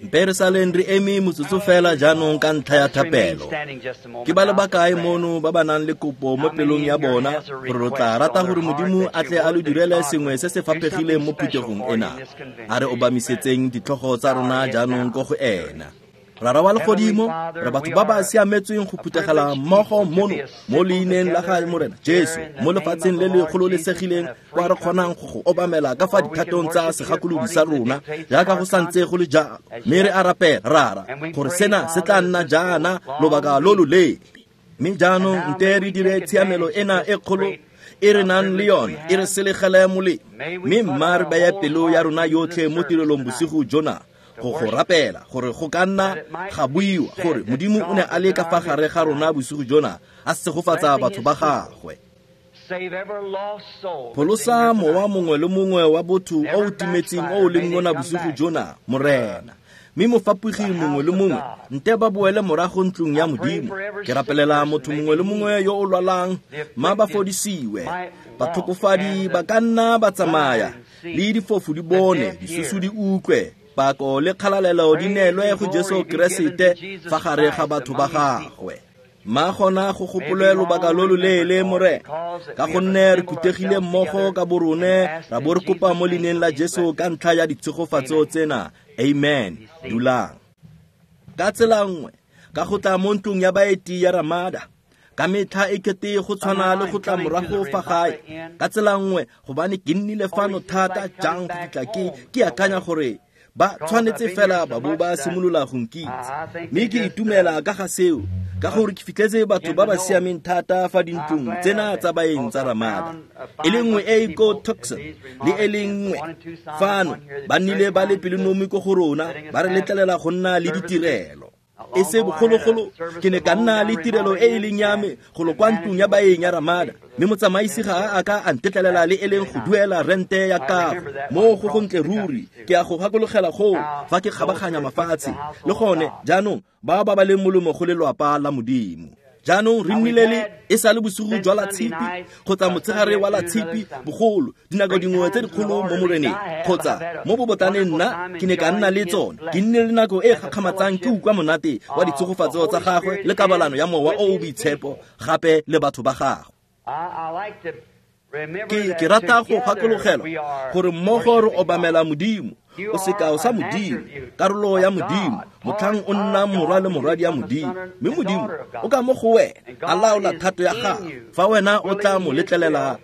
Mpe re saleng re eme motsotso fela jaanong ka ntlha ya thapelo. Ke ba le bakae mono ba ba nang le kopo mo pelong ya bona gore lo tla rata gore Modimo a tle a lo direle sengwe se se faphegileng mo phuthegong ena? A re obamisetseng ditlhogo tsa rona jaanong ko go ena. Rara wa legodimo, re batho ba ba siametsweng go phuthegela mmogo mono mo leineng la ga Morena Jesu mo lefatsheng le le gololesegileng kwa re kgonang go go obamela ka fa dithatong tsa segakolodi sa rona jaaka go santse go le jalo. Mme re a rapela, Rara, gore sena se tla nna jaana lobaka lo loleele. Mme jaanong nte re dire tshiamelo ena e kgolo e re nang le yone e re selegele molemo, mme mma re beye pelo ya rona yotlhe mo tirelong bosigo jona go go rapela gore go ka nna ga buiwa gore Modimo o ne a le ka fa gare ga rona bosigo jona a segofatsa batho ba gagwe. Pholosa mowa mongwe le mongwe wa botho o o timetseng o o leng mona bosigo jona, Morena. Mme mofapogi mongwe le mongwe nte ba boele morago ntlong ya Modimo. Ke rapelela motho mongwe le mongwe yo o lwalang, mma ba fodisiwe. Batlhokofadi ba ka nna ba tsamaya, le difofu di bone, disusu di utlwe, pako le kgalalelo di neelwe go Jesu Keresete fa gare ga batho ba gagwe. Ma gona go gopolwe lobaka lo loleele, Morena, ka gonne re phuthegile mmogo ka borone ra bo re kopa mo leineng la Jesu ka ntlha ya ditshegofatso tsena. Amen. Dulang. Ka tsela nngwe, ka go tla mo ntlong ya baeti ya Ramada, ka metlha e kete go tshwana le go tla morago fa gae. Ka tsela nngwe, gobane ke nnile fano thata jang go fitlha ke akanya gore ba tshwanetse fela ba bo ba simolola go nkitse. Mme ke itumela ka ga seo, ka gore ke fitlhetse batho ba ba siameng thata fa dintlong tsena tsa baeng tsa Ramada. E le nngwe e e ko Tucson le e le nngwe fano, ba nnile ba le pelonomi ko go rona, ba re letlelela go nna le ditirelo. E se bogologolo ke ne ka nna le tirelo e e leng ya me golo kwa ntlong ya baeng ya Ramada, mme motsamaisi ga a ka a ntetlelela le e leng go duela rente ya kago. Mo go gontle ruri, ke a go gakologela goo fa ke kgabaganya mafatshe. Le gone jaanong ba ba leng molomo go lelwapa la Modimo. Jaanong re nnile le e sa le bosigo jwa la tshipi kgotsa motshegare wa la tshipi bogolo, dinako dingwe tse dikgolo mo Moreneng kgotsa mo bobotlaneng nna ke ne ka nna le tsone. Ke nnile le nako e gakgamatsang ke utlwa monate wa ditshegofatso tsa gagwe le kabalano ya mowa o o boitshepo gape le batho ba gagwe. Ke rata go gakologelwa gore mmogo re obamela Modimo, o sekao sa Modimo, karolo ya Modimo, motlhang o nna morwa le morwadi ya Modimo. Mme Modimo o ka mo go wena a laola thato ya gagwe fa wena o tla mo letlelela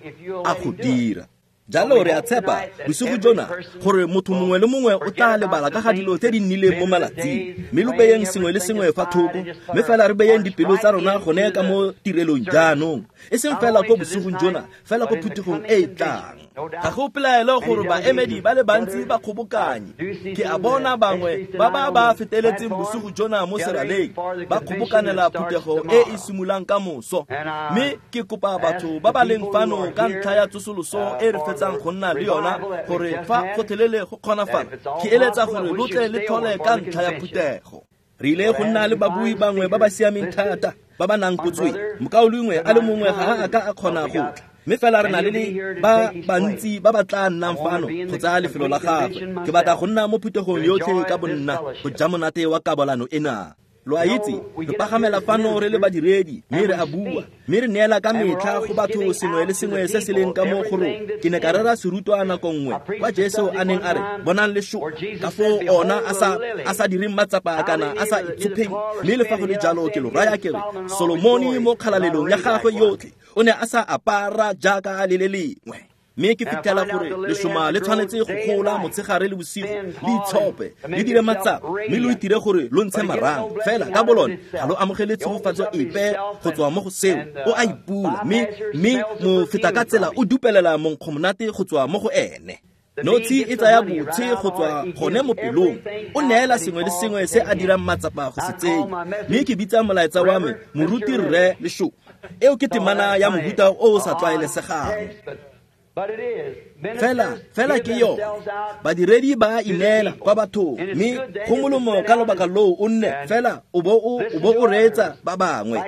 a go dira. Jalo re a tshepa bosigo jona gore motho mongwe le mongwe o tla lebala ka ga dilo tse di nnileng mo malatsing, mme lo beyeng sengwe le sengwe fa thoko, mme fela re beyeng dipelo tsa rona gone ka mo tirelong jaanong, e seng fela ko bosigong jona, fela ko phuthegong e e tlang. Ga go pelaelo gore baemedi ba le bantsi ba kgobokanye. Ke a bona bangwe ba ba ba feteletseng bosigo jona mo seraleng ba kgobokanela phuthego e e simololang ka moso. Mme ke kopa batho ba ba leng fano ka ntlha ya tsosoloso e re fetsang go nna le yona gore fa gotlhelele go kgonafala, ke eletsa gore lo tle le tlhole ka ntlha ya phuthego. Re ile go nna le babui bangwe ba ba siameng thata ba ba nang kotsweng. Mokaulengwe a le mongwe ga a ka a kgona go tla, mme fela re na le ba bantsi ba ba tla nnang fano go tsaya lefelo la gagwe. Ke batla go nna mo phuthegong yotlhe ka bonna go ja monate wa kabalano ena. Lo a itse, re pagamela fano re le badiredi, mme re a bua, mme re neela ka metlha go batho sengwe le sengwe se se leng ka mo go rona. Ke ne ka rera serutwa nako nngwe kwa Jesu a neng a re, bonang lešo, ka foo ona a sa direng matsapa kana a sa itshopheng, mme le fa go le jalo ke lo raya ke re, Solomone mo kgalalelong ya gagwe yotlhe o ne a sa apara jaaka le le lengwe. Mme ke fitlhela gore lešoma le tshwanetse go gola motshegare le bosigo, le itshope, le dire matsapa, mme lo itire gore lo ntshe marang. Fela ka bolone ga lo amogele tshegofatso epe go tswa mo go seo. O a ipula, mme mo feta ka tsela o dupelela monkgo monate go tswa mo go ene. Notshi e tsaya botshe go tswa gone mo pelong, o neela sengwe le sengwe se a dirang matsapa go se tsenya. Mme ke bitsa molaetsa wa me moruti rre Lešo. Eo ke temana ya mohuta o o sa tlwaelesegang. Fela ke yone. Badiredi ba ineela kwa bathong, mme go molomo ka lobaka loo o nne fela o bo o reetsa ba bangwe,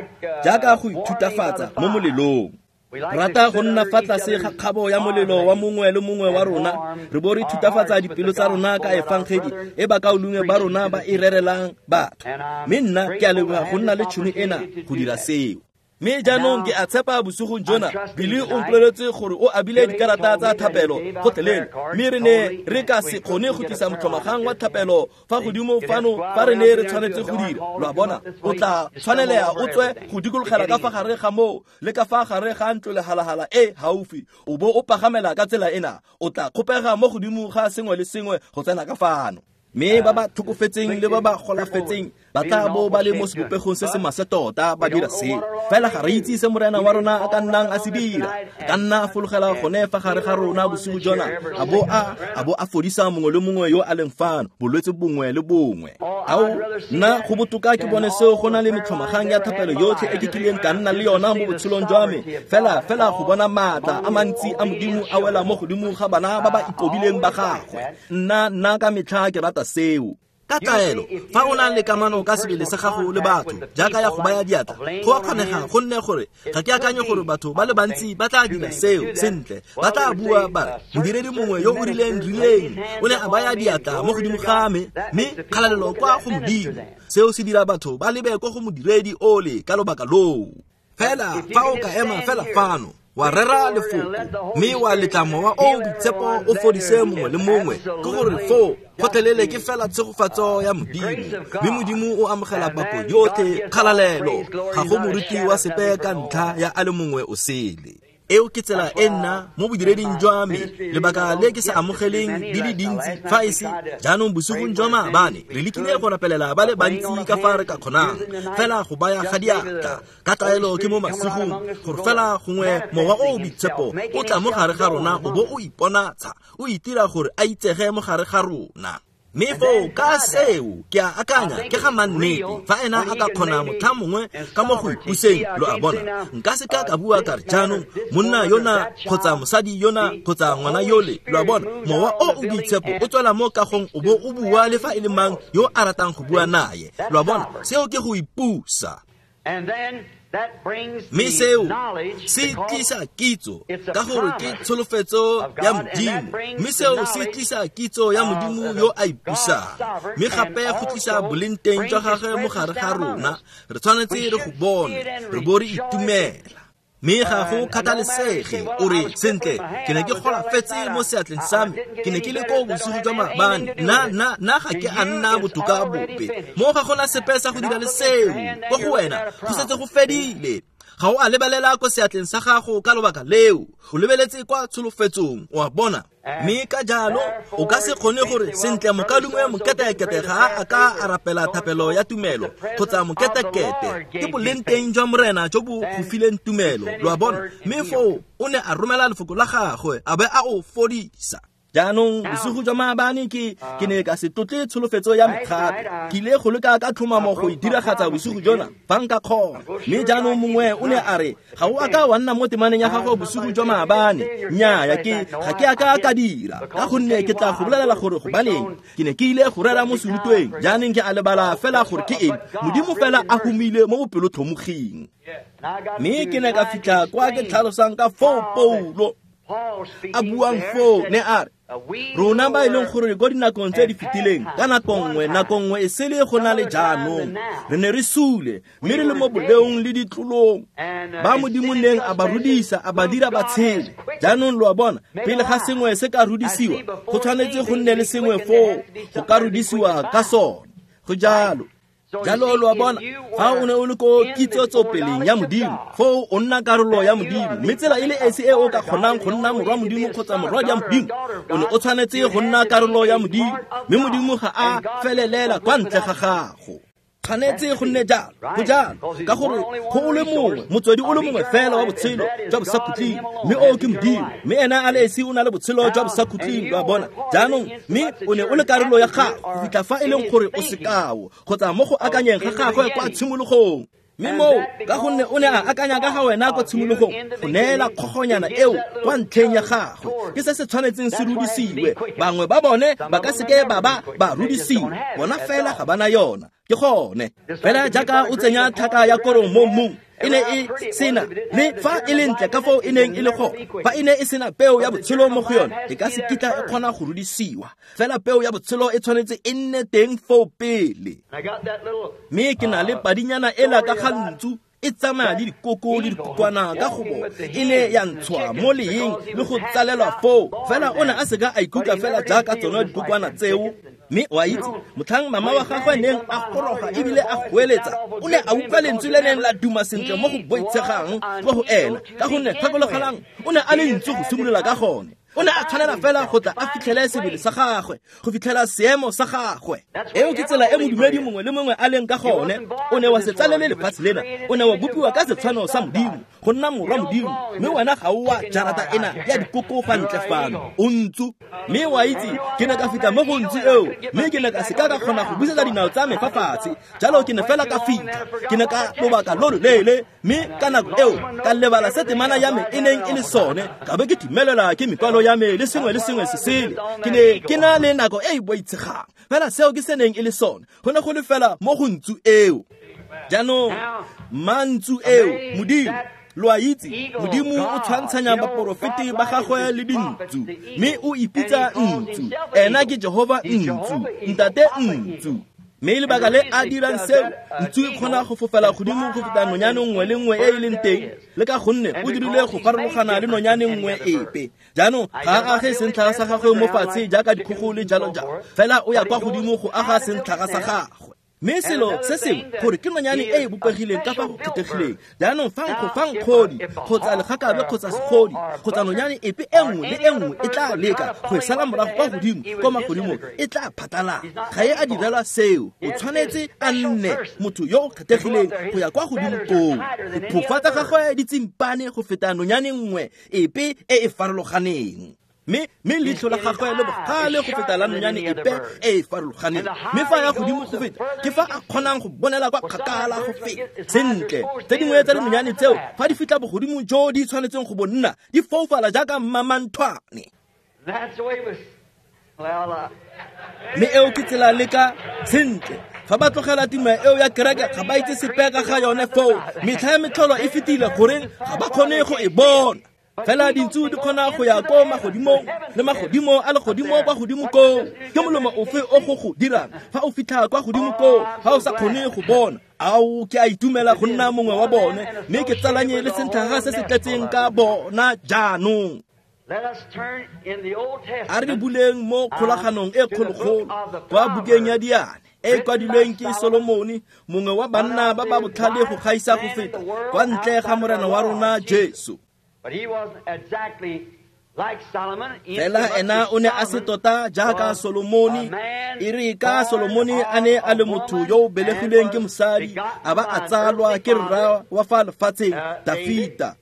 jaaka go ithutafatsa mo molelong. Rata go nna fa tlase ga kgabo ya molelo wa mongwe le mongwe wa rona, re bo re thutafatsa dipelo tsa rona ka efangedi e bakaulengwe ba rona ba e rerelang batho. Mme nna ke a leboga go nna le tšhono ena go dira seo. Mme jaanong ke a tshepa bosigong jona, Billy o mpoleletse gore o abile dikarata tsa thapelo gotlhelele, mme re ne re ka se kgone go tlisa motlhomagang wa thapelo fa godimo fano fa re ne re tshwanetse go dira. Lo a bona, o tla tshwanelea o tswe go dikologela ka fa gare ga moo le ka fa gare ga ntlo lehalahala e gaufi, o bo o pagamela ka tsela ena, o tla kgopega mo godimo ga sengwe le sengwe go tsena ka fano. Mme ba ba tlhokofetseng le ba ba golafetseng ba tla bo ba le mo sebopegong se se maswe tota ba dira seo. Fela ga re itse se Morena wa rona a ka nnang a se dira. A ka nna a fologela gone fa gare ga rona bosigo jona, a bo a fodisa mongwe le mongwe yo a leng fano, bolwetse bongwe le bongwe. Ao, nna go botoka ke bone seo go na le metlhomagang ya thapelo yotlhe e ke kileng ka nna le yona mo botshelong jwa me. Fela go bona maatla a mantsi a Modimo a wela mo godimo ga bana ba ba ikobileng ba gagwe. Nna ka metlha ke rata seo. Ka taelo, fa o na le kamano ka sebele sa gago le batho, jaaka ya go baya diatla, go a kgonega gonne gore ga ke akanye gore batho ba le bantsi ba tla dira seo sentle. Ba tla bua ba re, modiredi mongwe yo o rileng o ne a baya diatla mo godimo ga me, mme kgalalelo kwa go Modimo. Seo se dira batho ba lebe ko go modiredi ole ka lobaka loo. Fela fa o ka ema fela fano, wa rera lefoko, mme wa letla Mowa o o Boitshepo o fodise mongwe le mongwe, ke gore foo gotlhelele ke fela tshegofatso ya Modimo, mme Modimo o amogela pako yotlhe kgalalelo, ga go moruti wa sepe ka ntlha ya a le mongwe o sele. Eo ke tsela e nna mo bodireding jwa me, lebaka le ke sa amogeleng di le dintsi fa e se jaanong bosigong jwa maabane re lekile go rapelela ba le bantsi ka fa re ka kgonang, fela go baya ga diatla ka taelo ke mo masigong, gore fela gongwe Mowa o o Boitshepo o tla mo gare ga rona o bo o iponatsha, o itira gore a itsege mo gare ga rona. Mme foo ka seo ke a akanya ke ga mannete fa ena a ka kgona motlha mongwe ka mo go ipuseng, lo a bona. Nka se ka ka bua ka re jaanong monna yona kgotsa mosadi yona kgotsa ngwana yole, lo a bona, Mowa o o Boitshepo o tswela mo kagong o bo o bua le fa e le mang yo a ratang go bua naye, lo a bona. Seo ke go ipusa. Mme seo se tlisa kitso ka gore ke tsholofetso ya Modimo, mme seo se tlisa kitso ya Modimo yo a ipusang, mme gape go tlisa boleng teng jwa gagwe mo gare ga rona. Re tshwanetse re go bone, re bo re itumela. Mme ga go kgathalesege o re, sentle, ke ne ke golafetse mo seatleng sa me, ke ne ke le ko bosigo jwa maabane, nna ga ke a nna botoka bope. Mo ga gona sepe sa go dira le seo, ko go wena go setse go fedile. Ga o a lebelela ko seatleng sa gago ka lobaka leo, o lebeletse kwa tsholofetsong, o a bona. Mme ka jalo o ka se kgone gore sentle mokalungwe moketekete ga a ka a rapela thapelo ya tumelo kgotsa moketekete, ke boleng teng jwa Morena jo bo go fileng tumelo, lo a bona. Mme foo o ne a romela lefoko la gagwe a be a o fodisa. Jaanong bosigo jwa maabane ke ne ka se tlotle tsholofetso ya me gape. Ke ile go leka ka tlhomamo go e diragatsa bosigo jona fa nka kgona. Mme jaanong mongwe o ne a re, ga o a ka wa nna mo temaneng ya gago bosigo jwa maabane. Nnyaa, ga ke a ka ka dira, ka gonne ke tla go bolelela gore gobaneng. Ke ne ke ile go rera mo serutweng, jaanong ke a lebala fela gore ke eng. Modimo fela a humile mo bopelotlhomoging. Mme ke ne ka fitlha kwa ke tlhalosang ka foo Paulo a buang foo, ne a re, rona ba e leng gore ko dinakong tse di fetileng, ka nako nngwe e sele go na le jaanong, re ne re sule, mme re le mo boleong le ditlolong, ba Modimo neng a ba rudisa, a ba dira ba tshele. Jaanong lo a bona, pele ga sengwe se ka rudisiwa, go tshwanetse go nne le sengwe foo go ka rudisiwa ka sone. Go jalo. Jalo lo a bona, fa o ne o le ko kitsotsopeleng ya Modimo, foo o nna karolo ya Modimo. Mme tsela e le esi e o ka kgonang go nna morwa Modimo kgotsa morwadi ya Modimo, o ne o tshwanetse go nna karolo ya Modimo, mme Modimo ga a felelela kwa ntle ga gago. Tshwanetse go nne jalo, go jalo, ka gore go o le mongwe, motswedi o le mongwe fela wa botshelo jwa bosakhutleng, mme o ke Modimo, mme ena a le esi o na le botshelo jwa bosakhutleng, lo a bona. Jaanong, mme o ne o le karolo ya gago go fitlha fa e leng gore o sekao kgotsa mo go akanyeng ga gagwe kwa tshimologong. Mme moo ka gonne o ne a akanya ka ga wena kwa tshimologong, go neela kgogonyana eo kwa ntlheng ya gagwe, ke se se tshwanetseng se rudisiwe. Bangwe ba bone ba ka seke ba ba rudisiwe, bona fela ga bana yona. Ke gone fela jaaka o tsenya tlhaka ya korong mo mmung, e ne e sena le fa e le ntle ka foo e neng e le gone. Fa e ne e sena peo ya botshelo mo go yone, e ka se kitla e kgona go rudisiwa. Fela peo ya botshelo e tshwanetse e nne teng foo pele. Mme ke na le padinyana ela ka ga ntsu e tsamaya le dikoko le dikokwana ka gobo e ne ya ntshwa mo leeng le go tsalelwa foo. Fela o ne a seka a ikutlwa fela jaaka tsone dikokwana tseo. Mme o a itse, motlhang mama wa gagwe neng a goroga ebile a goeletsa, o ne a utlwa lentswe le neng la duma sentle mo go boitshegang mo go ena, ka gonne gakologelang o ne a le ntsu go simolola ka gone. O ne a tshwanela fela go tla a fitlhele sebele sa gagwe, go fitlhela seemo sa gagwe. Eo ke tsela e modumedi mongwe le mongwe a leng ka gone. O ne wa se tsalele lefatshe lena, o ne wa bopiwa ka setshwano sa Modimo, go nna morwa Modimo, mme wena ga o wa jarata ena ya dikoko fa ntle fano, o ntsu. Mme wa itse, ke ne ka fitlha mo go ntsu eo, mme ke ne ka seka ka kgona go busetsa dinao tsa me fa fatshe. Jalo ke ne fela ka fitlha, ke ne ka lobaka lo loleele, mme ka nako eo ka lebala se temana ya me e neng e le sone, ka be ke timelela ke mekwalo ya me le sengwe le sengwe se sele. Ke ne ke na le nako e e boitshegang, fela seo ke se neng e le sone, go ne go le fela mo go ntsu eo. Jaanong mantsu eo, Modimo, lo a itse, Modimo o tshwantshanya baporofeti ba gagwe le dintsu, mme o ipitsa ntsu. Ena ke Jehova ntsu, Ntate ntsu. Mme lebaka le a dirang seo, ntsu e kgona go fofela godimo go feta nonyane nngwe le nngwe e e leng teng, le ka gonne o dirile go farologana le nonyane nngwe epe. Jaanong ga a age sentlhaga sa gagwe mo fatshe jaaka dikgogo le jalo jalo, fela o ya kwa godimo go aga sentlhaga sa gagwe. Mme selo se sengwe gore ke nonyane e e bopegileng ka fa go kgethegileng. Jaanong fa nkgodi kgotsa legakabe kgotsa segodi kgotsa nonyane epe e nngwe le e nngwe e tla leka go e sala morago kwa godimo kwa magodimong, e tla phatalala. Ga e a direlwa seo. O tshwanetse a nne motho yo o kgethegileng go ya kwa godimo koo. Diphofa tsa gagwe di tsimpane go feta nonyane nngwe epe e e farologaneng. Mme leitlho la gagwe le bogale go feta la nonyane epe e e farologaneng. Mme fa ya godimo go feta, ke fa a kgonang go bonela kwa kgakala go feta. Sentle, tse dingwe tsa dinonyane tseo fa di fitlha bogodimo jo di tshwanetseng go bo nna, di foufala jaaka mmamanthwane. Mme eo ke tsela le ka sentle. Fa ba tlogela timo eo ya kereke, ga ba itse sepe ka ga yone foo. Metlha ya metlholo e fetile, goreng ga ba kgone go e bona. Fela dintsu di kgona go ya ko magodimong le magodimo a legodimo kwa godimo koo. Ke molomo ofe o go go dirang fa o fitlha kwa godimo koo, fa o sa kgone go bona? Ao, ke a itumela go nna mongwe wa bone, mme ke tsalanye le sentlhaga se se tletseng ka bona jaanong. A re buleng mo kgolaganong e kgologolo kwa bukeng ya Diane e kwadilweng ke Solomone, mongwe wa banna ba ba botlhale go gaisa go feta kwa ntle ga Morena wa rona Jesu. Fela ena o ne a se tota jaaka Solomone. E re ka Solomone a ne a le motho yo o belegilweng ke mosadi, a ba a tsalwa ke rra wa fa lefatsheng Dafita.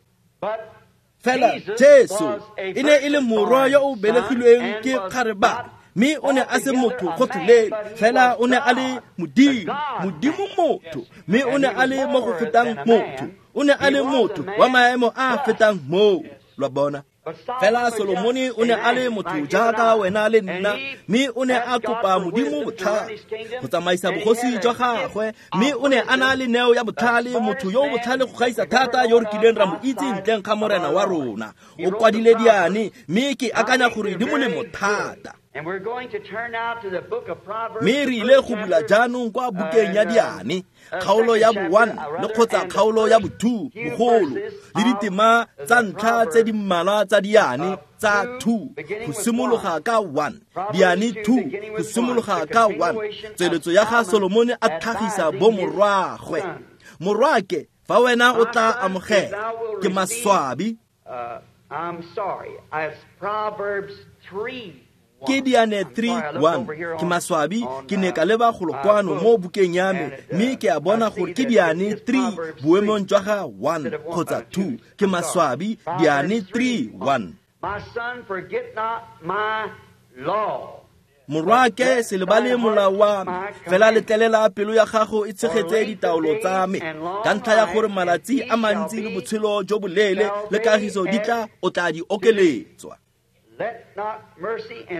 Fela Jesu e ne e le morwa yo o belegilweng ke kgarebane, mme o ne a se motho gotlhelele, fela o ne a le Modimo, Modimo motho, mme o ne a le mo go fetang motho. O ne a le motho wa maemo a fetang moo, lwa bona. Fela Solomone o ne a le motho jaaka wena le nna, mme o ne a kopa Modimo botlhale go tsamaisa bogosi jwa gagwe, mme o ne a na le neo ya botlhale, motho yo o botlhale go gaisa thata yo re kileng ra mo itse ntleng ga Morena wa rona. O kwadile Diane, mme ke akanya gore di molemo thata. Mme re ile go bula jaanong kwa bukeng ya Diane, kgaolo ya bo-1 le kgotsa kgaolo ya bo-2 bogolo, le ditema tsa ntlha tse di mmalwa tsa Diane tsa 2 go simologa ka 1, Diane 2 go simologa ka 1. Tsweletso ya ga Solomone a tlhagisa bomorwagwe. Morwake, fa wena o tla amogela, ke maswabi. Ke Diane 3:1. Ke maswabi, ke ne ka leba golo kwano mo bukeng ya me, mme ke a bona gore ke Diane 3 boemong jwa ga 1 kgotsa 2. Ke maswabi, Diane 3:1. Morwake, se lebale molao wa me, fela letlelela pelo ya gago e tshegetse ditaolo tsa me, ka ntlha ya gore malatsi a mantsi le botshelo jo boleele le kagiso di tla o tla di okeletswa.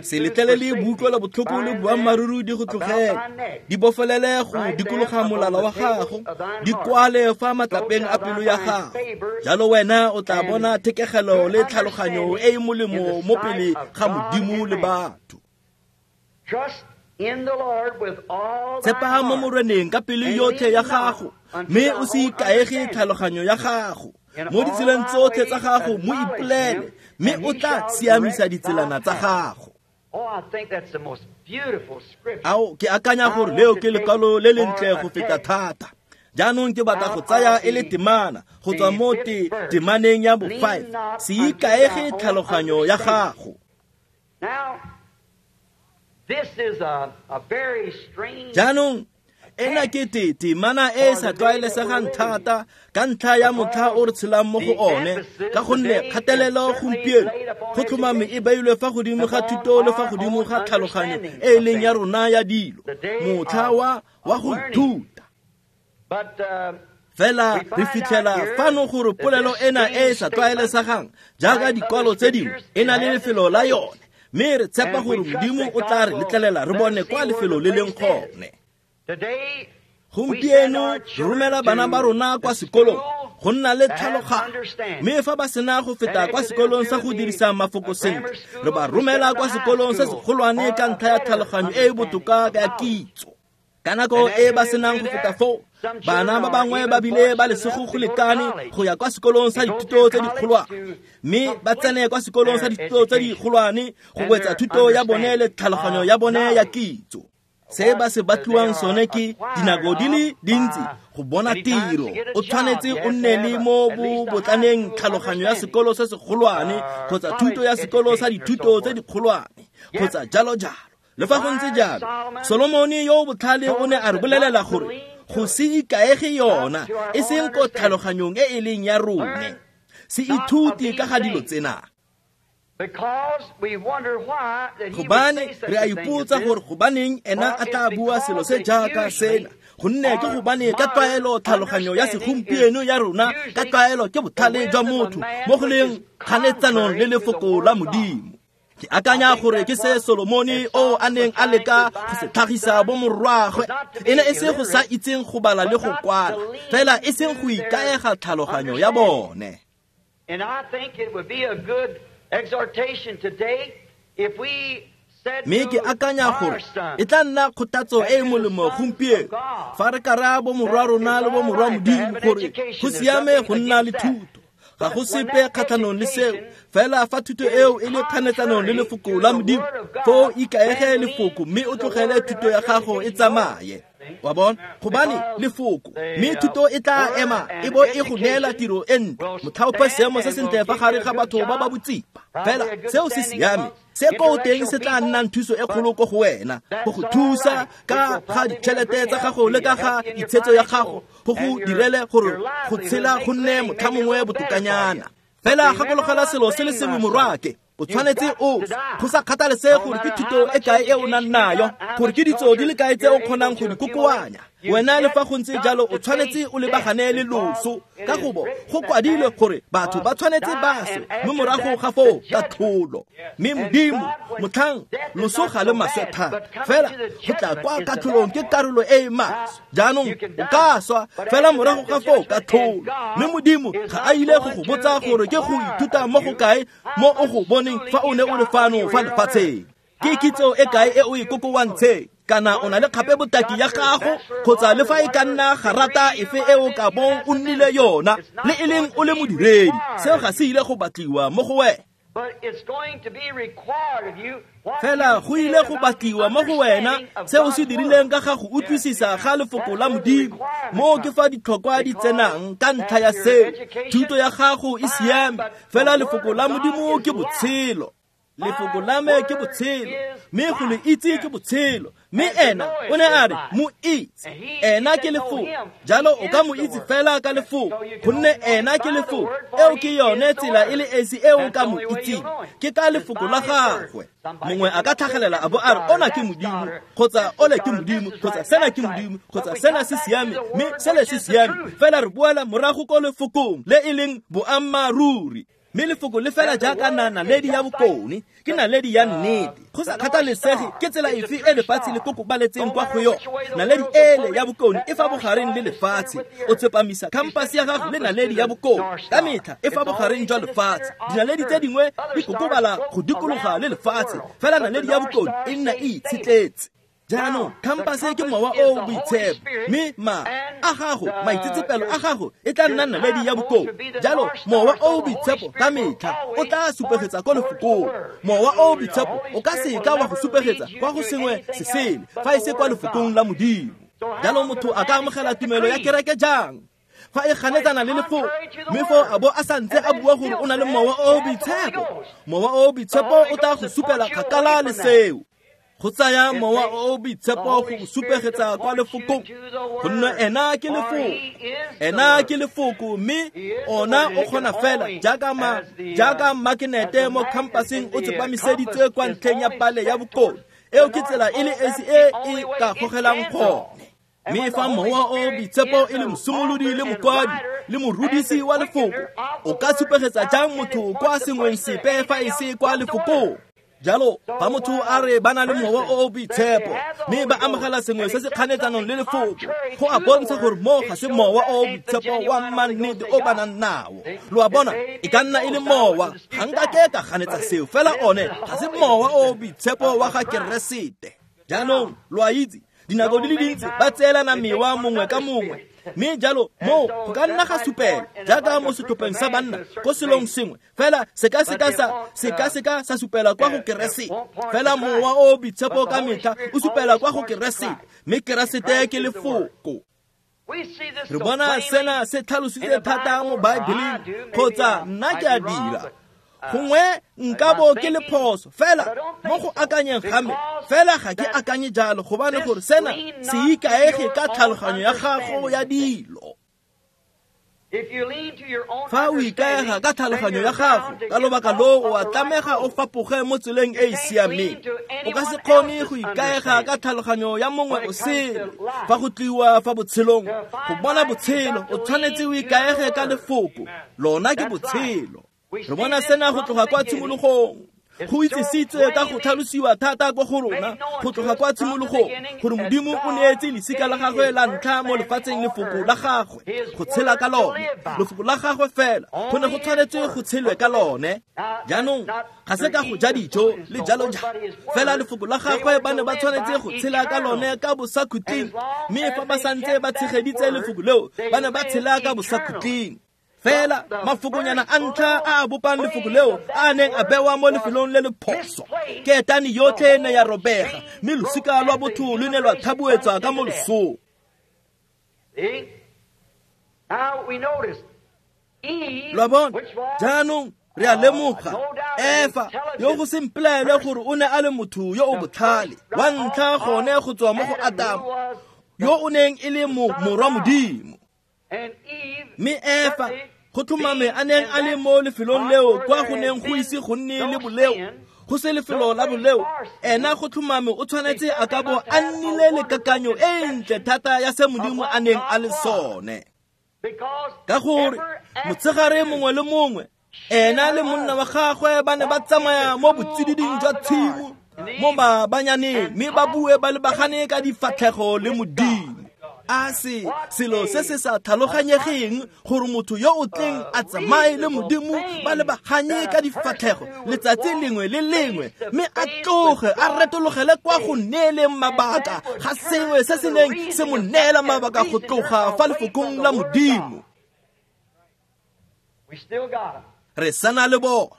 Se letlelele boutlwelo botlhoko le boammaaruri di go tlogele, di bofelele go dikologa molala wa gago, di kwale fa matlapeng a pelo ya gago. Jalo wena o tla bona thekegelo le tlhaloganyo e e molemo mo pele ga Modimo le batho. Tshepa mo Moreneng ka pelo yotlhe ya gago, mme o se ikaege tlhaloganyo ya gago. Mo ditseleng tsotlhe tsa gago mo ipolele, mme o tla siamisa ditselana tsa gago. Ao, ke akanya gore leo ke lekwalo le lentle go feta thata. Jaanong ke batla go tsaya e le temana go tswa mo temaneng ya bo-5. Se ikaege tlhaloganyo ya gago. Jaanong ena ke temana e e sa tlwaelesegang thata ka ntlha ya motlha o re tshelang mo go one, ka gonne kgatelelo gompieno go tlhomame e beilwe fa godimo ga thuto le fa godimo ga tlhaloganyo e e leng ya rona ya dilo, motlha wa go ithuta. Fela re fitlhela fano gore polelo ena e e sa tlwaelesegang jaaka dikwalo tse dingwe e na le lefelo la yone, mme re tshepa gore Modimo o tla re letlelela re bone kwa lefelo le leng gone. Gompieno re romela bana ba rona kwa sekolong go nna le tlhaloganyo, mme fa ba sena go feta kwa sekolong sa go dirisa mafoko sentle, re ba romela kwa sekolong se segolwane ka ntlha ya tlhaloganyo e e botoka ya kitso. Ka nako e ba senang go feta foo, bana ba bangwe ba bile ba lesego go lekane go ya kwa sekolong sa dithuto tse dikgolwane, mme ba tsene kwa sekolong sa dithuto tse dikgolwane go wetsa thuto ya bone le tlhaloganyo ya bone ya kitso. Se ba se batliwang sone ke dinako di le dintsi go bona tiro. O tshwanetse o nne le mo botlaneng tlhaloganyo ya sekolo se segolwane kgotsa thuto ya sekolo sa dithuto tse dikgolwane kgotsa jalo jalo. Le fa go ntse jalo, Solomone yo o botlhale o ne a re bolelela gore go se ikaege yona e seng ko tlhaloganyong e e leng ya rone. Se ithute ka ga dilo tsena. Gobane re a ipotsa gore gobaneng ena a tla bua selo se jaaka sena, gonne ke gobane ka tlwaelo tlhaloganyo ya segompieno ya rona ka tlwaelo ke botlhale jwa motho mo go leng kganetsanong le lefoko la Modimo. Ke akanya gore ke se Solomone o a neng a leka go se tlhagisa bo morwagwe, e ne e se go sa itseng go bala le go kwala, fela e seng go ikaega tlhaloganyo ya bone. Mme ke akanya gore e tla nna kgothatso e e molemo gompieno fa re ka raya bo morwa rona le bo morwa Modimo gore go siame go nna le thuto. Ga go sepe kgatlhanong le seo, fela fa thuto eo e le kganetsanong le lefoko la Modimo, foo ikaege lefoko mme o tlogele thuto ya gago e tsamaye. Wa bona? Gobane lefoko, mme thuto e tla ema e bo e go neela tiro e ntle, motlhaope seemo se sentle fa gare ga batho ba ba botsipa. Fela seo se siame, se ko teng se tla nnang thuso e kgolo ko go wena, go go thusa ka ga ditšhelete tsa gago le ka ga itshetso ya gago, go go direle gore go tshela go nne motlha mongwe botokanyana. Fela gakologela selo se le sengwe morwake, o tshwanetse o go sa kgathalesege gore ke thuto e kae e o nang nayo, gore ke ditso di le kae tse o kgonang go di kokoanya. Wena le fa go ntse jalo o tshwanetse o lebagane le loso, ka gobo go kwadilwe gore batho ba tshwanetse ba swe, mme morago ga foo katlholo. Mme Modimo motlhang loso ga le maswe thata, fela go tla kwa katlholong ke karolo e e maswe. Jaanong o ka swa, fela morago ga foo katlholo. Mme Modimo ga a ile go go botsa gore ke go ithuta mo go kae mo o go boneng fa o ne o le fano fa lefatsheng. Ke kitso e kae e o e kokowantsheng, kana o na le kgape botaki ya gago, kgotsa le fa e ka nna garata efe e o ka bong o nnile yona, le e leng o le modiredi, seo ga se ile go batliwa mo go wena. Fela go ile go batliwa mo go wena se o se dirileng ka ga go utlwisisa ga lefoko la Modimo. Moo ke fa ditlhokwa di tsenang ka ntlha ya seo. Thuto ya gago e siame, fela lefoko la Modimo ke botshelo. Lefoko la me ke botshelo, mme go le itse ke botshelo. Mme ena o ne a re mo itse, ena ke lefoko. Jalo o ka mo itse fela ka lefoko, gonne ena ke lefoko. Eo ke yone tsela e le esi e o ka mo itseng, ke ka lefoko la gagwe. Mongwe a ka tlhagelela a bo a re ona ke Modimo, kgotsa ole ke Modimo, kgotsa sena ke Modimo, kgotsa sena se siame, mme sele se siame. Fela re boela morago ko lefokong le e leng boammaaruri. Mme lefoko le fela jaaka naledi ya bokone ke naledi ya nnete. Go sa kgathalesege ke tsela efe e lefatshe le kokobaletseng kwa go yone, naledi ele ya bokone e fa bogareng le lefatshe. O tsepamisa khampase ya gago le naledi ya bokone ka metlha e fa bogareng jwa lefatshe. Dinaledi tse dingwe di kokobala go dikologa le lefatshe, fela naledi ya bokone e nna e itshetletse. Jaanong khampase ke mowa o o boitshepo, mme ma a gago maitsetsepelo a gago e tla nna naledi ya bokone. Jalo mowa o o boitshepo ka metlha o tla supegetsa ko lefokong. Mowa o o boitshepo o ka seka wa go supegetsa kwa go sengwe se sele fa e se kwa lefokong la Modimo. Jalo motho a ka amogela tumelo ya kereke jang fa e ganetsana le lefoko, mme foo a bo a santse a bua gore o na le mowa o o boitshepo? Mowa o o boitshepo o tla go supela kgakala le seo. Go tsaya mowa o o boitshepo go supegetsa kwa lefokong, gonne ena ke lefoko. Ena ke lefoko, mme ona o kgona fela jaaka makenete mo khampaseng o tsepamiseditswe kwa ntlheng ya pale ya bokone. Eo ke tsela e le esi e e ka gogelang gone. Mme fa mowa o boitshepo e le mosimolodi le mokwadi le morudisi wa lefoko, o ka supegetsa jang motho kwa sengweng sepe fa e se kwa lefokong? Jalo fa motho a re ba na le mowa o o boitshepo mme ba amogela sengwe se se kganetsanong le lefoko, go a bontsha gore mo ga se mowa o o boitshepo wa mannete o ba nang nao. Lo a bona, e ka nna e le mowa, ga nkake ka ganetsa seo, fela one ga se mowa o o boitshepo wa ga Keresete. Jaanong lo a itse, dinako di le dintsi ba tseelana mewa mongwe ka mongwe, mme jalo mo go ka nna ga supela jaaka mo setlhopheng sa banna ko selong sengwe, fela se ka seka sa supela kwa go Keresete. Fela mowa o boitshepo ka metlha o supela kwa go Keresete, mme Keresete ke lefoko. Re bona sena se tlhalositse thata mo Baebeleng, kgotsa nna ke a dira. Gongwe nka bo ke le phoso, fela mo go akanyeng ga me, fela ga ke akanye jalo, gobane gore sena se ikaege ka tlhaloganyo ya gago ya dilo. Fa o ikaega ka tlhaloganyo ya gago, ka lobaka loo o a tlamega o fapoge mo tseleng e e siameng. O ka se kgone go ikaega ka tlhaloganyo ya mongwe o sele. Fa go tliwa fa botshelong, go bona botshelo, o tshwanetse o ikaege ka lefoko. Lona ke botshelo. Re bona sena go tloga kwa tshimologong. Go itsisitswe ka go tlhalosiwa thata ko go rona go tloga kwa tshimologong gore Modimo o neetse lesika la gagwe la ntlha mo lefatsheng lefoko la gagwe go tshela ka lone. Lefoko la gagwe fela go ne go tshwanetse go tshelwe ka lone. Jaanong ga se ka go ja dijo le jalo jalo, fela lefoko la gagwe ba ne ba tshwanetse go tshela ka lone ka bosakhutleng, mme fa ba santse ba tshegeditse lefoko leo ba ne ba tshela ka bosakhutleng. Fela mafokonyana a ntlha a a bopang lefoko leo a neng a bewa mo lefelong le le phoso, ketane yotlhe ne ya robega, mme losika lwa botho lo ne lwa thabuetswa ka mo losong. Lo a bona, jaanong re a lemoga Efa yo go se mpelaele gore o ne a le motho yo o botlhale wa ntlha gone go tswa mo go Adamo, yo o neng e le morwa Modimo. Mme Efa go tlhomame a neng a le mo lefelong leo kwa go neng go ise go nne le boleo, go se lefelo la boleo, ena go tlhomame o tshwanetse a ka bo a nnile le kakanyo e ntle thata ya se Modimo a neng a le sone. Ka gore motshegare mongwe le mongwe ena le monna wa gagwe ba ne ba tsamaya mo botsididing jwa tshimo mo mabanyaneng, mme ba bue ba lebagane ka difatlhego le Modimo. A se selo se se sa tlhaloganyegeng gore motho yo o tleng a tsamaye le Modimo ba lebaganye ka difatlhego letsatsi lengwe le lengwe, mme a tloge a retologele kwa go neeleng mabaka ga sengwe se se neng se mo neela mabaka go tloga fa lefokong la Modimo. Re sana le bona.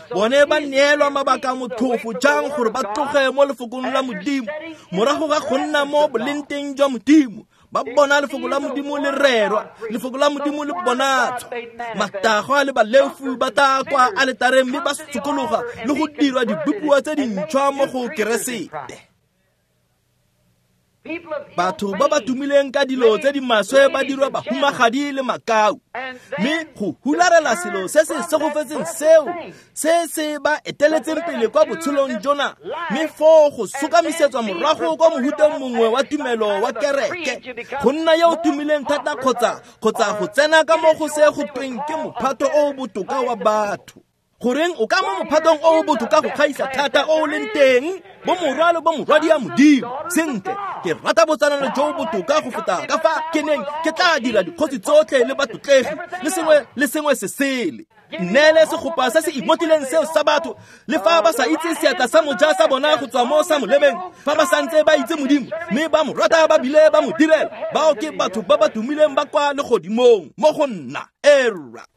Bone ba neelwa mabaka motlhofo jang gore ba tloge mo lefokong la Modimo morago ga go nna mo bolenteng jwa Modimo. Ba bona lefoko la Modimo le rerwa, lefoko la Modimo le bonatswa. Matagwa le baleofi ba tla kwa aletareng mme ba sokologa le go dirwa dibopiwa tse dintšhwa mo go Keresete. Batho ba ba tumileng ka dilo tse di maswe ba dirwa bahumagadi le makau, mme go hularela selo se se segofetseng seo se se ba eteletseng pele kwa botshelong jona, mme foo go sokamisetswa morago kwa mohuteng mongwe wa tumelo wa kereke, go nna yo o tumileng thata kgotsa go tsena ka mo go se go tweng ke mophato o o botoka wa batho. Goreng o ka mo mophatong o o botoka go gaisa thata o o leng teng, bo morwa le bo morwadi ya Modimo. Sentle, ke rata botsalano jo botoka go feta ka fa ke neng ke tla dira dikgosi tsotlhe le batlotlegi le sengwe le sengwe se sele. Nneele segopa se se imotileng seo sa batho, le fa ba sa itse seatla sa moja sa bona go tswa mo sa molebeng, fa ba santse ba itse Modimo mme ba mo rata ba bile ba mo direla, bao ke batho ba ba tumileng ba kwa legodimong mo go nna. Era.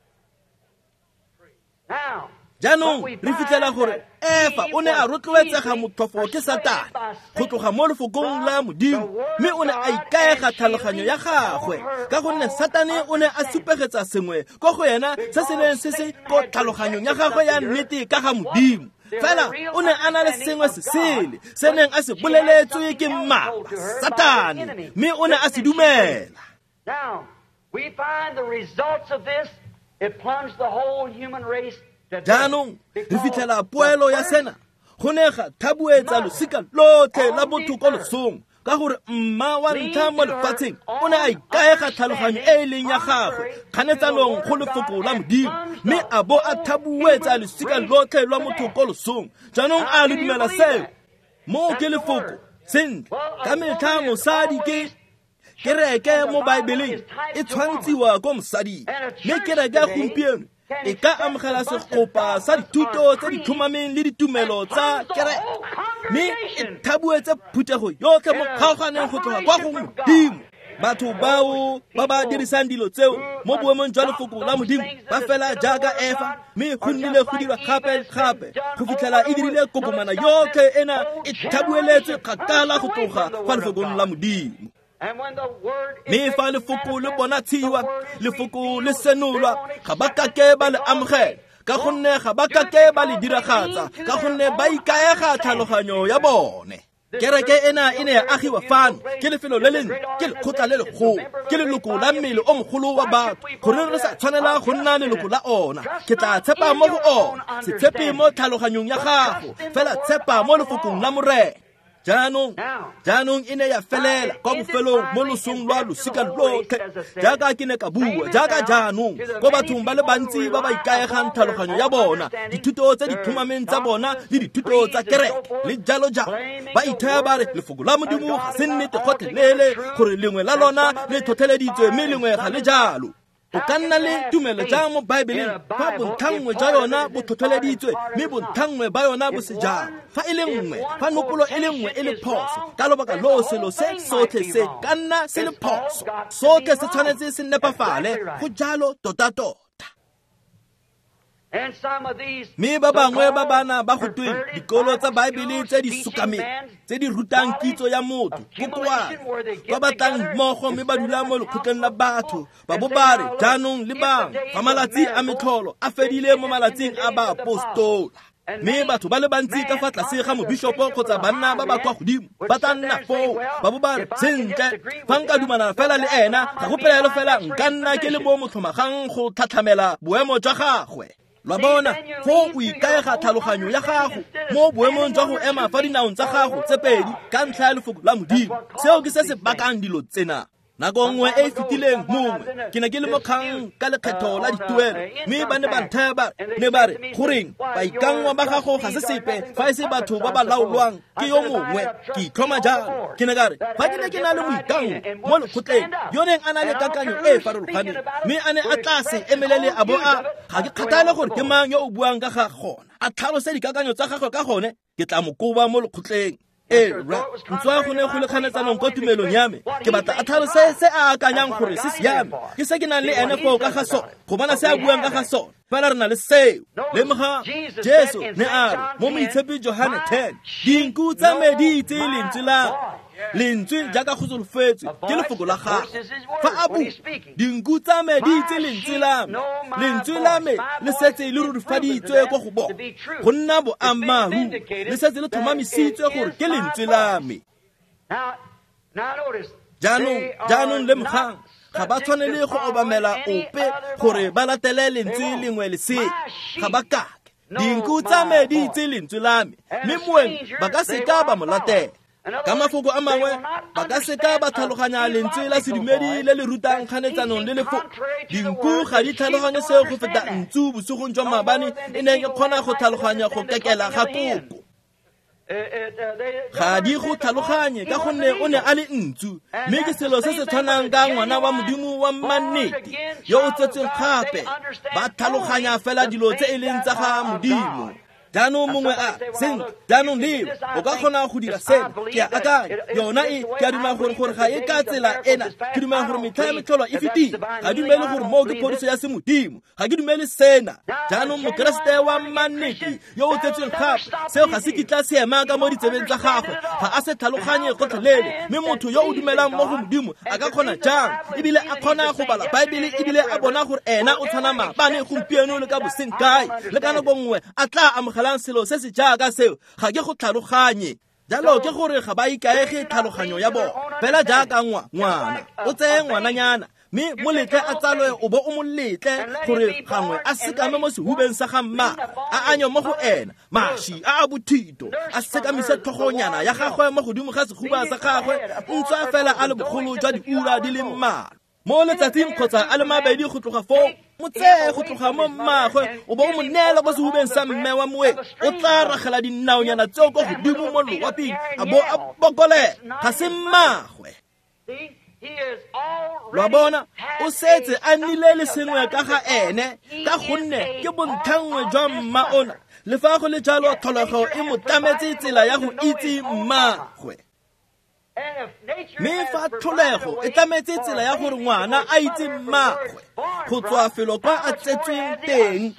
Jaanong re fitlhela gore Efa o ne a rotloetsega motlhofo ke Satane go tloga mo lefokong la Modimo, mme o ne a ikaega tlhaloganyo ya gagwe ka gonne Satane o ne a supegetsa sengwe ko go ena se se neng se se ko tlhaloganyong ya gagwe ya nnete ka ga Modimo. Fela o ne a na le sengwe se sele se neng a se boleletswe ke mmaba Satane, mme o ne a se dumela. We find the results of this, it plunged the whole human race. Jaanong re fitlhela poelo ya sena go ne ga thabuetsa losika lotlhe la botho ko losong, ka gore mma wa ntlha mo lefatsheng o ne a ikaega tlhaloganyo e e leng ya gagwe kganetsanong go lefoko la Modimo, mme a bo a thabuetsa losika lotlhe lwa motho ko losong. Jaanong a le dumela seo? Moo ke lefoko. Sentle, ka metlha mosadi ke kereke mo Baebeleng e tshwantshiwa ko mosading, mme kereke ya gompieno e ka amogela segopa sa dithuto tse di tlhomameng le ditumelo tsa kereke, mme e thabuetse phuthego yotlhe mo kgaoganeng go tloga kwa go Modimo. Batho bao ba ba dirisang dilo tseo mo boemong jwa lefoko la Modimo ba fela jaaka Efa, mme go nnile go dirwa gape gape go fitlhela e dirile kokomana yotlhe ena e thabueletswe kgakala go tloga fa lefokong la Modimo. Mme fa lefoko le bonatshiwa, lefoko le senolwa, ga ba kake ba le amogela, ka gonne ga ba kake ba le diragatsa, ka gonne ba ikaega tlhaloganyo ya bone. Kereke ena e ne ya agiwa fano ke lefelo le lentle, ke lekgotla le legolo, ke leloko la mmele o mogolo wa batho, gore re sa tshwanela go nna leloko la ona. Ke tla tshepa mo go ona, se tshepe mo tlhaloganyong ya gago, fela tshepa mo lefokong la Morena. Jaanong e ne ya felela kwa bofelong mo losong lwa losika lotlhe, jaaka ke ne ka bua, jaaka jaanong ko bathong ba le bantsi ba ba ikaegang tlhaloganyo ya bona, dithuto tse di tlhomameng tsa bona le dithuto tsa kereke le jalo jalo, ba ithaya ba re lefoko la Modimo ga se nnete gotlhelele, gore lengwe la lona le tlhotlheleditswe mme lengwe ga le jalo. O ka nna le tumelo jang mo Baebeleng fa bontlhanngwe jwa yona bo tlhotlheleditswe mme bontlhanngwe ba yona bo se jalo? Fa e le nngwe, fa nopolo e le nngwe e le phoso, ka lobaka loo selo se sotlhe se ka nna se le phoso. Sotlhe se tshwanetse se nepafale, go jalo tota-tota. Mme ba bangwe ba bana ba go tweng dikolo tsa Baebele tse di sokameng, tse di rutang kitso ya motho, kokoana, ba batlang mmogo mme ba dula mo lekgotleng la batho, ba bo ba re jaanong le bang fa malatsi a metlholo a fedile mo malatsing a baapostola. Mme batho ba le bantsi ka fa tlase ga mobishopo kgotsa banna ba ba kwa godimo ba tla nna foo, ba bo ba re sentle, fa nka dumana fela le ena, ga go pelaelo fela nka nna ke le mo motlhomagang go tlhatlhamela boemo jwa gagwe. Lwa bona, foo o ikaega tlhaloganyo ya gago mo boemong jwa go ema fa dinaong tsa gago tse pedi ka ntlha ya lefoko la Modimo. Seo ke se se bakang dilo tsena. Nako nngwe e e fetileng mongwe ke ne ke le mo kgang ka lekgetho la dituelo, mme ba ne ba nthaya ba ne ba re, goreng baikanngwa ba gago ga se sepe fa e se batho ba ba laolwang ke yo mongwe. Ke itlhoma jalo. Ke ne ka re, fa ke ne ke na le moikanngwa mo lekgotleng yo neng a na le kakanyo e e farologaneng, mme a ne a tla se emelele a bo a, ga ke kgathale gore ke mang yo o buang ka ga gona, a tlhalose dikakanyo tsa gagwe ka gone, ke tla mo koba mo lekgotleng. Ee, ntswa go ne go le kganetsanong kwa tumelong ya me, ke batla a tlhalose se a akanyang gore se siame, ke se ke nang le ene foo ka ga sone, go bona se a buang ka ga sone. Fela re na le seo. Lemoga, Jesu ne a re mo Moitshepi Johane 10, dinku tsa me di itse lentswe la lentswe jaaka go solofetswe ke lefoko la gagwe. Fa a bua, dinku tsa me di itse lentswe la me, lentswe la me le setse le rurifaditswe kwa go bona go nna boammaaruri, le setse le tlhomamisitswe gore ke lentswe la me. Jaanong lemogang, ga ba tshwanele go obamela ope gore ba latele lentswe lengwe le sele, ga ba kake. Dinku tsa me di itse lentswe la me, mme moeng ba ka seka ba mo latela. Ka mafoko a mangwe, ba ka seka ba tlhaloganya lentswe la sedumedi le le rutang kganetsanong le lefoko. Dinku ga di tlhaloganye seo go feta ntsu bosigong jwa maabane e neng e kgona go tlhaloganya go kekela ga koko. Ga di go tlhaloganye ka gonne o ne a le ntsu, mme ke selo se se tshwanang ka ngwana wa Modimo wa mannete yo o tsetsweng gape. Ba tlhaloganya fela dilo tse e leng tsa ga Modimo. Jaanong mongwe a sentle, jaanong leo o ka kgona go dira sena. Ke a akanya yona e, ke a dumela gore ga e ka tsela ena. Ke dumela gore metlha ya metlholo e fetile. Ga dumele gore moo ke phodiso ya semodimo. Ga ke dumele sena. Jaanong Mokeresete wa mannete yo o tsetsweng gape, seo ga se kitla se ema ka mo ditsebeng tsa gagwe, ga a se tlhaloganye gotlhelele. Mme motho yo o dumelang mo go Modimo a ka kgona jang, ebile a kgona go bala Baebele, ebile a bona gore ena o tshwana maabane, gompieno le ka boseng kae, le ka nako nngwe a tla amogelang selo se se jaaka seo? Ga ke go tlhaloganye. Jalo ke gore ga ba ikaege tlhaloganyo ya bona. Fela jaaka ngwana, o tseye ngwananyana mme mo letle a tsalwe, o bo o mo letle gore gangwe a sekame mo sehubeng sa ga mma, a anye mo go ena maši a a bothito, a sekamise tlhogonyana ya gagwe mo godimo ga sehuba sa gagwe, ntswa fela a le bogolo jwa diura di le mmalwa mo letsatsing kgotsa a le mabedi go tloga foo. Mo tseye go tloga mo mmagwe, o bo o mo neela kwa sehubeng sa mme wa moeng, o tla ragela dinaonyana tseo kwa godimo mo loaping, a bo a bokolela. Ga se mmagwe. Lwa bona, o setse a nnile le sengwe ka ga ene, ka gonne ke bontlhanngwe jwa mma ona. Le fa go le jalo, tlholego e mo tlametse tsela ya go itse mmagwe. Mme fa tlholego e tlametse tsela ya gore ngwana a itse mmagwe go tswa felo kwa a tsetsweng teng,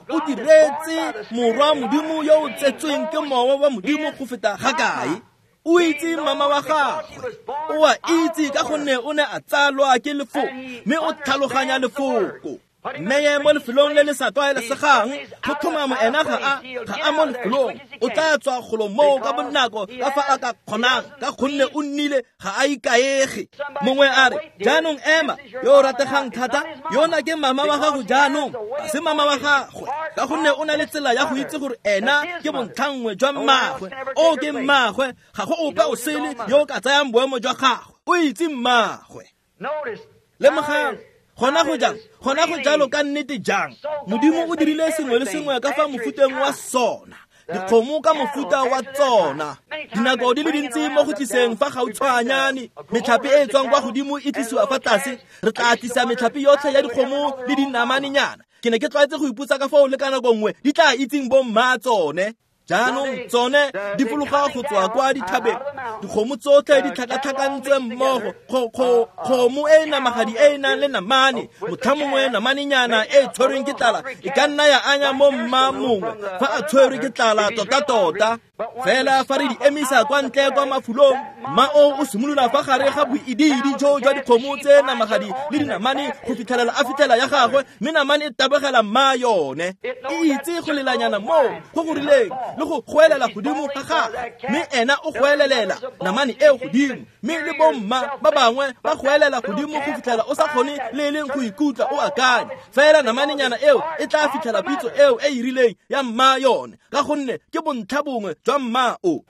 o diretse morwa Modimo yo o tsetsweng ke mowa wa Modimo go feta ga kae? O itse mama wa gagwe, o a itse ka gonne o ne a tsalwa ke lefoko, mme o tlhaloganya lefoko. Mme mo lefelong le le sa tlwaelesegang, go tlhomamo ena ga a mo lefelong, o tla tswa golo moo ka bonako ka fa a ka kgonang, ka gonne o nnile ga a ikaege. Mongwe a re, jaanong ema, yo o rategang thata, yona ke mama wa gago jaanong, ga se mama wa gagwe, ka gonne o na le tsela ya go itse gore ena ke bontlhanngwe jwa mmagwe. O ke mmagwe, ga go ope o sele yo o ka tsayang boemo jwa gagwe. O itse mmagwe. Lemogang gona go jang, gona go jalo ka nnete jang. Modimo o dirile sengwe le sengwe ka fa mofuteng wa sona, dikgomo ka mofuta wa tsona. Dinako di le dintsi mo go tliseng fa gautshwanyane metlhape e e tswang kwa godimo e tlisiwa fa tlase. Re tla tlisa metlhape yotlhe ya dikgomo le dinamanenyana. Ke ne ke tlwaetse go ipotsa ka foo le ka nako nngwe di tla itseng bo mma tsone. Jaanong tsone di fologa go tswa kwa dithabeng, dikgomo tsotlhe di tlhakatlhakantswe mmogo. Kgomo e namagadi e e nang le namane, motlha mongwe namanenyana e tshwerweng ke tlala e ka nna ya anya mo mma mongwe fa a tshwerwe ke tlala tota-tota. Fela fa re di emisa kwa ntle kwa mafulong, mma o o simolola fa gare ga boidiidi jo jwa dikgomo tse namagadi le dinamane go fitlhelela a fitlhela ya gagwe, mme namane e tabogela mma yone. E itse go lelanyana moo go go rileng le go goelela godimo ga gagwe, mme ena o goelelela namane eo godimo, mme le bomma ba bangwe ba goelela godimo go fitlhela o sa kgone le e leng go ikutlwa o akanya. Fela namanenyana eo e tla fitlhela pitso eo e e rileng ya mma yone, ka gonne ke bontlha bongwe jwa mma o.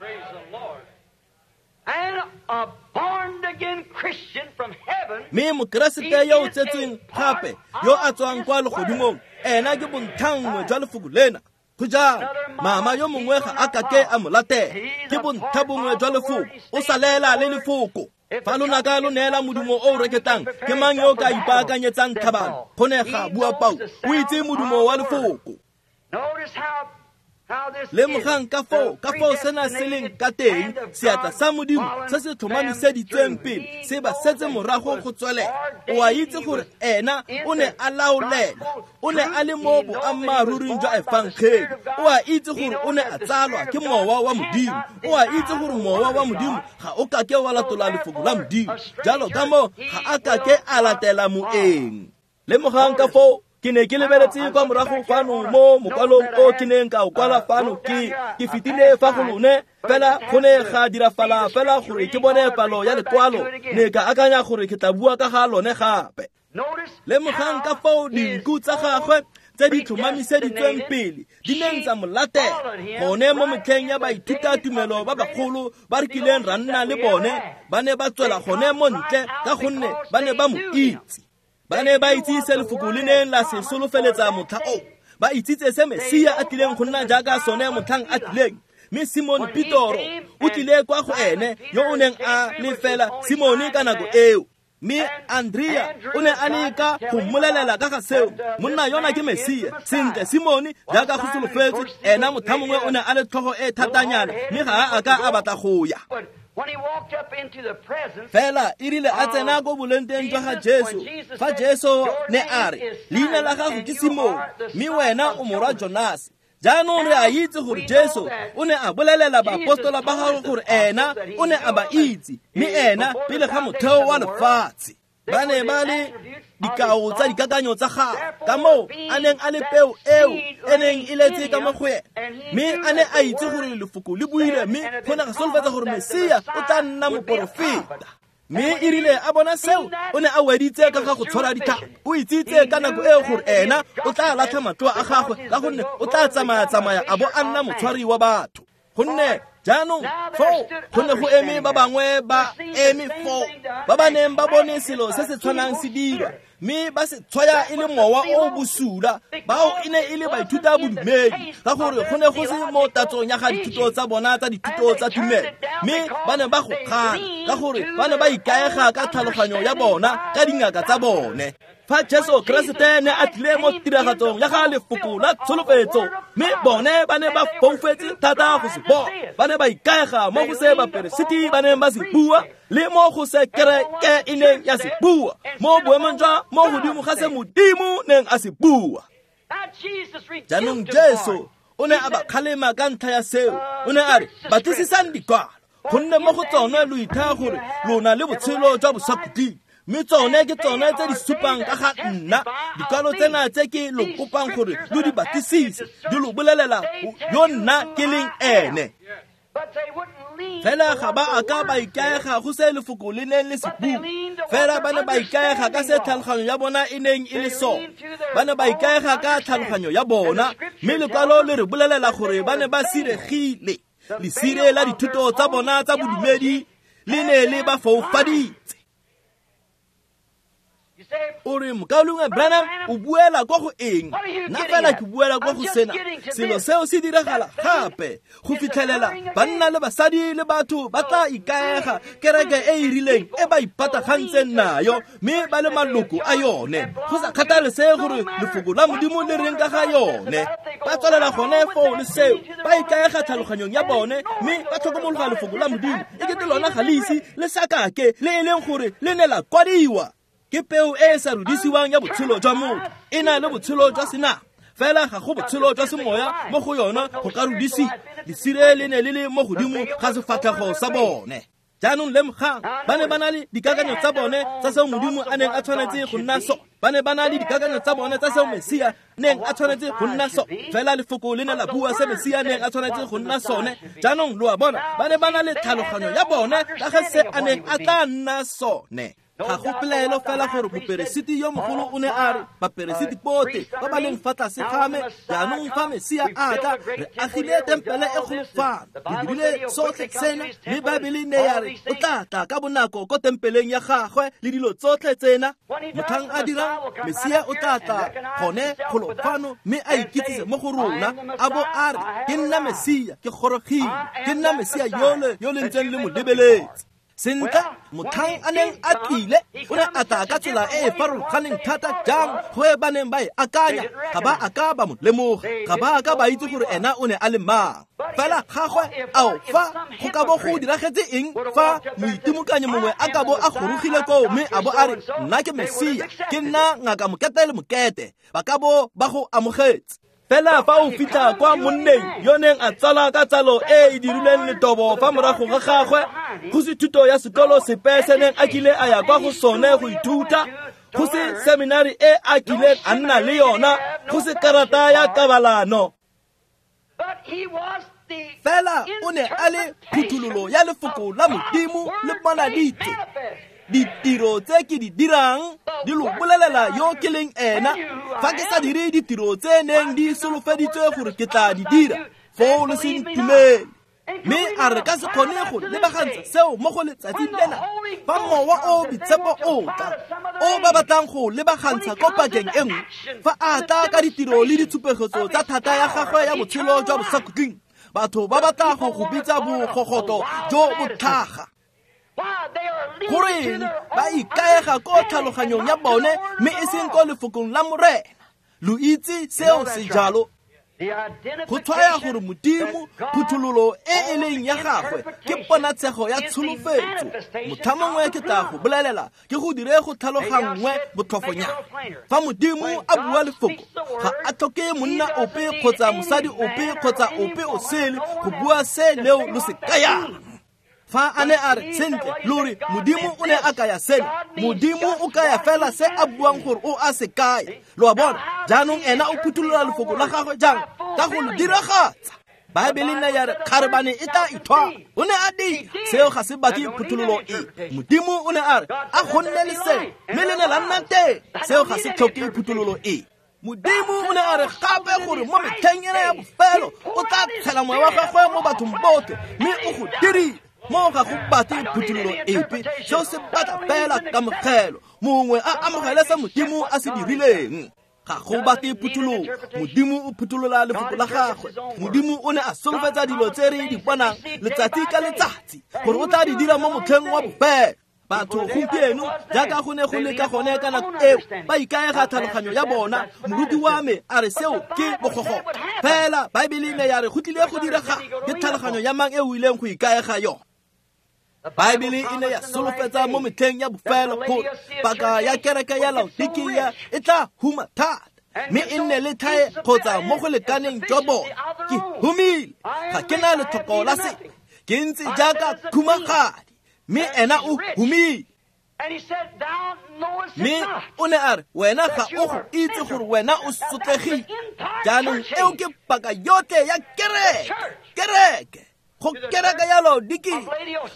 Mme Mokeresete yo o tsetsweng gape yo a tswang kwa legodimong, ena ke bontlhanngwe jwa lefoko lena. Go jalo, mama yo mongwe ga a kake a mo latela, ke bontlha bongwe jwa lefoko, o salela le lefoko. Fa lonaka lo neela modumo o o reketlang, ke mang yo o ka ipaakanyetsang tlhabano? Go ne ga bua Paulo. O itse modumo wa lefoko. Lemogang ka foo sena se leng ka teng, seatla sa Modimo se se tlhomamiseditsweng pele se ba setse morago go tswelela. O a itse gore ena o ne a laolela, o ne a le mo boammaaruring jwa efangeli. O a itse gore o ne a tsalwa ke mowa wa Modimo. O a itse gore mowa wa Modimo ga o kake wa latola lefoko la Modimo, jalo ka moo ga a kake a latela moeng. Lemogang ka foo ke ne ke lebeletse kwa morago fano mo mokwalong o ke neng ka o kwala fano, ke fetile fa go lone, fela go ne ga dirafala fela gore ke bone palo ya lekwalo, ne ka akanya gore ke tla bua ka ga lone gape. Lemogang ka foo dinku tsa gagwe tse di tlhomamiseditsweng pele di neng tsa mo latela gone mo metlheng ya baithutatumelo ba bagolo ba re kileng ra nna le bone ba ne ba tswela gone mo ntle ka gonne ba ne ba mo itse. Ba ne ba itse se lefoko le neng la se solofeletsa motlha o, ba itsitse se Mesia a tlileng go nna jaaka sone motlhang a tlileng. Mme Simone Petoro o tlile kwa go ene yo o neng a le fela Simone ka nako eo. Mme Andrea o ne a leka go mmolelela ka ga seo, monna yona ke Mesia. Sentle, Simone jaaka go solofetswe, ena motlha mongwe o ne a le tlhogo e thatanyana, mme ga a ka a batla go ya. Fela e rile a tsena ko bolenteng jwa ga Jesu, fa Jesu ne a re, leina la gago ke Simone, mme wena o morwa Jonase. Jaanong re a itse gore Jesu o ne a bolelela baapostola ba gagwe gore ena o ne a ba itse, mme ena pele ga motheo wa lefatshe. Ba ne ba le dikao tsa dikakanyo tsa gagwe, ka moo a neng a le peo eo e neng e letse ka mo go ena. Mme a ne a itse gore lefoko le buile, mme go ne ga solofetsa gore Mesia o tla nna moporofeta. Mme e rile a bona seo, o ne a weditse ka ga go tshwara ditlhapi. O itsitse ka nako eo gore ena o tla latlha matloa a gagwe ka gonne o tla tsamaya-tsamaya a bo a nna motshwari wa batho. Gonne jaanong foo go ne go eme ba bangwe ba eme foo ba ba neng ba bone selo se se tshwanang se dirwa, mme ba se tshwaya e le mowa o bosula. Bao e ne e le baithuta bodumedi, ka gore go ne go se mo tatsong ya ga dithuto tsa bona tsa dithuto tsa tumelo, mme ba ne ba go kgana ka gore ba ne ba ikaega ka tlhaloganyo ya bona ka dingaka tsa bone. Fa Jesu Keresete ne a tlile mo tiragatsong ya ga lefoko la tsholofetso, mme bone ba ne ba foufetse thata go se bona. Ba ne ba ikaega mo go se baperesiti ba neng ba se bua le mo go se kereke e neng ya se bua, mo boemong jwa mo godimo ga se Modimo neng a se bua. Jaanong Jesu o ne a ba kgalema ka ntlha ya seo. O ne a re, batlisisang dikwalo, gonne mo go tsone lo ithaya gore lona le botshelo jwa bosakhutleng, mme tsone ke tsone tse di supang ka ga nna. Dikwalo tsena tse ke lo kopang gore lo di batlisise di lo bolelela yo nna ke leng ene. Fela ga ba a ka ba ikaega go se lefoko le neng le se bua, fela ba ne ba ikaega ka se tlhaloganyo ya bona e neng e le sone. Ba ne ba ikaega ka tlhaloganyo ya bona, mme lekwalo le re bolelela gore ba ne ba siregile. Lesire la dithuto tsa bona tsa bodumedi le ne le ba foufaditse. O re, mokaulengwe Branham, o buela kwa go eng? Nna fela ke buela kwa go sena. Selo seo se diragala gape go fitlhelela banna le basadi le batho ba tla ikaega kereke e e rileng e ba ipatagantseng nayo, mme ba le maloko a yone, go sa kgathalesege gore lefoko la Modimo le reng ka ga yone. Ba tswelela gone foo le seo, ba ikaega tlhaloganyong ya bone, mme ba tlhokomologa lefoko la Modimo e kete lona ga le ise le sakake le e leng gore le ne la kwadiwa. Ke peo e e sa rudisiwang ya botshelo jwa motho, e na le botshelo jwa senama, fela ga go botshelo jwa semoya mo go yona go ka rudisiwa. Lesire le ne le le mo godimo ga sefatlhego sa bone. Jaanong lemogang, ba ne ba na le dikakanyo tsa bone tsa seo Modimo a neng a tshwanetse go nna sone. Ba ne ba na le dikakanyo tsa bone tsa seo Mesia neng a tshwanetse go nna sone, fela lefoko le ne la bua se Mesia neng a tshwanetse go nna sone. Jaanong lo a bona, ba ne ba na le tlhaloganyo ya bone ka ga se a neng a tla nna sone. Ga go pelaelo fela gore moperesiti yo mogolo o ne a re, baperesiti botlhe ba ba leng fa tlase ga me, jaanong fa Mesia a tla, re agile tempele e kgolo fano, re dirile sotlhe sena, mme Baebele ne ya re o tla tla ka bonako ko tempeleng ya gagwe le dilo tsotlhe tsena. Motlhang a dirang, Mesia o tla tla gone golo fano mme a ikitsise mo go rona, a bo a re, ke nna Mesia, ke gorogile, ke nna Mesia yole yo le ntseng le mo lebeletse. Sentle, motlhang a neng a tlile, o ne a tla ka tsela e e farologaneng thata jang go e ba neng ba e akanya. Ga ba a ka ba mo lemoga, ga ba a ka ba itse gore ena o ne a le mang. Fela gagwe, ao, fa go ka bo go diragetse eng fa moitimokanyi mongwe a ka bo a gorogile koo mme a bo a re, nna ke Mesia, ke nna ngaka mokete le mokete, ba ka bo ba go amogetse. Fela fa o fitlha kwa monneng yo neng a tsala ka tsalo e e dirileng letobo fa morago ga gagwe, go se thuto ya sekolo sepe se neng a kile a ya kwa go sone go ithuta, go se seminari e a kileng a nna le yona, go se karata ya kabalano. Fela o ne a le phuthololo ya lefoko la Modimo le bonaditse. Ditiro tse ke di dirang di lo bolelela yo ke leng ena. Fa ke sa dire ditiro tse neng di solofeditswe gore ke tla di dira, foo lo se ntumele. Mme a re ka se kgone go lebagantsha seo mo go letsatsing lena, fa Mowa o Boitshepo o tla, o ba batlang go lebagantsha ko pakeng e nngwe, fa a tla ka ditiro le ditshupegetso tsa thata ya gagwe ya botshelo jwa bosakhutleng, batho ba batla go go bitsa bogogoto jo botlhaga. Goreng ba ikaega ko tlhaloganyong ya bone mme e seng ko lefokong la Morena? Lo itse seo se jalo. Go tshwaya gore Modimo, phuthololo e e leng ya gagwe ke ponatshego ya tsholofetso. Motlha mongwe ke tla go bolelela, ke go dire go tlhaloganngwe botlhofonyana. Fa Modimo a bua lefoko, ga a tlhoke monna ope kgotsa mosadi ope kgotsa ope o sele go bua se leo lo se kayang. Fa a ne a re, sentle, lo re Modimo o ne a kaya seno, Modimo o kaya fela se a buang gore o a se kaya. Lo a bona? Jaanong ena o phuthulola lefoko la gagwe jang? Ka go lo diragatsa. Baebele ne ya re kgarebane e tla ithwala. O ne a dira seo, ga se batle phuthololo e. Modimo o ne a re a go nne le seo, mme le ne la nna teng. Seo ga se tlhoke phuthololo e. Modimo o ne a re gape gore mo metlheng ena ya bofelo o tla tshela moya wa gagwe mo bathong botlhe, mme o go dirile. Mo ga go batle phuthololo epe, seo se batla fela kamogelo, mongwe a amogele se Modimo a se dirileng. Ga go batle phuthololo, Modimo o phutolola lefoko la gagwe. Modimo o ne a solofetsa dilo tse re di bonang letsatsi ka letsatsi gore o tla di dira mo motlheng wa bofelo. Batho gompieno, jaaka go ne go le ka gone ka nako eo, ba ikaega tlhaloganyo ya bona. Moruti wa me a re seo ke bogogo. Fela Baebele ne ya re go tlile go direga, ke tlhaloganyo ya mang e o ileng go ikaega yone? Baebele e ne ya solofetsa mo metlheng ya bofelo gore paka ya kereke ya Laodikia e tla huma thata, mme e nne le thae kgotsa mo go lekaneng jwa bone. Ke humile, ga ke na letlhoko la sepe, ke ntse jaaka khumagadi, mme ena o humile. Mme o ne a re, wena ga o go itse gore wena o sotlegile. Jaanong eo ke paka yotlhe ya kereke, kereke. Go kereke ya Laodikia,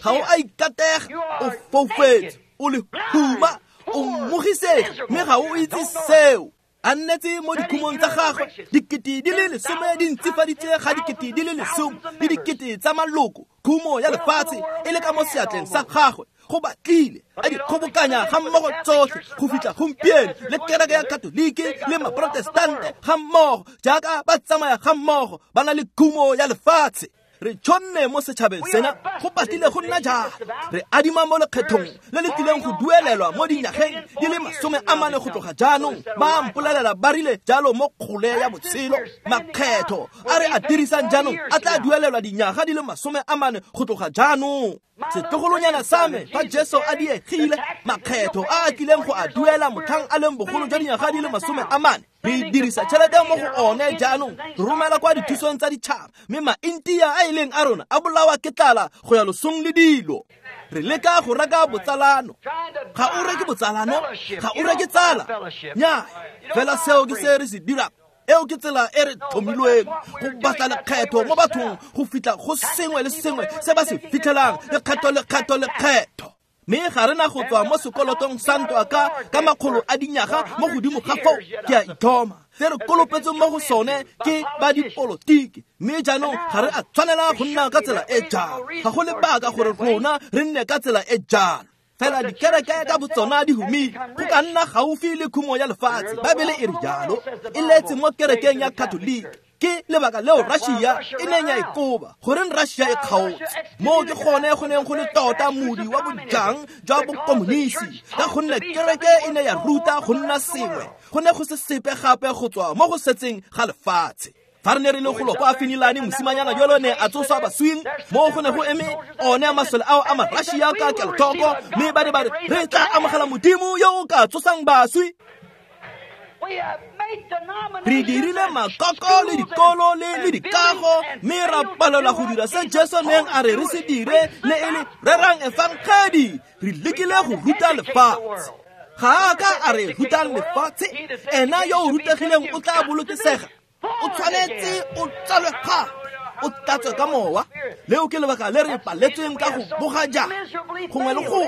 ga o a ikatega, o foufetse, o le huma, o mmogisege, mme ga o itse seo. A nnetse mo dikhumong tsa gagwe, 10,000 di ntsifaditse ga 10,000 le dikete tsa maloko, khumo ya lefatshe e le ka mo seatleng sa gagwe. Go batlile a di kgobokanya ga mmogo tsotlhe go fitlha gompieno, le kereke ya Katolike le Maprotestante ga mmogo, jaaka ba tsamaya ga mmogo, ba na le khumo ya lefatshe. Re tšhonne mo setšhabeng sena, go batlile go nna jalo. Re adima mo lekgethong le le tlileng go duelelwa mo dinyageng di le 40 go tloga jaanong. Ba mpolelela ba rile jalo mo kgole ya botshelo. Makgetho a re a dirisang jaanong a tla duelelwa dinyaga di le 40 go tloga jaanong. Setlogolonyana sa me, fa Jesu a diegile, makgetho a a tlileng go a duela motlhang a leng bogolo jwa dinyaga di le 40. Re dirisa tšhelete mo go one jaanong, re romela kwa dithusong tsa ditšhaba, mme maintia a e leng a rona a bolawa ke tlala go ya losong le dilo. Re leka go reka botsalano. Ga o reke botsalano, ga o reke tsala. Nnyaa, fela seo ke se re se dirang. Eo ke tsela e re tlhomilweng go batla lekgetho mo bathong go fitlha go sengwe le sengwe se ba se fitlhelang, lekgetho, lekgetho, lekgetho. Mme ga re na go tswa mo sekolotong sa ntwa ka makgolo a dinyaga mo godimo ga foo. Ke a ithoma se re kolopetseng mo go sone ke ba dipolotiki, mme jaanong ga re a tshwanela go nna ka tsela e jalo. Ga go lebaka gore rona re nne ka tsela e jalo. Fela dikereke ka botsona di humile, go ka nna gaufi le khumo ya lefatshe. Baebele e re jalo, e letse mo kerekeng ya Katolike. Ke lebaka leo Russia e neng ya ikoba. Goreng Russia e kgaotse? Moo ke gone go neng go le tota modi wa bojang jwa bokomonisi, ka gonne kereke e ne ya ruta go nna sengwe. Go ne go se sepe gape go tswa mo go setseng ga lefatshe. Fa re ne re le golo kwa Finilane, mosimanyana jalo ne a tsoswa baswing, mo go ne go eme one masole ao a ma-Russia ka kelotlhoko, mme ba ne ba re, re tla amogela Modimo yo o ka tsosang baswi. Re dirile makoko le dikolo le dikago, mme ra palelwa go dira se Jesu neng a re re se dire, le e le rerang efangedi. Re lekile go ruta lefatshe. Ga a ka a re rutang lefatshe, ena yo o rutegileng o tla bolokesega. O tshwanetse o tsalwe gape, o tlatswe ka mowa. Leo ke lebaka le re paletsweng ka go boga jang gongwe le go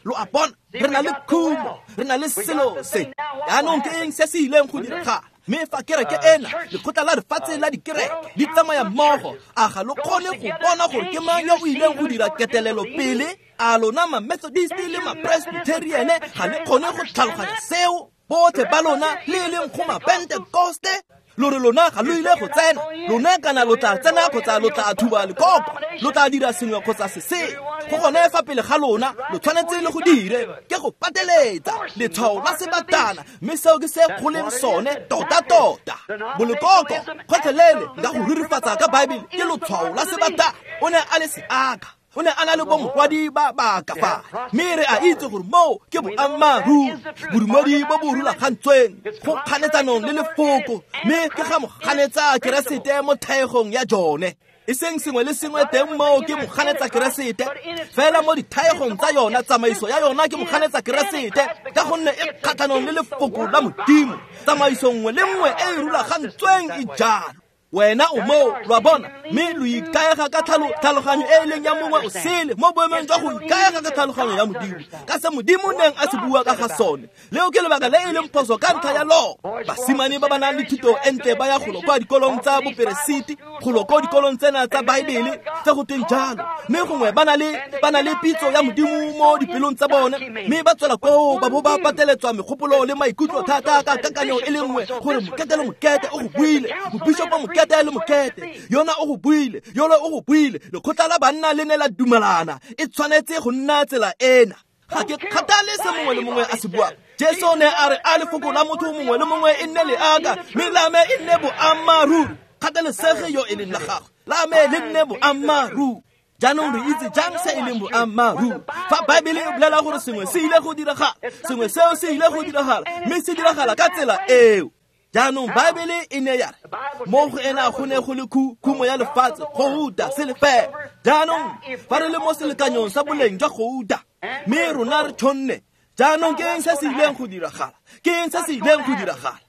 lo a bona re na le khumo, re na le selo se. Jaanong ke eng se se ileng go diragala? Mme fa kereke ena, lekgotla la lefatshe la dikereke di tsamaya mmogo, a ga lo kgone go bona gore ke mang yo o ileng go dira ketelelo pele? A lona ma-Methodist le ma-Presbyterian ga le kgone go tlhaloganya seo? Botlhe ba lona le e leng go ma-Pentecoste, lo re lona ga lo ile go tsena, lona kana lo tla tsena kgotsa lo tla thuba lekoko, lo tla dira sengwe kgotsa se sengwe. Go gone fa pele ga lona, lo tshwanetse le go dire, ke go pateletsa letshwao la sebatana, mme seo ke se go leng sone tota-tota. Bolekoko gotlhelele nka go rurifatsa ka Baebele ke lotshwao la sebatana. O ne a le seaka, o ne a na le bomokwadi ba ba ka fa, mme re a itse gore moo ke boammaaruri. Bodumedi bo bo rulagantsweng go kganetsanong le lefoko, mme ke ga moganetsa Keresete mo thaegong ya jone. E seng sengwe le sengwe teng moo ke moganetsa Keresete, fela mo dithaegong tsa yona, tsamaiso ya yona ke moganetsa Keresete, ka gonne e kgatlhanong le lefoko la Modimo. Tsamaiso nngwe le nngwe e e rulagantsweng e jalo. Wena o moo, lo a bona, mme lo ikaega ka tlhaloganyo e e leng ya mongwe o sele mo boemong jwa go ikaega ka tlhaloganyo ya Modimo, ka se Modimo neng a se bua ka ga sone. Leo ke lebaka le e leng phoso ka ntlha ya loo. Basimane ba ba nang le thuto e ntle ba ya golo kwa dikolong tsa boperesiti, golo ko dikolong tsena tsa Baebele tse go tweng jalo, mme gongwe ba na le pitso ya Modimo mo dipelong tsa bone, mme ba tswela koo ba bo ba pateletswa megopolo le maikutlo thata ka kakanyo e le nngwe gore mokete le mokete o go buile, mobishopo mokete le mokete yona o go buile, yolo o go buile, lekgotla la banna le ne la dumelana, e tshwanetse go nna tsela ena. Ga ke kgathale se mongwe le mongwe a se buang. Jesu ne a re a lefoko la motho mongwe le mongwe e nne leaka, mme la me e nne boammaaruri. Kgathalesege yo e leng la gagwe, la me le nne boammaaruri. Jaanong re itse jang se e leng boammaaruri? Fa Baebele e bolela gore sengwe se ile go diragala, sengwe seo se ile go diragala, mme se diragala ka tsela eo. Jaanong Baebele e ne ya re mo go ena go ne go le khumo ya lefatshe, gouta, selefela. Jaanong fa re le mo selekanyong sa boleng jwa gouta, mme rona re tshonne, jaanong ke eng se se ileng go diragala? Ke eng se se ileng go diragala?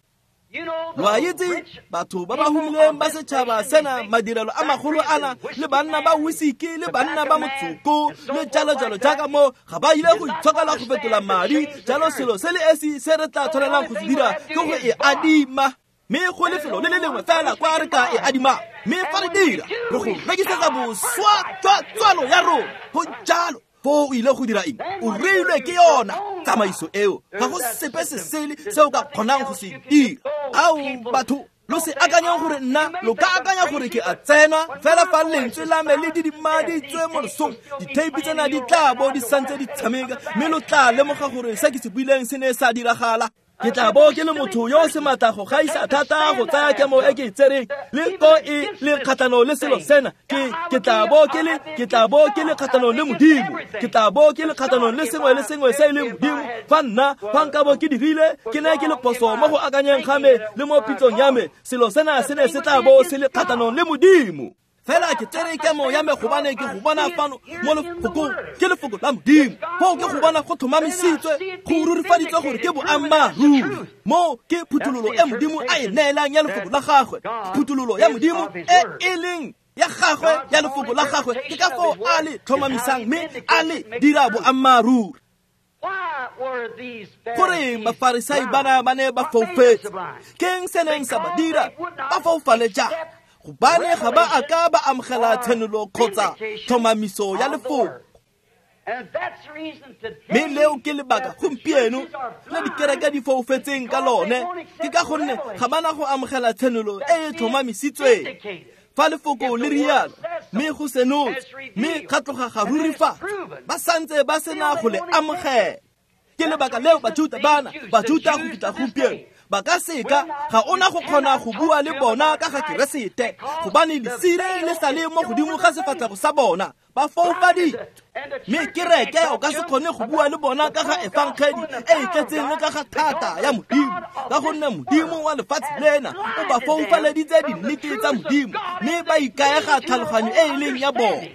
Lo a itse batho ba ba humileng ba setšhaba sena, madirelo a magolo ana, le banna ba whisky le banna ba motsoko le jalo-jalo jaaka mo, ga ba ile go itshokela go fetola madi. Jalo selo se le esi se re tla tshwanelang go se dira ke go e adima, mme go lefelo le le lengwe fela kwa re ka e adimang, mme fa re dira re go rekisetsa boswa jwa tswalo ya rona. Go jalo. Foo o ile go dira eng? O reilwe ke yona tsamaiso eo, ga go sepe se sele se o ka kgonang go se dira. Ao batho, lo se akanyeng gore nna lo ka akanya gore ke a tsenwa fela fa lentswe la me le didimaditswe mo losong, ditheipi tsena di tla bo di santse di tshameka, mme lo tla lemoga gore se ke se buileng se ne sa diragala. Ke tla bo ke le motho yo o se maatla go gaisa thata go tsaya kemo e ke e tsereng le ko e le kgatlhanong le selo sena. Ke tla bo ke le kgatlhanong le Modimo, ke tla bo ke le kgatlhanong le sengwe le sengwe se e leng Modimo. Fa nna fa nka bo ke dirile, ke ne ke le phoso mo go akanyeng ga me le mo pitsong ya me, selo sena se ne se tla bo se le kgatlhanong le Modimo. Fela ke tsere kemo ya me gobane ke go bona fano mo lefokong, ke lefoko la Modimo. Foo ke go bona go tlhomamisitswe, go rurifaditswe gore ke boammaaruri. Mo ke phuthololo e Modimo a e neelang ya lefoko la gagwe, phuthololo ya Modimo e e leng ya gagwe ya lefoko la gagwe, ke ka foo a le tlhomamisang mme a le dira boammaaruri. Goreng Bafarisai bana ba ne ba foufetse? Ke eng se neng sa ba dira ba foufale jang? Gobane ga ba a ka ba amogela tshenolo kgotsa tlhomamiso ya lefoko. Mme leo ke lebaka gompieno le dikereke di foufetseng ka lone, ke ka gonne ga ba na go amogela tshenolo e e tlhomamisitsweng. Fa lefoko le rialo, mme go senotswe, mme ga tloga ga rurifatsa, ba santse ba sena go le amogela. Ke lebaka leo Bajuta bana, Bajuta go fitlha gompieno, ba ka seka ga ona go kgona go bua le bona ka ga Keresete, gobane lesire le sa le mo godimo ga sefatlhego sa bona, ba foufaditswe. Mme kereke o ka se kgone go bua le bona ka ga efangedi e e tletseng le ka ga thata ya Modimo, ka gonne Modimo wa lefatshe lena o ba foufaleditse dinnete tsa Modimo, mme ba ikaega tlhaloganyo e e leng ya bona.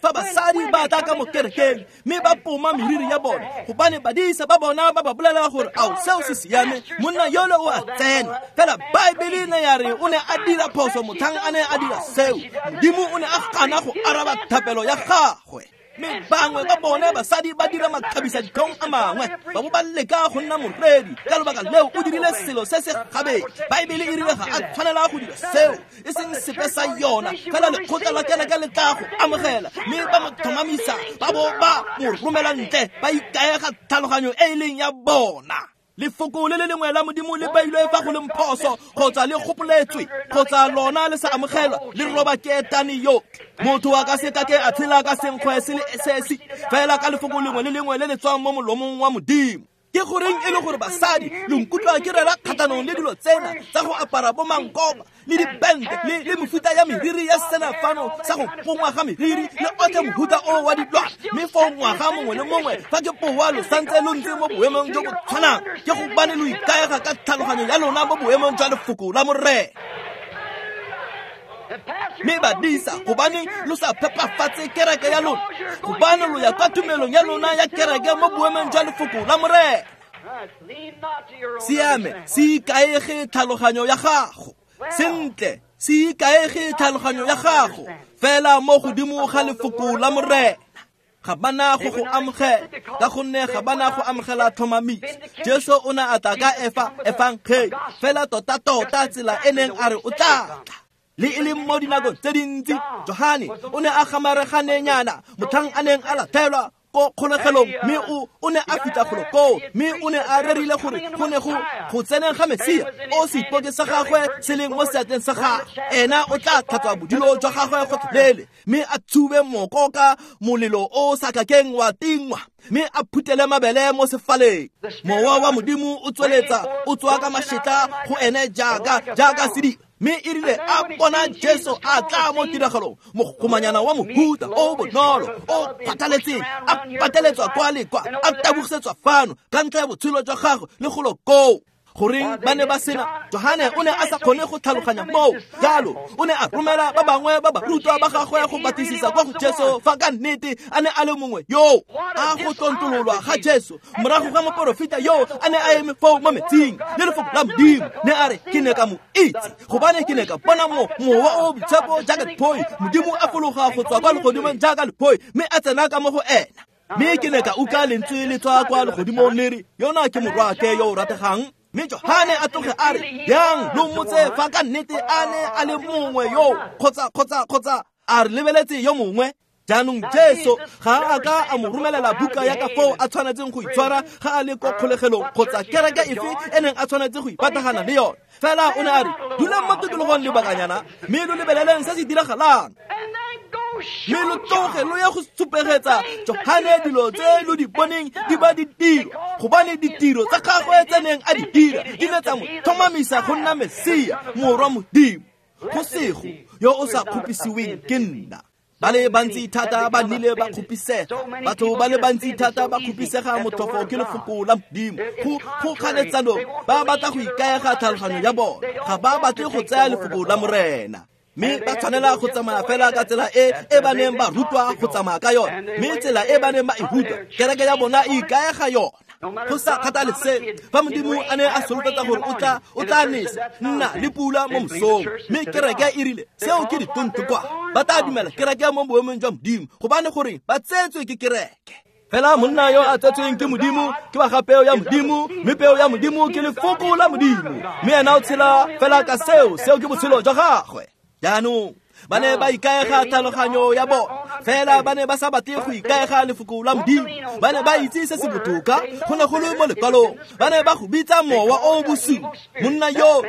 Fa basadi ba tla ka mo kerekeng mme ba poma meriri ya bone gobane badisa ba bona ba ba bolela gore ao seo se siame, monna yole o a tsena. Fela Baebele ne ya re o ne a dira phoso motlhang a ne a dira seo. Modimo o ne a gana go araba thapelo ya gagwe. Mme bangwe ba bone basadi ba dira makgabisa ditlhong a mangwe, ba bo ba leka go nna moredi. Ka lobaka leo o dirile selo se se gabedi. Baebele e rile ga a tshwanela go dira seo, e seng sepe sa yona. Fela lekgotla la kereke le tla go amogela, mme ba mo tlhomamisa, ba bo ba mo romela ntle, ba ikaega tlhaloganyo e e leng ya bona. Lefoko le le lengwe la Modimo le beilwe fa go leng phoso kgotsa le gopoletswe kgotsa lona le sa amogelwa, le roba keetane yotlhe. Motho a ka se ka ke a tshela ka senkgwe se le sesi fela ka lefoko lengwe le lengwe le le tswang mo molomong wa Modimo. Ke goreng e le gore basadi lo nkutlwa ke rera kgatlhanong le dilo tsena tsa go apara bo mankopa le dibente le mefuta ya meriri ya sena fano sa go pongwa ga meriri le otlhe mohuta o wa dilwana, mme foo ngwaga mongwe le mongwe fa ke powa lo santse lo ntse mo boemong jo bo tshwanang, ke gobane lo ikaega ka tlhaloganyo ya lona mo boemong jwa lefoko la Morena. Mme badisa, gobane lo sa phepafatse kereke ya lona, gobane lo ya kwa tumelong ya lona ya kereke mo boemong jwa lefoko la Morena. Siame, se ikaege tlhaloganyo ya gago. Sentle, se ikaege tlhaloganyo ya gago fela mo godimo ga lefoko la Morena. Ga bana go go amogela, ka gonne ga bana go amogela tlhomamiso. Jesu o ne a tla ka efangeli fela tota-tota tsela e neng a re o tla tla. Le e leng mo dinakong tse dintsi, Johane o ne a gamareganenyana motlhang a neng a latlhelwa ko kgolegelong, mme o ne a fitlha golo koo, mme o ne a rerile gore go ne go tseneng ga Mesia o seipoke sa gagwe se leng mo seatleng sa gagwe, ena o tla tlhatswa bodilo jwa gagwe gotlhelele, mme a tshube moko ka molelo o sa kakeng wa tingwa, mme a phutele mabele mo sefaleng. Mowa wa Modimo o tsweletsa o tswa ka mašetla go ene jaaka sediba. Mme e rile a bona Jesu a tla mo tiragalong, mogomanyana wa mohuta o bonolo o phatlaletseng, a pateletswa kwa le kwa, a tabogisetswa fano ka ntlha ya botshelo jwa gagwe le golo koo. Goreng ba ne ba sena? Johane o ne a sa kgone go tlhaloganya moo. Jalo o ne a romela ba bangwe ba barutwa ba gagwe go batlisisa kwa go Jesu fa ka nnete a ne a le mongwe yoo. A go tlontololwa ga Jesu morago ga moporofeta yoo a ne a eme foo mo metsing le lefoko la Modimo, ne a re ke ne ka mo itse gobane ke ne ka bona mowa o boitshepo jaaka lephoi, Modimo a fologa go tswa kwa legodimong jaaka lephoi mme a tsena ka mo go ena. Mme ke ne ka utlwa lentswe le tswa kwa legodimong le re, yona ke morwaake yo o rategang. Mme Johane a tloge a re, yang lo mmotse fa ka nnete a ne a le mongwe yo kgotsa a re lebeletse yo mongwe. Jaanong Jesu ga a ka a mo romelela buka ya ka foo a tshwanetseng go itshwara ga a le ko kgolegelong kgotsa kereke efe e neng a tshwanetse go ipatagana le yone. Fela o ne a re, dulang mo tikologong lebakanyana mme lo lebeleleng se se diragalang, mme lo tloge lo ye go supegetsa Johane dilo tse lo di boneng di ba di dirwa, gobane ditiro tsa gagwe tse neng a di dira di ne tsa mo tlhomamisa go nna Mesia, morwa Modimo. Go sego yo o sa kgopisiweng ke nna. Ba le bantsi thata ba nnile ba kgopisega. Batho ba le bantsi thata ba kgopisega motlhofo ke lefoko la Modimo. Go kganetsanong, ba batla go ikaega tlhaloganyo ya bona, ga ba batle go tsaya lefoko la Morena. Mme ba tshwanela go tsamaya fela ka tsela e ba neng ba rutwa go tsamaya ka yone, mme tsela e ba neng ba e rutwa, kereke ya bona e ikaega yona. Go sa kgathalesege fa Modimo a ne a solofetsa gore o tla nesa nna le pula mo mosong, mme kereke e rile seo ke ditontokwa, ba tla dumela kereke mo boemong jwa Modimo, gobane gore ba tsetswe ke kereke. Fela monna yo a tsetsweng ke Modimo ke wa ga peo ya Modimo, mme peo ya Modimo ke lefoko la Modimo, mme ena o tshela fela ka seo, seo ke botshelo jwa gagwe. Jaanong ba ne ba ikaega tlhaloganyo ya bona, fela ba ne ba sa batle go ikaega lefoko la Modimo. Ba ne ba itse se se botoka, go ne go le mo lekwalong. Ba ne ba go bitsa mowa o bosula, monna yo,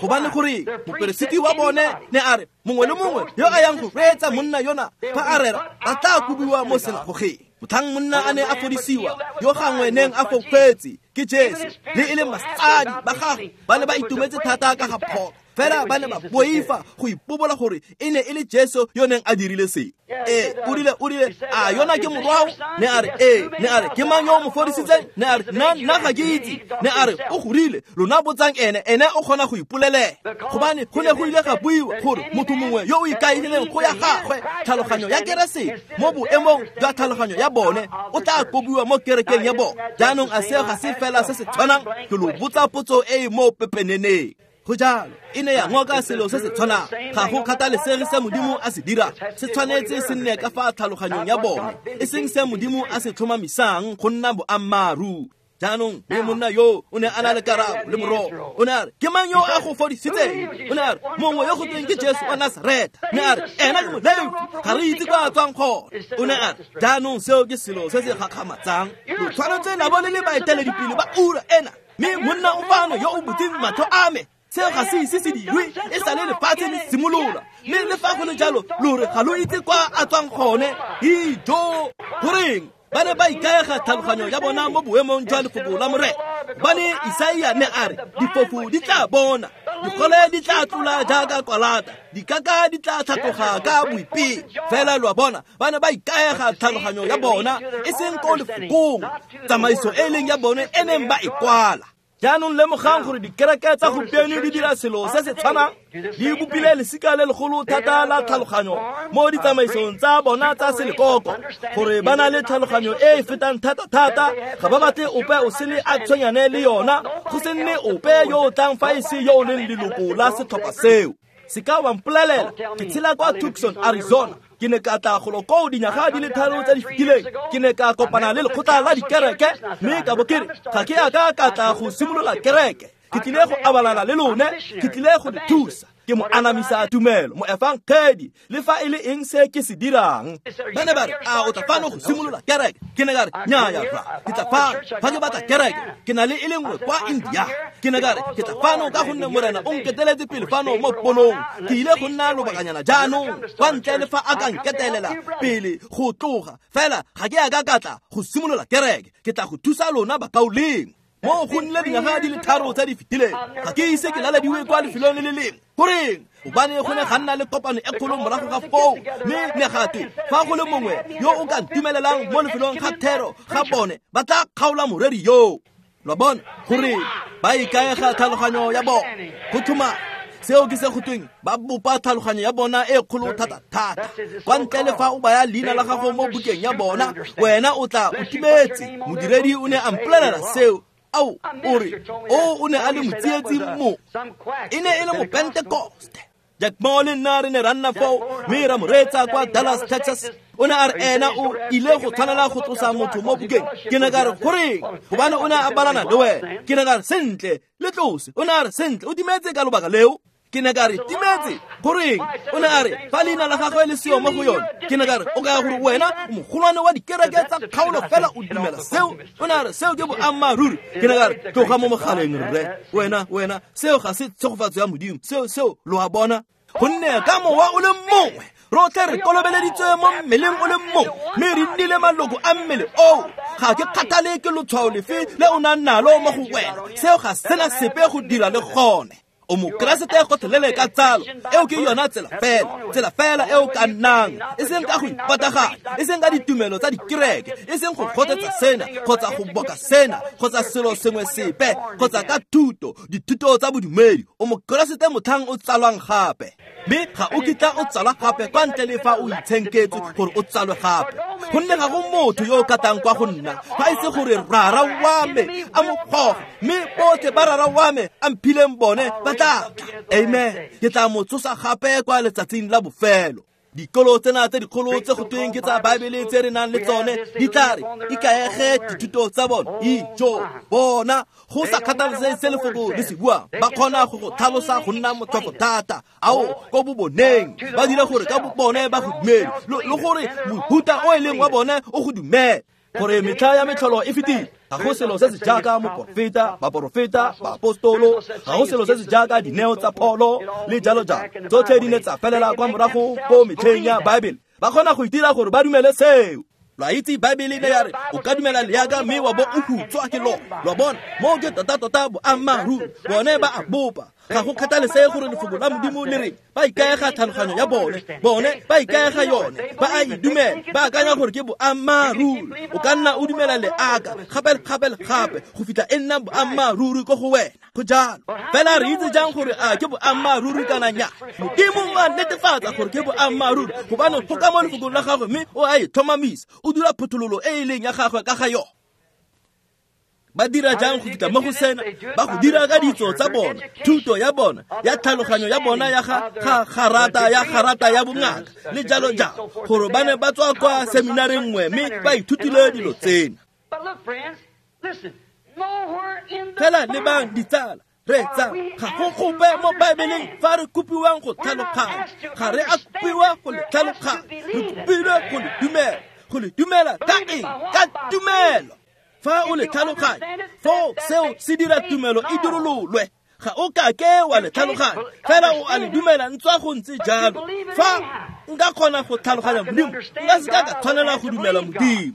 gobane gore moperesiti wa bone ne a re mongwe le mongwe yo a yang go reetsa monna yona fa a rera ba tla kobiwa mo senagogeng. Motlhang monna a ne a fodisiwa, yo gangwe neng a fofetse ke Jesu, le e leng basadi ba gagwe ba ne ba itumetse thata ka ga pholo. Fela ba ne ba boifa go ipobola gore e ne e le Jesu yo neng a dirile se. Ee, o rile a yona ke morwao? Ne a re ee. Ne a re ke mang yo o mo fodisitseng? Ne a re nna ga ke itse. Ne a re o gorile, lona botsang ene, ene o kgona go ipolelela. Gobane go ne go ile ga buiwa gore motho mongwe yo o ikaegileng go ya gagwe tlhaloganyo ya Keresete mo boemong jwa tlhaloganyo ya bone o tla kobiwa mo kerekeng ya bone. Jaanong a seo ga se fela se se tshwanang? Ke lo botsa potso e e mo pepeneneng. Go jalo, e ne ya ngoka selo se se tshwanang. Ga go kgathalesege se Modimo a se dirang, se tshwanetse se nne ka fa tlhaloganyong ya bone, e seng se Modimo a se tlhomamisang go nna boammaaruri. Jaanong mme monna yo o ne a na le karabo le morogo. O ne a re, ke mang yo a go fodisitseng? O ne a re, mongwe yo go tweng ke Jesu wa Nasaretha. Ne a re, ena ke Molefi, ga re itse kwa a tswang gone. O ne a re, jaanong seo ke selo se se gakgamatsang. Lo tshwanetse la bo le le baeteledipele ba ura ena, mme monna o fano yo o butseng matlho a me. Seo ga se ise se dirwe e sale lefatshe le simolola, mme le fa go le jalo lo re ga lo itse kwa a tswang gone. Ijo, goreng ba ne ba ikaega tlhaloganyo ya bona mo boemong jwa lefoko la Morena? Gobane Isaia ne a re, difofu di tla bona, digole di tla tlola jaaka kwalata, dikaka di tla tlhatloga ka boipelo. Fela lo a bona, ba ne ba ikaega tlhaloganyo ya bona e seng ko lefokong, tsamaiso e leng ya bone e neng ba e kwala. Jaanong lemogang gore dikereke tsa gompieno di dira selo se se tshwanang. Di bopile lesika le legolo thata la tlhaloganyo mo ditsamaisong tsa bona tsa selekoko, gore ba na le tlhaloganyo e e fetang thata-thata. Ga ba batle ope o sele a tshwenyane le yona, go se nne ope yo o tlang fa e se yo o leng leloko la setlhopha seo. Se ka wa mpolelela, ke tshela kwa Tucson, Arizona. Ke ne ka tla golo koo dinyaga di le 3 tse di fetileng. Ke ne ka kopana le lekgotla la dikereke, mme ka bo ke re, ga ke a ka ka tla go simolola kereke. Ke tlile go abalana le lone, ke tlile go le thusa. Ke mo anamisa tumelo, mo efangedi, le fa e le eng se ke se dirang. Ba ne ba re, a o tla fano go simolola kereke? Ke ne ka re, nnyaya rra, ke tla fano fa ke batla kereke. Ke na le e le nngwe kwa India. Ke ne ka re, ke tla fano ka gonne Morena o nketeletse pele fano mo ponong. Ke ile go nna lobakanyana jaanong, kwa ntle le fa a ka nketelela pele go tloga. Fela ga ke a ka ka tla go simolola kereke. Ke tla go thusa lona bakaulengwe. Mo go nnile dinyaga di le 3 tse di fetileng, ga ke ise ke lalediwe kwa lefelong le le lengwe. Goreng? Gobane go ne ga nna le kopano e kgolo morago ga foo, mme ne ga twe fa go le mongwe yo o ka ntumelelang mo lefelong ga thero ga bone, ba tla kgaola moreri yoo. Lo bona gore ba ikaega tlhaloganyo ya bone go tlhoma. Seo ke se go tweng ba bopa tlhaloganyo ya bona e kgolo thata-thata. Kwa ntle le fa o baya leina la gago mo bukeng ya bona, wena o tla o timetse. Modiredi o ne a mpolelela seo. Ao, o re, o ne a le motsietsi mo. E ne e le mopentekoste. Jack Moore le nna re ne ra nna foo, mme ra mo reetsa kwa Dallas, Texas. O ne a re ena o ile go tshwanela go tlosa motho mo bukeng. Ke ne ka re, goreng? Gobane o ne a balana le wena. Ke ne ka re, sentle, le tlose. O ne a re, sentle, o timetse ka lobaka leo. Ke ne ka re, timetse, goreng? O ne a re, fa leina la gagwe le seo mo go yone. Ke ne ka re, o kaya gore wena o mogolwane wa dikereke tsa kgaolo fela o dumela seo? O ne a re, seo ke boammaaruri. Ke ne ka re, tloga mo mogaleng rre. Wena, seo ga se tshegofatso ya Modimo. Seo, lo a bona. Gonne ka mowa o le mongwe, rotlhe re kolobeleditswe mo mmeleng o le mongwe, mme re nnile maloko a mmele oo. Ga ke kgathale ke lotshwao lefe le o nang nalo mo go wena, seo ga sena sepe go dira le gone. O mokeresete gotlhelele ka tsalo, eo ke yona tsela fela eo ka nnang, e seng ka go ipataganya, e seng ka ditumelo tsa dikereke, e seng go kgothetsa sena kgotsa go boka sena kgotsa selo sengwe sepe kgotsa ka thuto, dithuto tsa bodumedi. O mokeresete motlhang o tsalwang gape, mme ga o kitla o tsalwa gape kwa ntle le fa o itshenketswe gore o tsalwe gape. Gonne ga go motho yo o katang kwa go nna fa e se gore rara wa me a mo goge, mme botlhe ba rara wa me a mphileng bone ba tla tla. Amen. Ke tla mo tsosa gape kwa letsatsing la bofelo. Dikolo tsena tse dikgolo tse go tweng ke tsa Baebele tse re nang le tsone di tla re ikaege dithuto tsa bone. Ijo bona, go sa kgathalesege se lefoko le se buang, ba kgona go go tlhalosa go nna motlhofo thata. Ao, ko boboneng ba dira gore ka bobone ba go dumele, le gore mohuta o e leng wa bone o go dumele. Gore metlha ya metlholo e fetile. Ga go selo se se jaaka moporofeta, baporofeta, baapostolo, ga go selo se se jaaka dineo tsa pholo le jalo jalo. Tsotlhe di ne tsa felela kwa morago ko metlheng ya Baebele. Ba kgona go itira gore ba dumele seo. Lo a itse Baebele ne ya re, o ka dumela leaka mme wa bo o hutswa ke lona. Lo a bona, moo ke tota-tota boammaaruri. Bone ba a bopa. Ga go kgathalesege gore lefoko la Modimo le re ba ikaega tlhaloganyo ya bone, bone ba ikaega yone, ba a e dumela, ba akanya gore ke boammaaruri. O ka nna o dumela leaka gape le gape le gape go fitlha e nna boammaaruri ko go wena. Go jalo. Fela re itse jang gore a ke boammaaruri kana nnyaa? Modimo o a netefatsa gore ke boammaaruri gobane go ka mo lefokong la gagwe, mme o a e tlhomamisa, o dira phuthololo e e leng ya gagwe ka ga yone. Ba dira jang go fitlha mo go sena? Ba go dira ka ditso tsa bona, thuto ya bona, ya tlhaloganyo ya bona ya ga garata ya garata ya bongaka le jalo jalo, gore ba ne ba tswa kwa seminareng nngwe mme ba ithutile dilo tsena. Fela lebang ditsala, reetsa, ga go gope mo Baebeleng fa re kopiwang go tlhaloganya. Ga re a kopiwa go le tlhaloganya, re kopilwe go le dumela. Go le dumela ka eng? Ka tumelo. Fa o le tlhaloganya, foo seo se dira tumelo e dirololwe. Ga o kake wa le tlhaloganya, fela o a le dumela ntswa go ntse jalo. Fa nka kgona go tlhaloganya Modimo, nka se ka ka tshwanela go dumela Modimo.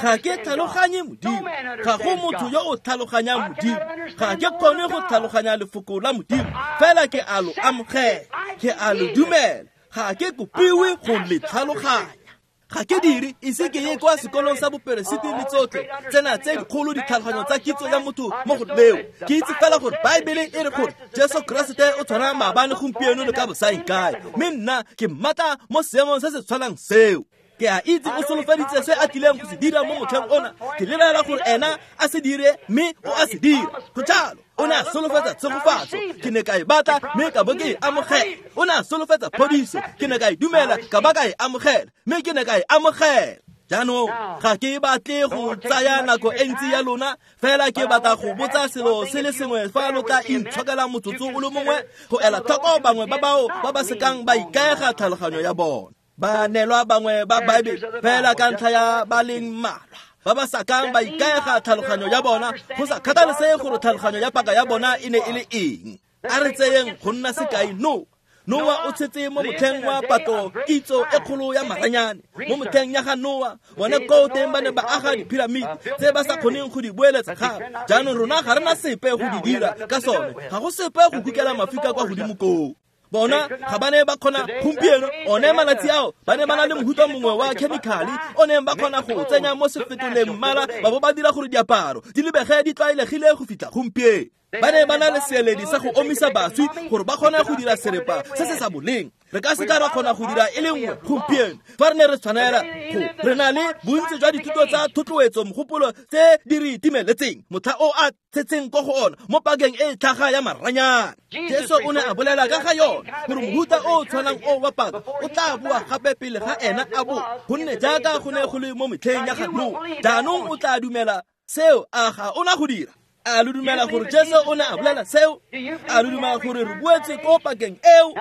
Ga ke tlhaloganye Modimo, ga go motho yo o tlhaloganyang Modimo. Ga ke kgone go tlhaloganya lefoko la Modimo, fela ke a lo amogela, ke a lo dumela. Ga ke kopiwe go le tlhaloganya. Ga ke dire ise ke ye kwa sekolong sa boperesiti le tsotlhe tsena tse dikgolo ditlhaloganyo tsa kitso ya motho mo go leo. Ke itse fela gore Baebele e re gore Jesu Keresete o tshwana maabane, gompieno le ka bosaengkae, mme nna ke mmatla mo seemong se se tshwanang seo. Ke a itse o solofeditse se a tlileng go se dira mo motlheng ona. Ke lebelela gore ena a se dire, mme o a se dira. Go jalo. O ne a solofetsa tshegofatso, ke ne ka e batla mme ka bo ke e amogela. O ne a solofetsa phodiso, ke ne ka e dumela ka ba ka e amogela, mme ke ne ka e amogela. Jaanong ga ke batle go tsaya nako e ntsi ya lona, fela ke batla go botsa selo se le sengwe fa lo tla intshokela motsotso o le mongwe go ela tlhoko bangwe ba bao ba ba sekang ba ikaega tlhaloganyo ya bona. Ba neelwa bangwe ba Baebele fela ka ntlha ya ba leng mmalwa ba ba sa kang ba ikaega tlhaloganyo ya bona, go sa kgathalesege gore tlhaloganyo ya paka ya bona e ne e le eng. A re tseyeng go nna sekai Noa. Noa o tshetse mo motlheng wa patlo kitso e kgolo ya maranyane. Mo motlheng ya ga Noa, bone koo teng ba ne ba aga diphiramiti tse ba sa kgoneng go di boeletsa gape. Jaanong rona ga re na sepe go di dira ka sone, ga go sepe go kukela mafika kwa godimo koo. Bona ga ba ne ba kgona gompieno, one malatsi ao ba ne ba na le mohuta mongwe wa chemical o neng ba kgona go tsenya mo sefetoleng mmala, ba bo ba dira gore diaparo di lebege di tlwaelegile go fitlha gompieno. Ba ne ba na le seeledi sa go omisa baswi gore ba kgone go dira serepa se se sa boleng. Re ka se ka ra kgona go dira e le nngwe gompieno fa re ne re tshwanela go. Re na le bontsi jwa dithuto tsa thotloetso mogopolo tse di re timeletseng motlha o a tshetseng ko go ona mo pakeng e tlhaga ya maranyane. Jesu o ne a bolela ka ga yone gore mohuta o tshwanang o wa paka o tla boa gape pele ga ena a bo, gonne jaaka go ne go le mo metlheng ya ga Noa. Jaanong o tla dumela seo, a ga o na go dira? A lo dumela gore Jesu o ne a bolela seo? A lo dumela gore re boetse ko pakeng eo?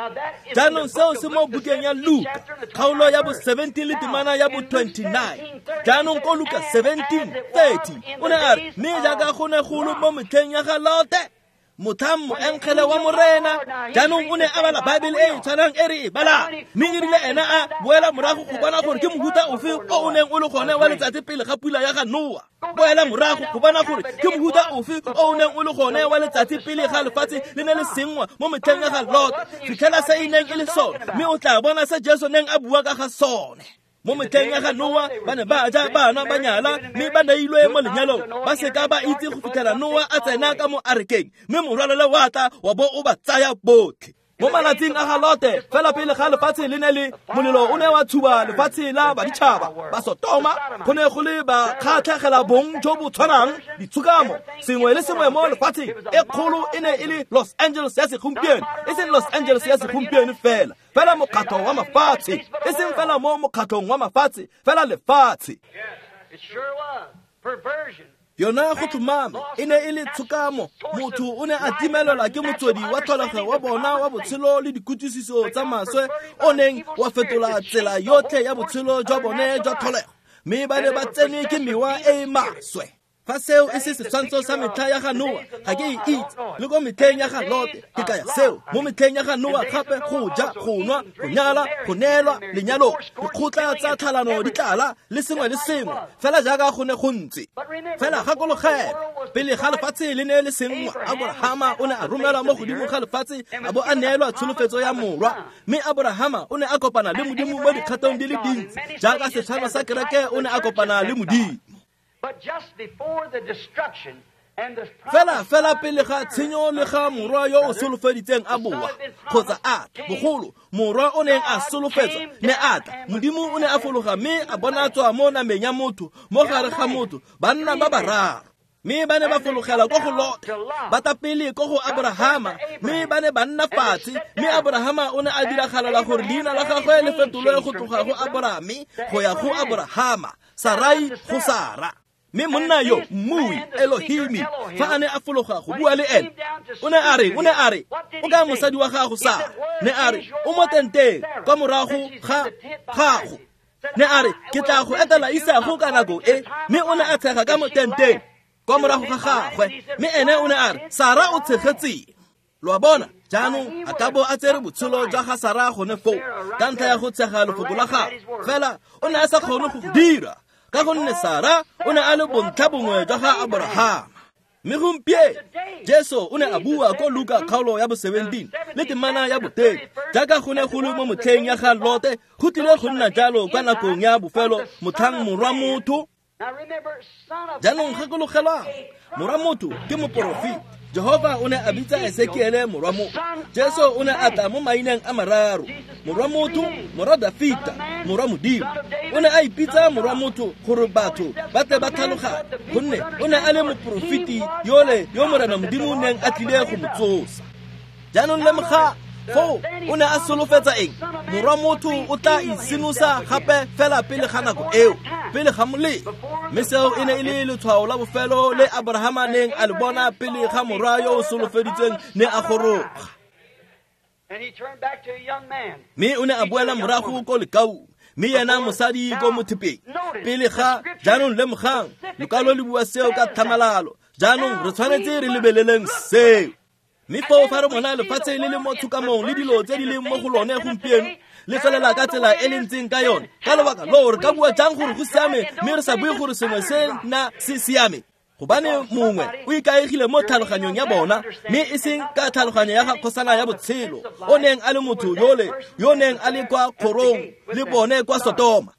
Jaanong seo se mo bukeng ya Luka, kgaolo ya bo 17 le temana ya bo 29. Jaanong ko Luka 17:30 o ne a re, mme jaaka go ne go le mo metlheng ya ga Lote, motlhang moengele wa Morena. Jaanong o ne a bala Baebele e e tshwanang e re e balang, mme e rile ena a boela morago go bona gore ke mohuta ofe o o neng o le gone wa letsatsi pele ga pula ya ga Noa. Boela morago go bona gore ke mohuta ofe o o neng o le gone wa letsatsi pele ga lefatshe le ne le senngwa mo metlheng ya ga Lot. Fitlhela se e neng e le sone, mme o tla bona se Jesu neng a bua ka ga sone. Mo metlheng ya ga Noa ba ne ba ja, ba nwa, ba nyala, mme ba neilwe mo lenyalong, ba seka ba itse go fitlhela Noa a tsena ka mo arekeng, mme morwalela wa tla wa bo o ba tsaya botlhe. Mo malatsing a ga Lote, fela pele ga lefatshe le ne le molelo o ne wa tshuba lefatshe la baditšhaba ba Sotoma, go ne go le ba kgatlhegela bong jo bo tshwanang, ditshokamo, sengwe le sengwe mo lefatsheng. E kgolo e ne e le Los Angeles ya segompieno, e seng Los Angeles ya segompieno fela, fela mokgatlho wa mafatshe, e seng fela mo mokgatlhong wa mafatshe, fela lefatshe. Yona go tlhomame e ne e le tshokamo. Motho o ne a timelelwa ke motswedi wa tlholego wa bona wa botshelo le dikutlwisiso tsa maswe, o neng wa fetola tsela yotlhe ya botshelo jwa bone jwa tlholego, mme ba ne ba tsenwe ke mewa e e maswe. Fa seo e se setshwantsho sa metlha ya ga Noa, ga ke e itse. Le ko metlheng ya ga Lote, ke kaya seo. Mo metlheng ya ga Noa gape go ja, go nwa, go nyala, go neelwa lenyalo, dikgotla tsa tlhalano di tlala le sengwe le sengwe, fela jaaka go ne go ntse. Fela gakologelwa, pele ga lefatshe le ne le senngwa, Aborahama o ne a romelwa mo godimo ga lefatshe a bo a neelwa tsholofetso ya morwa. Mme Aborahama o ne a kopana le Modimo mo dikgatong di le dintsi, jaaka setshwano sa kereke o ne a kopana le Modimo. Fela fela pele ga tshenyo le ga morwa yo o solofeditseng a boa kgotsa a tla, bogolo morwa o neng a solofetswa ne a tla, Modimo o ne a fologa mme a bonatswa mo nameng ya motho, mo gare ga motho, banna ba bararo. Mme ba ne ba fologela ko go Lote, ba tla pele ko go Aborahama, mme ba ne ba nna fatshe. Mme Aborahama o ne a diragalela gore leina la gagwe le fetolwe go tloga go Aborame go ya go Aborahama, Sarai go Sara. Mme monna yo, mmui, Elohimi, fa a ne a fologa go bua le ene, o ne a re, o ka mosadi wa gago Sara? Ne a re, o mo tenteng kwa morago ga gago. Ne a re, ke tla go etela isago ka nako e. Mme o ne a tshega ka mo tenteng kwa morago ga gagwe. Mme ene o ne a re, Sara o tshegetseng. Lo a bona, jaanong a ka bo a tsere botshelo jwa ga Sara gone foo ka ntlha ya go tshega lefoko la gagwe. Fela o ne a sa kgone go go dira, ka gonne Sara o ne a le bontlha bongwe jwa ga Aborahama. Mme gompieno Jesu o ne a bua ko Luka kgaolo ya bo 17 le temana ya bo 30, jaaka go ne go le mo motlheng ya ga Lote, go tlile go nna jalo kwa nakong ya bofelo motlhang morwa motho. Jaanong gakologelwang, morwa motho ke moporofeti. Jehova o ne a bitsa Ezekiele morwa motho. Jesu o ne a tla mo maineng a mararo: morwa motho, morwa Dafita, morwa Modimo. O ne a ipitsa morwa motho gore batho ba tle ba tlhaloganye, gonne o ne a le moporofeti yole yo Morena Modimo neng a tlile go mo tsosa. Jaanong lemoga, foo o ne a solofetsa eng? Morwa motho o tla isenosa gape fela pele ga nako eo, pele ga molelo. Mme seo e ne e le letshwao la bofelo le Aborahama neng a le bona pele ga morwa yo o solofeditsweng ne a goroga. Mme o ne a boela morago ko lekaung, mme yena mosadi ko mothepeng pele ga. Jaanong lemogang, lekwalo le bua seo ka tlhamalalo. Jaanong re tshwanetse re lebeleleng seo. Mme foo fa re bona lefatshe le le mo tshokamong le dilo tse di leng mo go lone gompieno le tswelela ka tsela e le ntseng ka yone, ka lobaka loo re ka bua jang gore go siame mme re sa bue gore sengwe se na se siame? Gobane mongwe o ikaegile mo tlhaloganyong ya bona, mme e seng ka tlhaloganyo ya ga kgosana ya botshelo, o neng a le motho yole yo neng a le kwa kgorong le bone kwa Sotoma.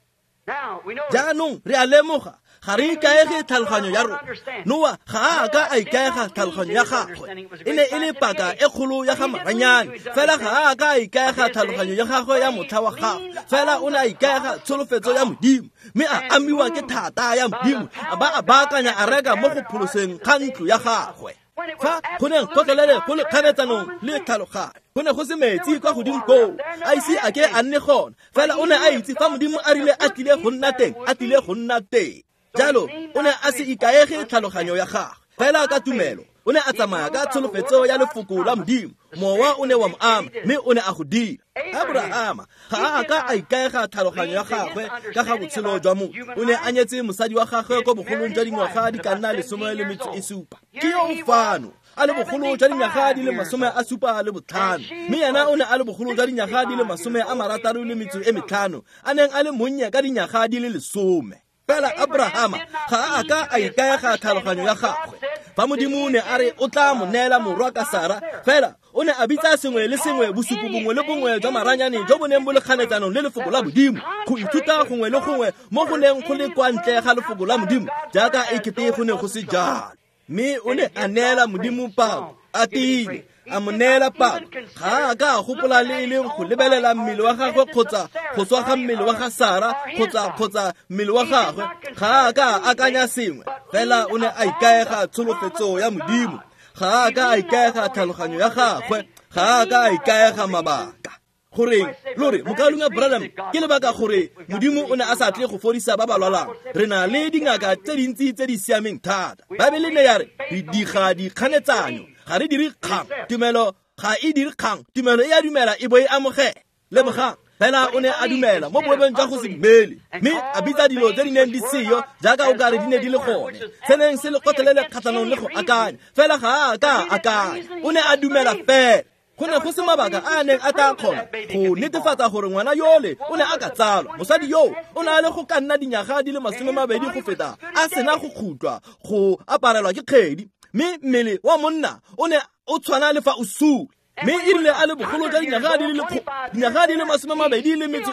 Jaanong re a lemoga, ga re ikaege tlhaloganyo ya rona. Noa ga a ka a ikaega tlhaloganyo ya gagwe, e ne e le paka e kgolo ya ga maranyane. Fela ga a ka a ikaega tlhaloganyo ya gagwe ya motlha wa gagwe, fela o ne a ikaega tsholofetso ya Modimo, mme a amiwa ke thata ya Modimo, a ba a baakanya areka mo go pholoseng ga ntlo ya gagwe. Fa go ne gotlhelele go le kganetsanong le tlhaloganyo, go ne go se metsi kwa godimo koo, a ise a ke a nne gona. Fela o ne a itse fa Modimo a rile a tlile go nna teng, a tlile go nna teng. Jalo o ne a se ikaege tlhaloganyo ya gagwe, fela ka tumelo o ne a tsamaya ka tsholofetso ya lefoko la Modimo. Mowa o ne wa mo ama, mme o ne a go dira. Aborahama ga a ka a ikaega tlhaloganyo ya gagwe ka ga botshelo jwa motho. O ne a nyetse mosadi wa gagwe ko bogolong jwa dingwaga di ka nna 17. Ke yo o fano a le bogolo jwa dinyaga di le 75, mme yena o ne a le bogolo jwa dinyaga di le 65, a neng a le monnye ka dinyaga di le 10. Fela Abrahama ga a ka a ikaega tlhaloganyo ya gagwe. Fa Modimo ne a re o tla mo neela morwa ka Sara, fela o ne a bitsa sengwe le sengwe bosupo bongwe le bongwe jwa maranyane jo bo neng bo le kganetsanong le lefoko la Modimo, go ithuta gongwe le gongwe mo go neng go le kwa ntle ga lefoko la Modimo, jaaka e kete go ne go se jalo. Mme o ne a neela Modimo pako, a tiile, a mo neela pako. Ga a ka a gopola le e leng go lebelela mmele wa gagwe kgotsa go swa ga mmele wa ga Sara kgotsa mmele wa gagwe. Ga a ka a akanya sengwe, fela o ne a ikaega tsholofetso ya Modimo. Ga a ka a ikaega tlhaloganyo ya gagwe, ga a ka a ikaega mabaka. Goreng lore mokaulengwe Branham, ke lebaka gore Modimo o ne a sa tle go fodisa ba ba lwalang. Re na le dingaka tse dintsi tse di siameng thata. Baebele ne ya re re diga dikganetsanyo, ga re dire kgang. Tumelo ga e dire kgang, tumelo e a dumela e bo e amogela. Lemogang, Fela o ne a dumela mo boemong jwa go se dumele, mme a bitsa dilo tse di neng di seyo jaaka o kare di ne di le gone, se neng se le gotlhelele kgatlhanong le go akanya. Fela ga a ka akanya, o ne a dumela fela. Go ne go se mabaka a a neng a tla kgona go netefatsa gore ngwana yole o ne a ka tsalwa. Mosadi yoo o ne a le go ka nna dinyaga di le 20 go feta a sena go khutlwa go aparelwa ke kgedi, mme mmele wa monna o ne o tshwana le fa o sule. Mme e rile a le bogolo jwa dinyaga di le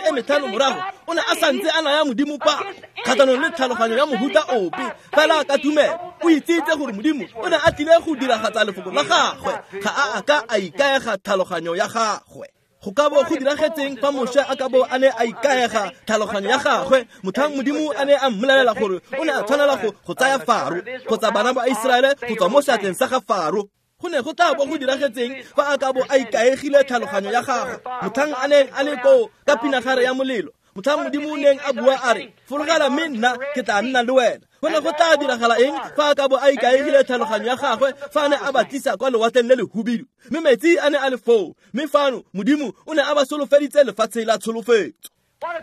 25 morago, o ne a santse a naya Modimo pako kgatlhanong le tlhaloganyo ya mohuta ope. Fela ka tumelo o itsitse gore Modimo o ne a tlile go diragatsa lefoko la gagwe, ga a ka a ikaega tlhaloganyo ya gagwe. Go ka bo go diragetseng fa Moshe a ka bo a ne a ikaega tlhaloganyo ya gagwe motlhang Modimo a ne a mmolelela gore o ne a tshwanela go tsaya Faro kgotsa bana ba Iseraele go tswa mo seatleng sa ga Faro? Go ne go tla bo go diragetseng fa a ka bo a ikaegile tlhaloganyo ya gagwe motlhang a neng a le koo ka pinagare ya molelo, motlhang Modimo o neng a bua a re, fologela mme nna ke tla nna le wena? Go ne go tla diragala eng fa a ka bo a ikaegile tlhaloganyo ya gagwe fa a ne a ba tlisa kwa lewatleng le lehubidu, mme metsi a ne a le foo, mme fano Modimo o ne a ba solofeditse lefatshe la tsholofetso?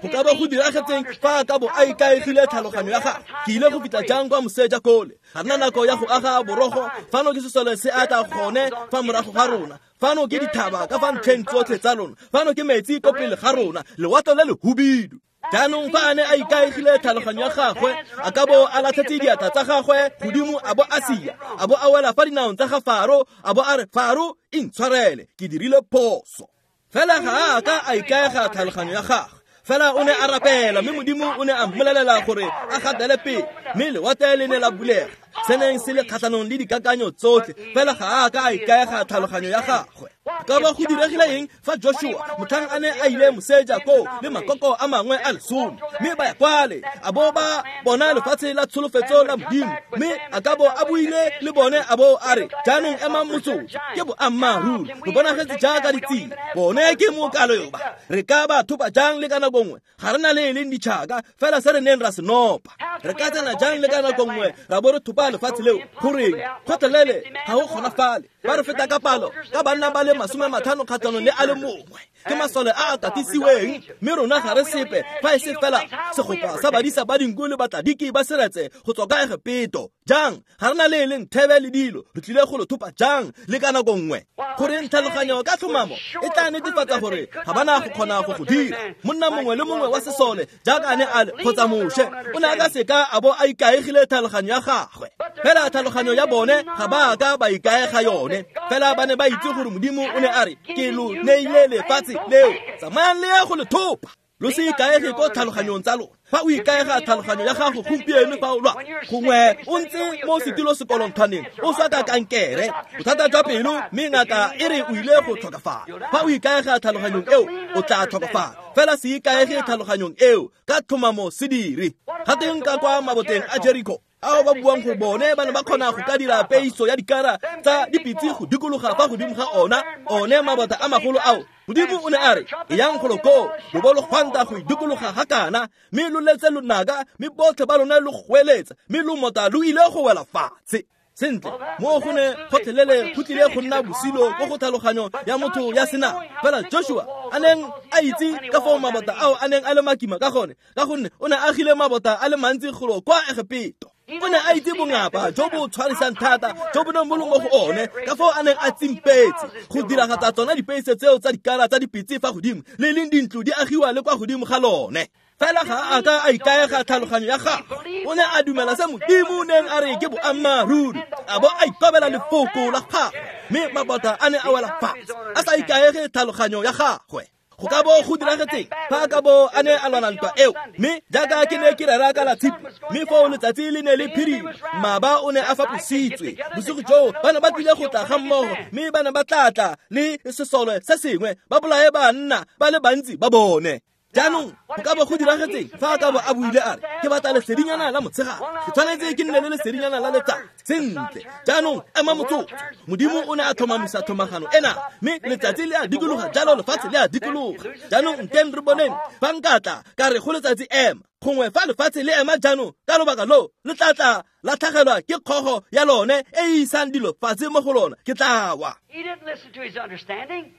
Go ka bo go diragetseng fa a ka bo a ikaegile tlhaloganyo ya gagwe? Ke ile go fitlha jang kwa moseja kole? Ga nna nako ya go aga borogo. Fano ke sesole se a tla gone fa morago ga rona, fano ke dithaba ka fa ntlheng tsotlhe tsa lona, fano ke metsi ko pele ga rona, lewatle le lehubidu. Jaanong fa a ne a ikaegile tlhaloganyo ya gagwe, a ka bo a latlhetse diatla tsa gagwe godimo, a bo a sia, a bo a wela fa dinaong tsa ga Faro, a bo a re, Faro, intshwarele, ke dirile phoso. Fela ga a ka a ikaega tlhaloganyo ya gagwe. Fela o ne a rapela, mme Modimo o ne a mmolelela gore a gatele pele, mme lewatle le ne la bulega, se neng se le kgatlhanong le dikakanyo tsotlhe. Fela ga a ka a ikaega tlhaloganyo ya gagwe. Ka ba go diregile eng fa Joshua motlhang a ne a ile moseja koo le makoko a mangwe a 10, mme ba ya kwale, a bo ba bona lefatshe la tsholofetso la Modimo, mme a ka bo a buile le bone a bo a re, jaanong emang motsotso, ke boammaaruri, re bonagetse jaaka ditsela, bone ke mokaloba, re ka ba thopa jang le ka nako nngwe? Ga re na le e leng ditšhaka, fela se re neng ra se nopa. Re ka tsena jang le ka nako nngwe ra bo re thopa lefatshe leo? Goreng kgotlhelele ga go kgonafale. Ba re feta ka palo ka banna ba le 50 kgatlhanong le a le mongwe, ke masole a a katisiweng, mme rona ga re sepe fa e se fela segopa sa badisa ba dinku le batladiki ba seretse go tswa ka Egepeto. Jang ga re na le e leng thebe le dilo, re tlile go lo thopa jang le ka nako nngwe? Goreng tlhaloganyo ka tlhomamo e tla netefatsa gore ga ba na go kgona go go dira. Monna mongwe le mongwe wa sesole jaaka a ne a le kgotsa Moshe o ne a ka seka a bo a ikaegile tlhaloganyo ya gagwe. Fela tlhaloganyo ya bone ga ba ka ba ikaega yone. Fela ba ne ba itse gore Modimo o ne a re, ke lo neile lefatshe leo, tsamayang le ye go le thopa. Lo se ikaege ko tlhaloganyong tsa lona. Fa o ikaega tlhaloganyo ya gago gompieno fa o lwa, gongwe o ntse mo setilo sekolontshwaneng o swa ka kankere, bothata jwa pelo, mme ngaka e re o ile go tlhokafala. Fa o ikaega tlhaloganyong eo, o tla tlhokafala. Fela se ikaege tlhaloganyong eo, ka tlhomamo se dire. Ga teng ka kwa maboteng a Jericho, ao ba buang gore bone ba ne ba kgona go ka dira peiso ya dikara tsa dipitse go dikologa fa godimo ga ona, one mabota a magolo ao. Modimo o ne a re, eyang golo koo, lo bo lo gwanta go idikologa ga kana, mme lo letse lonaka, mme botlhe ba lona lo goeletsa, mme lomota lo ile go wela fatshe. Sentle, mo go ne gotlhelele go tlile go nna bosilo ko go tlhaloganyo ya motho ya senama. Fela Joshua a neng a itse ka foo mabota ao a neng a le makima ka gone, ka gonne o ne a agile mabota a le mantsi golo kwa Egepeto. O ne a itse bongapa jo bo tshwarisang thata jo bo neng bo le mo go one, ka foo a neng a tsimpetse go diragatsa tsona dipeise tseo tsa dikara tsa dipitse fa godimo, le leng dintlo di agiwa le kwa godimo ga lone. Fela ga a ka a ikaega tlhaloganyo ya gagwe, o ne a dumela se Modimo o neng a re ke boammaaruri, a bo a ikobela lefoko la gagwe, mme mabota a ne a wela fatshe a sa ikaege tlhaloganyo ya gagwe. Go ka bo go diragetseng fa a ka bo a ne a lwana ntwa eo? Mme jaaka ke ne ke rera ka la tshipi, mme foo letsatsi le ne le phirima, mmaba o ne a fapositswe. Bosigo joo ba ne ba tlile go tla ga mmogo, mme ba ne ba tla tla le sesole se sengwe, ba bolaye banna ba le bantsi ba bone. Jaanong go ka bo go diragetseng fa a ka bo a buile a re, ke batla lesedinyana la motshegare, ke tshwanetse ke nne le lesedinyana la letsatsi. Sentle, jaanong ema motsotso. Modimo o ne a tlhomamisa tlhomagano ena, mme letsatsi le a dikologa jalo lefatshe le a dikologa. Jaanong nteng re boneng fa nka tla ka re go letsatsi ema, gongwe fa lefatshe le ema jaanong ka lobaka loo le tla tla la tlhagelwa ke kgogo ya lone e e isang dilo fatshe mo go lona, ke tla wa. He didn't listen to his understanding.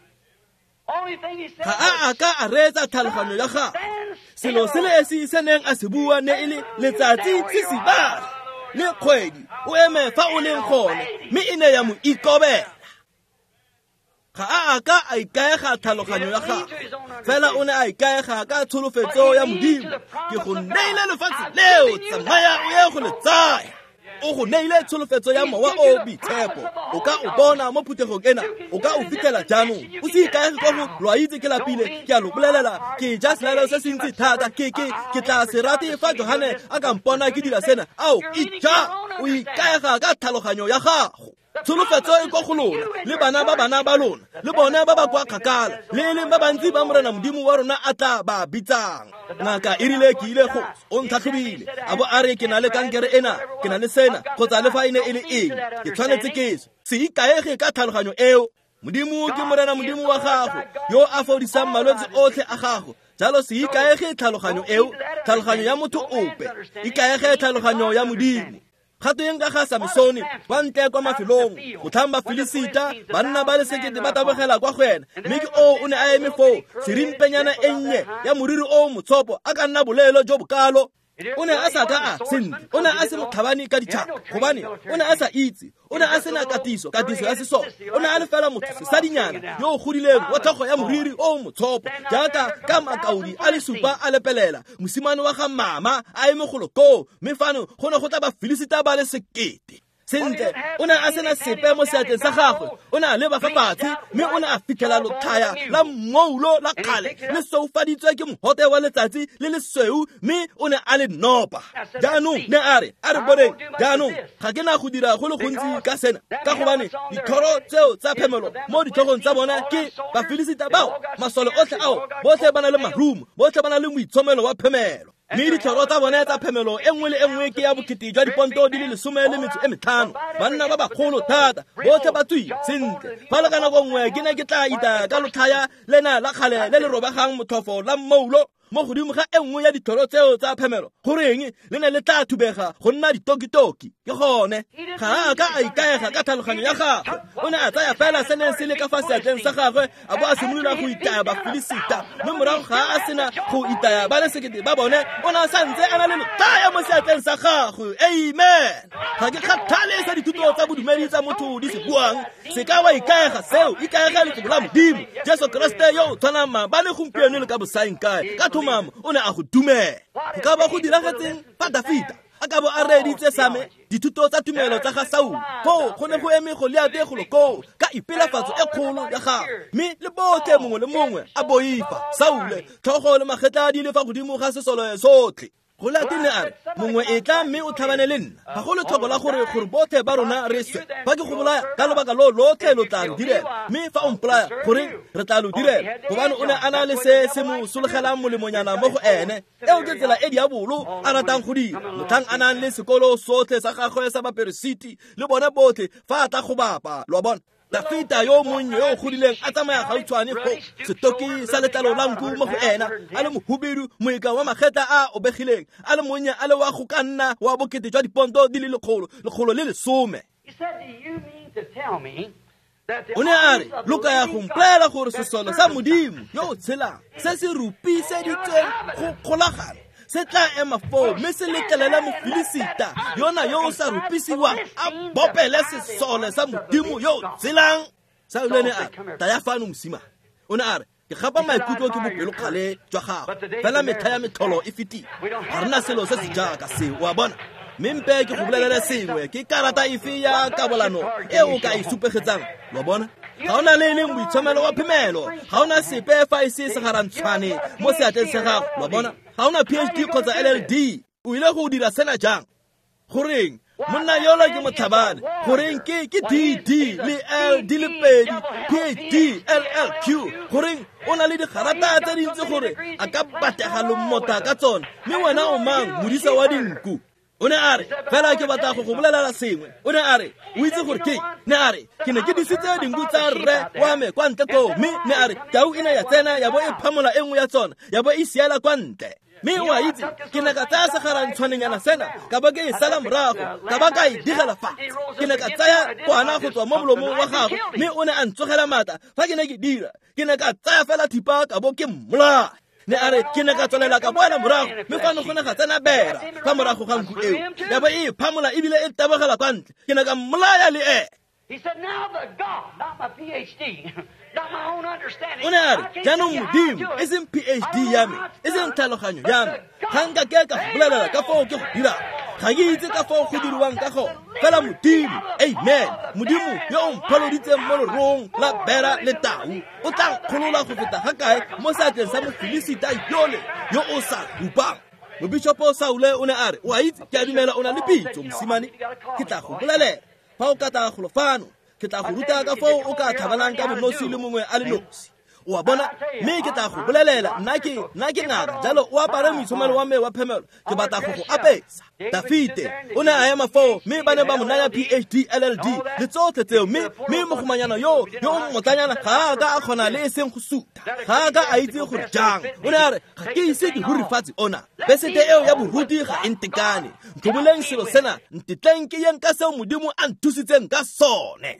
Ga a a ka a reetsa tlhaloganyo ya gagwe. Selo se le esi se neng a se bua ne e le letsatsi sisibala le kgwedi o eme fa o leng gone, mme e ne ya mo ikobela. Ga a a ka a ikaega tlhaloganyo ya gagwe, fela o ne a ikaega ka tsholofetso ya Modimo. Ke go neile lefatshe leo, tsamaya o ye go le tsaya. O go neile tsholofetso ya Mowa o Boitshepo. O ka o bona mo phuthegong ena, o ka o fitlhela jaanong. O se ikaege kwa go lo a itse ke lapile, ke a lo bolelela, ke ja selalelo se se ntsi thata, ke tla se rate fa Johane a ka mpona ke dira sena. Ao, ija, o ikaega ka tlhaloganyo ya gago. Tsholofetso e kwa go lona le bana ba bana ba lona le bone ba ba kwa kgakala le e leng ba bantsi ba Morena Modimo wa rona a tla ba bitsang. Ngaka e rile ke ile go o ntlhatlhobile a bo a re ke na le kankere ena, ke na le sena, kgotsa le fa e ne e le eng, ke tshwanetse ke se ikaege ka tlhaloganyo eo. Modimo ke Morena Modimo wa gago yo a fodisang malwetse otlhe a gago. Jalo se ikaege tlhaloganyo eo, tlhaloganyo ya motho ope, ikaege tlhaloganyo ya Modimo. Gato ka ga Samsone kwa ntle kwa mafelong, motlhang Bafilisita banna ba le sekete ba tabogela kwa go ena, mme ke o ne a eme foo, serimpenyana e nnye ya moriri o motshopo a ka nna boleelo jo bokalo. O ne a sa ka a sentle, o ne a se motlhabani ka ditšhaba, gobane o ne a sa itse, o ne a sena katiso ya sesole. O ne a le fela motho sesadinyana yo o godileng wa tlhogo ya moriri o motshopo jaaka ka makaodi a le supa a lepelela, mosimane wa ga mama a eme golo koo, mme fano go ne go tla Bafilisita ba le sekete. Sentle, o ne a sena sepe mo seatleng sa gagwe, o ne a leba fa fatshe mme o ne a fitlhela lotlhaya la mmoulo la kgale le soufaditswe ke mogote wa letsatsi le lesweu, mme o ne a le nopa. Jaanong ne a re, a re boneng, jaanong ga ke na go dira go le gontsi ka sena, ka gobane dithoro tseo tsa phemelo mo ditlhogong tsa bona ke Bafilisita bao, masole otlhe ao, botlhe ba na le marumo, botlhe ba na le moitshomelo wa phemelo. Mme ditlhoro tsa bone tsa phemelo e nngwe le e nngwe ke ya bokete jwa diponto di le 15, banna ba bagolo thata, botlhe ba tswile sentle. Fa le ka nako nngwe ke ne ke tla itaya ka lotlhaya lena la kgale le le robegang motlhofo la mmoulo mo godimo ga e nngwe ya ditlhoro tseo tsa phemelo, goreng le ne le tla thubega go nna ditokitoki. Ke gone ga a ka a ikaega ka tlhaloganyo ya gagwe, o ne a tsaya fela se neng se le ka fa seatleng sa gagwe a bo a simolola go itaya Bafilisita, mme morago ga a sena go itaya ba le sekete ba bone, o ne a santse a na le lotlhaya mo seatleng sa gagwe. Amen. Ga ke kgathale sa dithuto tsa bodumedi tsa motho di se buang, se ka wa ikaega seo, ikaega lefoko la Modimo. Jesu Kriste yo o tshwanang maabane, gompieno le ka bosaeng kae, ka thomamo o ne a go dumela. Go ka ba go diragetseng fa Dafita a ka bo a reeditse same dithuto tsa tumelo tsa ga Saul, foo go ne go eme Goliate golo koo ka ipelafatso e kgolo ya gagwe, mme le botlhe mongwe le mongwe a boifa Saule, tlhogo le magetla di le fa godimo ga sesole sotlhe. Goliate ne a re, mongwe e tla mme o tlhabane le nna, ga go letlhoko la gore botlhe ba rona re swe. Fa ke go bolaya ka lobaka lo lotlhe lo tla re direla, mme fa o mpolaya goreng re tla lo direla, gobane o ne a na le se se mo sologelang molemonyana mo go ene. Eo ke tsela e diabolo a ratang go dira, motlhang a nang le sekolo sotlhe sa gagwe sa baperesiti le bone botlhe fa a tla go bapa. Lo a bona, Dafita yo monnye yo o godileng a tsamaya gautshwane fo, setoki sa letlalo la nku mo go ena, a le mohubedu, moika wa magetla a obegileng, a le monnye, a le wa go ka nna wa bokete jwa diponto di le 110. O ne a re, lo ka ya go mpolelela gore sesole sa Modimo yo o tshelang se se rupiseditsweng go kgolagana se tla ema foo mme se letlelela Mofilisita yona yo o sa rupisiwang a bopele sesole sa Modimo yo o tshelang. Saule ne a re, taya fano mosimane. O ne a re, ke gapa maikutlo ke bopelokgale jwa gago, fela metlha ya metlholo e fetile, ga rena selo se se jaaka seo. O a bona, mme mpe ke go bolelele sengwe, ke karata efe ya kabolano e o ka e supegetsang? Lo bona, ga ona le e leng boitshomelo wa phemelo, ga ona sepe fa e se segarantshwane mo seatleng sa gago. Lo bona, ga ona PhD kgotsa LLD, o ile go dira sena jang? Goreng monna yola ke motlhabane? Goreng ke DD le L di le pedi, PhD, LLQ? Goreng o na le digarata tse dintsi gore a ka batega lomota ka tsone, mme wena o mang, modisa wa dinku? O ne a re, fela ke batla go go bolelela sengwe. O ne a re, o itse gore ke ne a re, ke ne ke disitse dinku tsa rre wa me kwa ntle koo, mme ne a re, tau e ne ya tsena ya bo e phamola e nngwe ya tsona, ya bo e siela kwa ntle. Mme o a itse, ke ne ka tsaya segarantshwaneng sena, ka ba ke e sala morago, ka ba ka e digela fatshe. Ke ne ka tsaya kwana go tswa mo molomong wa gagwe, mme o ne a ntsogela maatla fa ke ne ke dira. Ke ne ka tsaya fela thipa ka bo ke mmolaya. Ne a re ke ne ka tswelela ka boela morago, mme fano go ne ga tsena bera fa morago ga nku eo, ya bo e phamola ebile e tabogela kwa ntle. Ke ne ka mmolaya le ene. O ne a re jaanong Modimo, e seng PhD ya me, e seng tlhaloganyo ya me, ga nka ke ka go bolelela ka foo ke go dirang, ga ke itse ka foo go diriwang ka gone, fela Modimo, amen, Modimo yo o mpholoditseng mo lerong la bera le tau, o tla nkgolola go feta ga kae mo seatleng sa Mofilisita yole yo o sa rupang. Mobishopo Saule o ne a re, o a itse, ke a dumela o na le pitso, mosimane, ke tla go bolelela fa o ka tla golo fano, ke tla go ruta ka foo o ka tlhabanang ka bonosi le mongwe a le nosi. O a bona, mme ke tla go bolelela, nna ke ngaka, jalo o apare moitshomelo wa me wa phemelo, ke batla go go apesa. Dafite o ne a ema foo, mme ba ne ba mo naya PhD LLD le tsotlhe tseo, mme mogomanyana yo o mmotlanyana ga a ka a kgona le e seng go suta, ga a ka a itse gore jang. O ne a re, ga ke ise ke rurifatse ona, besete eo ya boruti ga e ntekane, ntlhoboleng selo sena, ntetleng ke yeng ka seo Modimo a nthusitseng ka sone.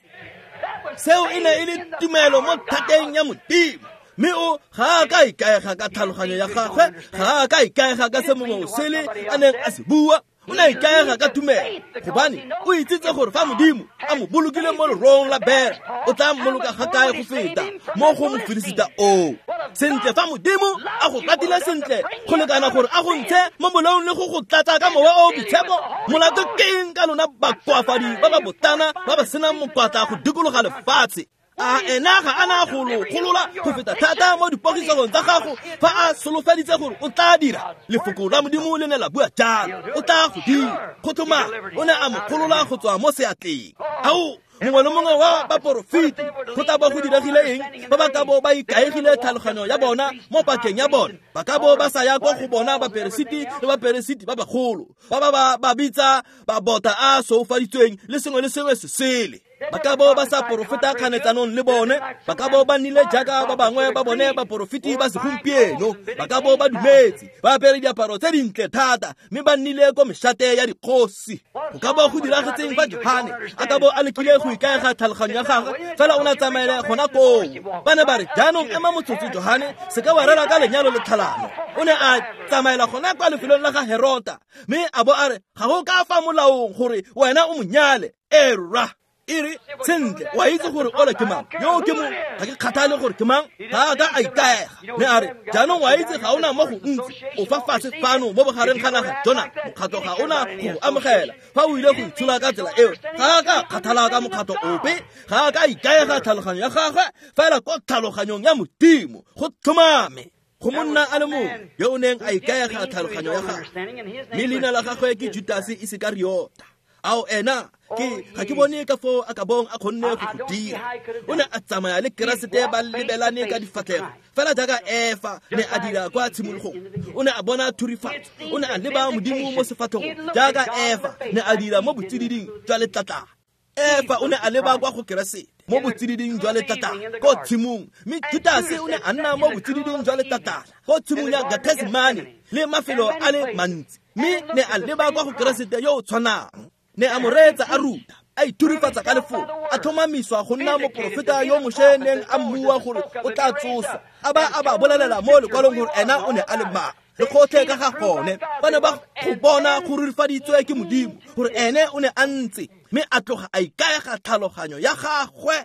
Seo e ne e le tumelo mo thateng ya Modimo. Mme o ga a ka ikaega ka tlhaloganyo ya gagwe, ga a ka ikaega ka se mongwe o sele a neng a se bua, o ne a ikaega ka tumelo, gobane o itsitse gore fa Modimo a mo bolokile mo lerong la bera, o tla mmoloka ga kae go feta mo go Mofilisita oo. Sentle, fa Modimo a go ratile sentle go lekana gore a go ntshe mo molaong le go go tlatsa ka mowa o boitshepo, molato ke eng ka lona bakoafadi ba ba botana ba ba senang mokwatla go dikologa lefatshe? A ena ga a na go lo golola go feta thata mo dipogisong tsa gago fa a solofeditse gore o tla dira? Lefoko la Modimo le ne la bua jalo, o tla go dira. Go tlhoma o ne a mo golola go tswa mo seatleng. Ao, mongwe le mongwe wa baporofeti go tla bo go diregile eng ba ba ka bo ba ikaegile tlhaloganyo ya bona mo pakeng ya bona? Ba ka bo ba sa ya kwa go bona baperesiti le baperesiti ba bagolo ba ba bitsa babota a soufaditsweng le sengwe le sengwe se sele. Ba ka bo ba sa porofeta kganetsanong le bone, ba ka bo ba nnile jaaka ba bangwe ba bone baporofeti ba segompieno, ba ka bo ba dumetse, ba apere diaparo tse dintle thata, mme ba nnile ko mešate ya dikgosi. Go ka bo go diragetseng fa Johane a ka bo a lekile go ikaega tlhaloganyo ya gagwe, fela o ne a tsamaela gona koo. Ba ne ba re, jaanong ema motsotso Johane, se ka wa rera ka lenyalo le tlhalano. O ne a tsamaela gona kwa lefelong la ga Herota, mme a bo a re, ga go ka fa molaong gore wena o monyale. Erra, e re, sentle, wa itse gore ole ke mang, yo ke mo, ga ke kgathale gore ke mang, ga a ka a ikaega. Mme a re, jaanong wa itse ga ona mo go ntsi, o fa fatshe fano mo bogareng ga naga, Jona, mokgatlo ga ona go go amogela fa o ile go itshola ka tsela eo. Ga a ka kgathala ka mokgatlo ope, ga a ka ikaega tlhaloganyo ya gagwe, fela ko tlhaloganyong ya Modimo, go tlhomame. Go monna a le mongwe yo o neng a ikaega tlhaloganyo ya gagwe, mme leina la gagwe ke Judase Isekariota. Ao ena, ke ga ke bone ka foo a ka bong a kgonne go go dira. O ne a tsamaya le Keresete ba lebelane ka difatlhego, fela jaaka Efa ne a dira kwa tshimologong. O ne a bona thurifatso, o ne a leba Modimo mo sefatlhegong jaaka Efa ne a dira mo botsididing jwa letlatlana. Efa o ne a leba kwa go Keresete mo botsididing jwa letlatlana ko tshimong, mme Judase o ne a nna mo botsididing jwa letlatlana ko tshimong ya Gethsemane le mafelo a le mantsi, mme ne a leba kwa go Keresete yo o tshwanang. Ne a mo reetsa a ruta, a ithurifatsa ka lefoko, a tlhomamiswa go nna moporofeta yo Moshe neng a mmua gore o tla tsoswa, a ba a ba bolelela mo lekwalong gore ena o ne a le mang. Le gotlhe ka ga gone, ba ne ba go bona go rurifaditswe ke Modimo gore ene o ne a ntse, mme a tloga a ikaega tlhaloganyo ya gagwe.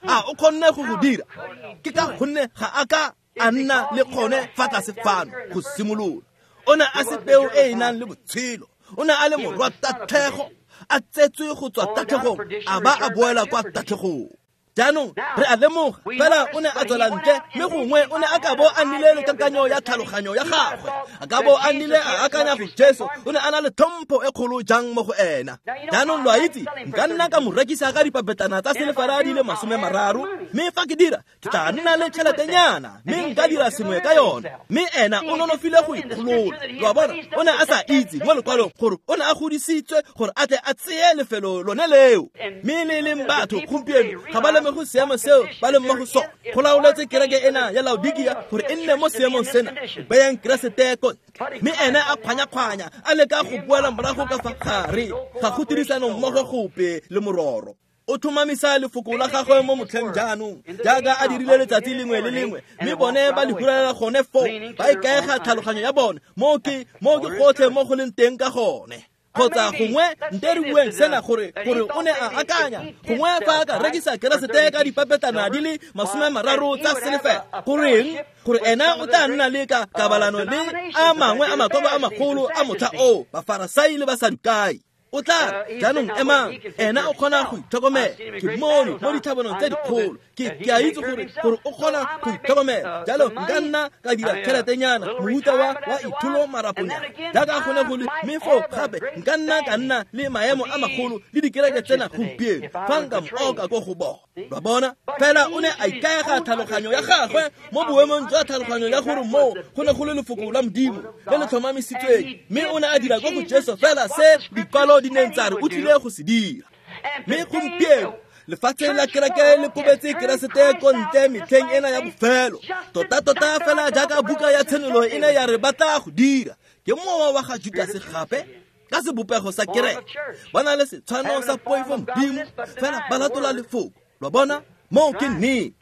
A o kgonne go go dira? Ke ka gonne ga a ka a nna le kgone fa tlase fano go simolola. O ne a se peo e e nang le botshelo, o ne a le morwa tatlhego, a tsetswe go tswa tatlhegong, a ba a boela kwa tatlhegong. Jaanong re a lemoga, fela o ne a tswela ntle, mme gongwe o ne a ka bo a nnile le kakanyo ya tlhaloganyo ya gagwe, a ka bo a nnile a akanya go Jesu o ne a na le tlhompho e kgolo jang mo go ena. Jaanong lo a itse, nka nna ka mo rekisa ka dipapetlana tsa selefera di le 30, mme fa ke dira, ke tla nna le tšheletenyana, mme nka dira sengwe ka yone. Mme ena o nonofile go ikgolola. Lo a bona, o ne a sa itse mo lekwalong gore o ne a godisitswe gore a tle a tseye lefelo lone leo. Mme le leng batho gompieno ga ba leme go seemo seo ba leng mo go sone. Go laoletse kereke ena ya Laodikia gore e nne mo seemong sena, bayang Keresete ko ntle. Mme ene a kgwanya-kgwanya a leka go boela morago ka fa gare, ga go tirisano mmogo gope le mororo. O tlhomamisa lefoko la gagwe mo motlheng jaanong, jaaka a dirile letsatsi lengwe le lengwe, mme bone ba le huralela gone foo, ba ikaega tlhaloganyo ya bone. Mo ke gotlhe mo go leng teng ka gone. Kgotsa gongwe nte re bueng sena gore o ne a akanya gongwe fa a ka rekisa Keresete ka dipapetana di le 30 tsa selefela, goreng gore ena o tla nna le ka kabalano le a mangwe a makoko a magolo a motlha oo, Bafarasai le Basadukai. O tla jaanong emang, ena o kgona go itlhokomela. Ke mono mo ditlhabanong tse dikgolo, ke a itse gore o kgona go itlhokomela. Jalo nka nna ka dira tšheletenyana, mohuta wa itholo maraponyana jaaka gone go le, mme foo gape nka nna ka nna le maemo a magolo le dikereke tsena gompieno fa nka mo oka ko go bona. Lwa bona? Fela o ne a ikaega tlhaloganyo ya gagwe mo boemong jwa tlhaloganyo ya gore moo go ne go le lefoko la Modimo le le tlhomamisitsweng, mme o ne a dira ko go Jesu fela se dikwalo di neng tsa re o tlile go se dira. Mme gompieno lefatshe la kereke le kobetse Keresete ko ntle metlheng ena ya bofelo, tota-tota fela jaaka buka ya Tshenolo e ne ya re ba tla go dira. Ke mowa wa ga Judase gape ka sebopego sa kereke, ba na le setshwano sa poifo Modimo, fela ba latola lefoko. Lwa bona? Moo ke nnete.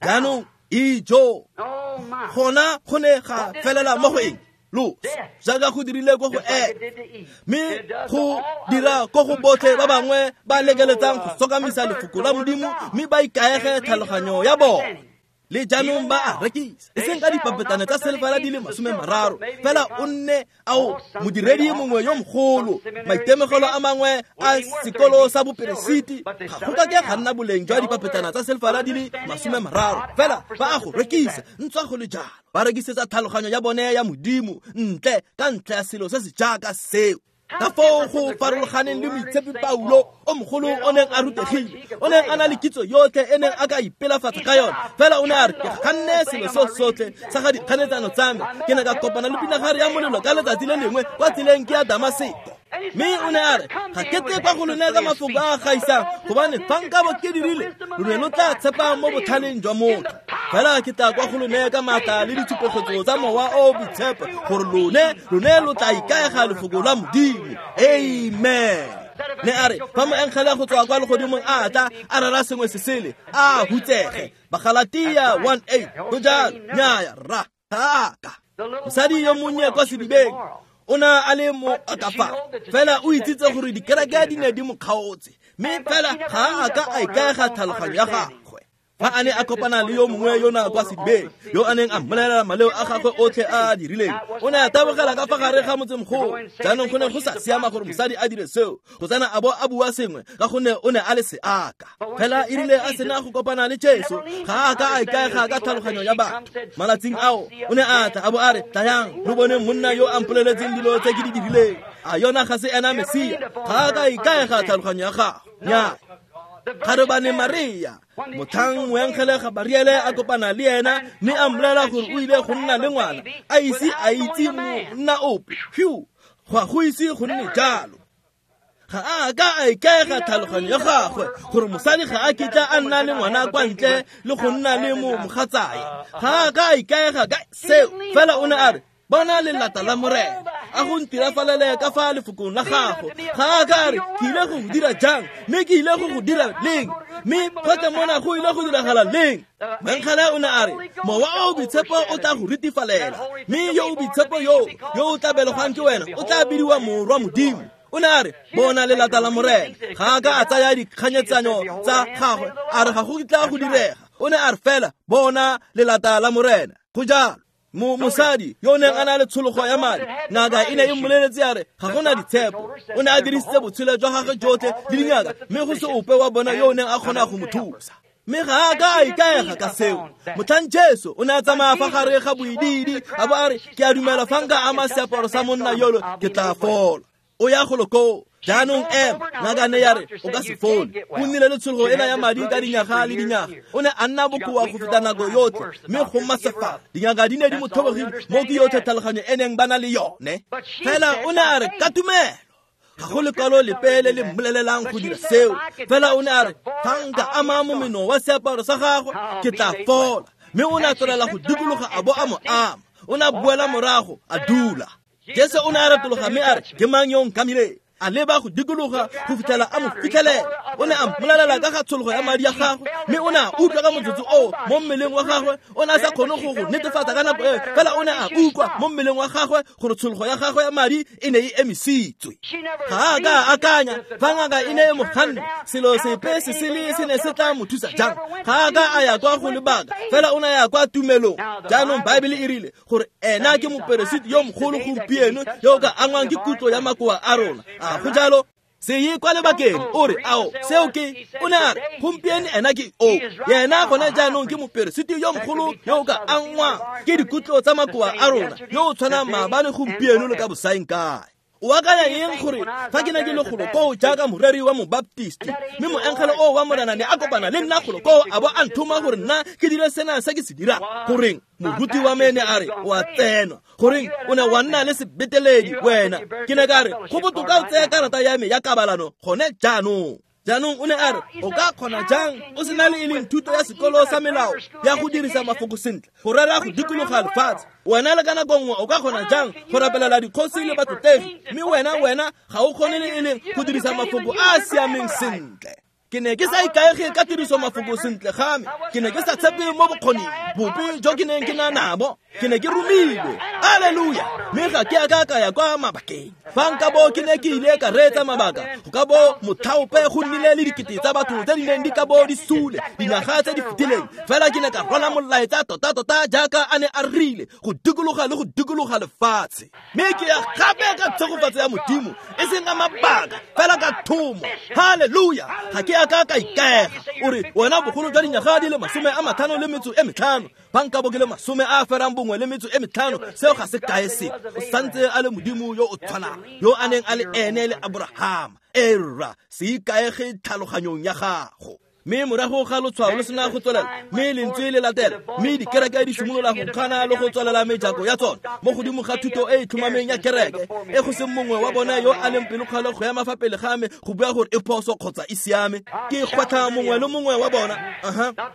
Jaanong ijo gona go ne ga felela mo go eng? Loso, jaaka go dirile ko go Eve, mme go dira ko go botlhe ba bangwe ba lekeletsang go sokamisa lefoko la Modimo, mme ba ikaege tlhaloganyo ya bone. Le jaanong ba a rekisa, e seng ka dipapetane tsa selefela di le 30, fela o nne ao modiredi mongwe yo mogolo, maitemogelo a mangwe a sekolo sa boperesiti, ga go ka ke ga nna boleng jwa dipapetana tsa selefela di le 30, fela ba a go rekisa ntswa go le jalo. Ba rekisetsa tlhaloganyo ya bone ya Modimo ntle ka ntlha ya selo se se jaaka seo. Ka foo go farologaneng le moitshepi Paulo o mogolo o neng a rutegile, o neng a na le kitso yotlhe e neng a ka ipelafatsa ka yone, fela o ne a re ke ganne selo seo sotlhe sa ga dikganetsano tsa me. Ke ne ka kopana le pinagare ya molelo ka letsatsi le lengwe kwa tseleng ke ya Damaseko. Mme o ne a re ga ke tle kwa go lone ka mafoko a a gaisang, gobane fa nkabo ke dirile lo ne lo tla tshepa mo botlhaleng jwa motho. Fela ke tla kwa go lone ka maatla le ditshupegetso tsa Mowa o o Boitshepo, gore lone lo tla ikaega lefoko la Modimo. Amen. Ne a re fa moengele go tswa kwa legodimong a tla a rera sengwe se sele, a hutsege. Bagalatia 1:8. Go jalo, nnyaya rra, ga a ka. Mosadi yo monnye kwa sedibeng o ne a le mo akafa, fela o itsitse gore dikereke di ne di mo kgaotse, mme fela ga a ka a ikaega tlhaloganyo ya gagwe. Fa a ne a kopana le yo mongwe yo na kwa sedibeng, yo a neng a mmolelela maleo a gagwe otlhe a a dirileng, o ne a tabogela ka fa gare ga motsemogolo. Jaanong go ne go sa siama gore mosadi a dire seo, go tsena a bo a bua sengwe, ka gonne o ne a le seaka. Fela e rile a sena go kopana le Jesu, ga a ka a ikaega ka tlhaloganyo ya batho. Malatsing ao o ne a tla a bo a re, tlayang lo bone monna yo a mpoleletseng dilo tse ke di dirileng. A yona ga se ena Mesia? Ga a ka a ikaega tlhaloganyo ya gagwe. Nnyaa. Kgarebane Maria, motlhang moengele Gabariele a kopana le ena mme a mmolelela gore o ile go nna le ngwana, a ise a itse monna ope. Phew, ga go ise go nne jalo. Ga a ka a ikaega tlhaloganyo ya gagwe gore mosadi ga a kitla a nna le ngwana kwa ntle le go nna le mogatsae. Ga a ka a ikaega ka seo, fela o ne a re bona lelata la Morena, a go ntirafalele ka fa lefokong la gago. Ga a ka re ke ile go go dira jang, mme ke ile go go dira leng, mme gotlhe mona go ile go diragala leng. Moengele o ne a re Mowa o o Boitshepo o tla go ritifalela, mme yo o boitshepo yo o tla belegwang ke wena o tla bidiwa Morwa Modimo. O ne a re bona lelata la Morena. Ga a ka a tsaya dikganyetsanyo tsa gagwe a re ga go kitla go direga. O ne a re fela bona lelata la Morena. Go jalo. Mosadi yo o neng a na le tshologo ya madi, ngaka e ne e mmoleletse ya re ga gona ditshepo. O ne a dirisitse botshelo jwa gagwe jotlhe le dingaka, mme go se ope wa bona yo o neng a kgona go mo thusa. Mme ga a ka a ikaega ka seo. Motlhang Jesu o ne a tsamaya fa gare ga boidiidi a bo a re ke a dumela fa nka ama seaparo sa monna yolo ke tla fola. O ya golo koo. Jaanong ema, ngaka ne ya re o ka se fole. O nnile le tshologo ena ya madi ka dinyaga le dinyaga. O ne a nna bokoa go feta nako yotlhe, mme go masefala. Dingaka di ne di mo tlhobogile mo ke yotlhe tlhaloganyo e neng ba na le yone. Fela o ne a re ka tumelo. Ga go lekwalo lepe le le mmolelelang go dira seo. Fela o ne a re, fa nka ama momeno wa seaparo sa gagwe, ke tla fola. Mme o ne a tswelela go dikologa a bo a mo ama. O ne a boela morago, a dula. Jesu o ne a retologa mme a re, ke mang yo nkamileng? A leba go dikologa go fitlhela a mo fitlhelela. O ne a mmolelela ka ga tshologo ya madi a gagwe, mme o ne a utlwa ka motsotso oo mo mmeleng wa gagwe. O ne a sa kgone go go netefatsa ka nako eo, fela o ne a utlwa mo mmeleng wa gagwe gore tshologo ya gagwe ya madi e ne e emisitswe. Ga a ka a akanya fa ngaka e ne e mo ganne, selo sepe se sele se ne se tla mo thusa jang. Ga a ka a ya kwa go lebaka, fela o ne a ya kwa tumelong. Jaanong Baebele e rile gore ena ke moperesiti yo mogolo gompieno yo o ka angwang ke kutlo ya makoa a rona. A go jalo? Se ye kwa lebakeng o re, ao, seo ke, o ne a re, gompieno ena ke o. Yena gone jaanong ke moperesiti yo mogolo yo o ka angwang ke dikutlo tsa makoa a rona, yo o tshwanang maabane gompieno le ka bosaeng kae. O akanya eng gore fa ke ne ke le golo koo jaaka moreri wa mobaptisti, mme moengele oo wa Morena ne a kopana le nna golo koo a bo a nthoma gore nna ke dire sena se ke se dirang? Goreng, moruti wa me ne a re, o a tsenwa. Goreng, o ne wa nna le sebeteledi wena. Ke ne ka re, go botoka o tseye karata ya me ya kabalano gone jaanong. Jaanong o ne a re, o ka kgona jang o sena le e leng thuto ya sekolo sa melao ya go dirisa mafoko sentle go rera go dikologa lefatshe? Wena le ka nako nngwe o ka kgona jang go rapelela dikgosi le batlotlegi, mme wena ga o kgone le e leng go dirisa mafoko a a siameng sentle? Ke ne ke sa ikaege ka tiriso mafoko sentle ga me. Ke ne ke sa tshepe mo bokgoning bope jo ke neng ke na nabo. Ke ne ke romilwe. Alleluia! Mme ga ke a ka ka ya kwa mabakeng. Fa nka bo ke ne ke ile ka reetsa mabaka, go ka bo mothaope go nnile le dikete tsa batho tse di neng di ka bo di sule dingwaga tse di fetileng. Fela ke ne ka rwala molaetsa tota-tota jaaka a ne a rile, go dikologa le go dikologa lefatshe. Mme ke ya gape ka tshegofatso ya Modimo, e seng ka mabaka, fela ka thomo. Halleluja! Ga ke a ka ka ikaega. O re, wena bogolo jwa dinyaga di le 55, fa nka bo ke le 51, seo ga se kae sepe. O santse a le Modimo yo o tshwanang, yo a neng a le ene le Abrahama. Erra, se ikaege tlhaloganyong ya gago. Mme morago ga lotshwao lo sena go tswelela, mme lentswe le latela, mme dikereke di simolola go kgana le go tswelela mejako ya tsona mo godimo ga thuto e e tlhomameng ya kereke, e go seng mongwe wa bone yo a leng pelokgale go ema fa pele ga me go bua gore e phoso kgotsa e siame. Ke gwetlha mongwe le mongwe wa bona,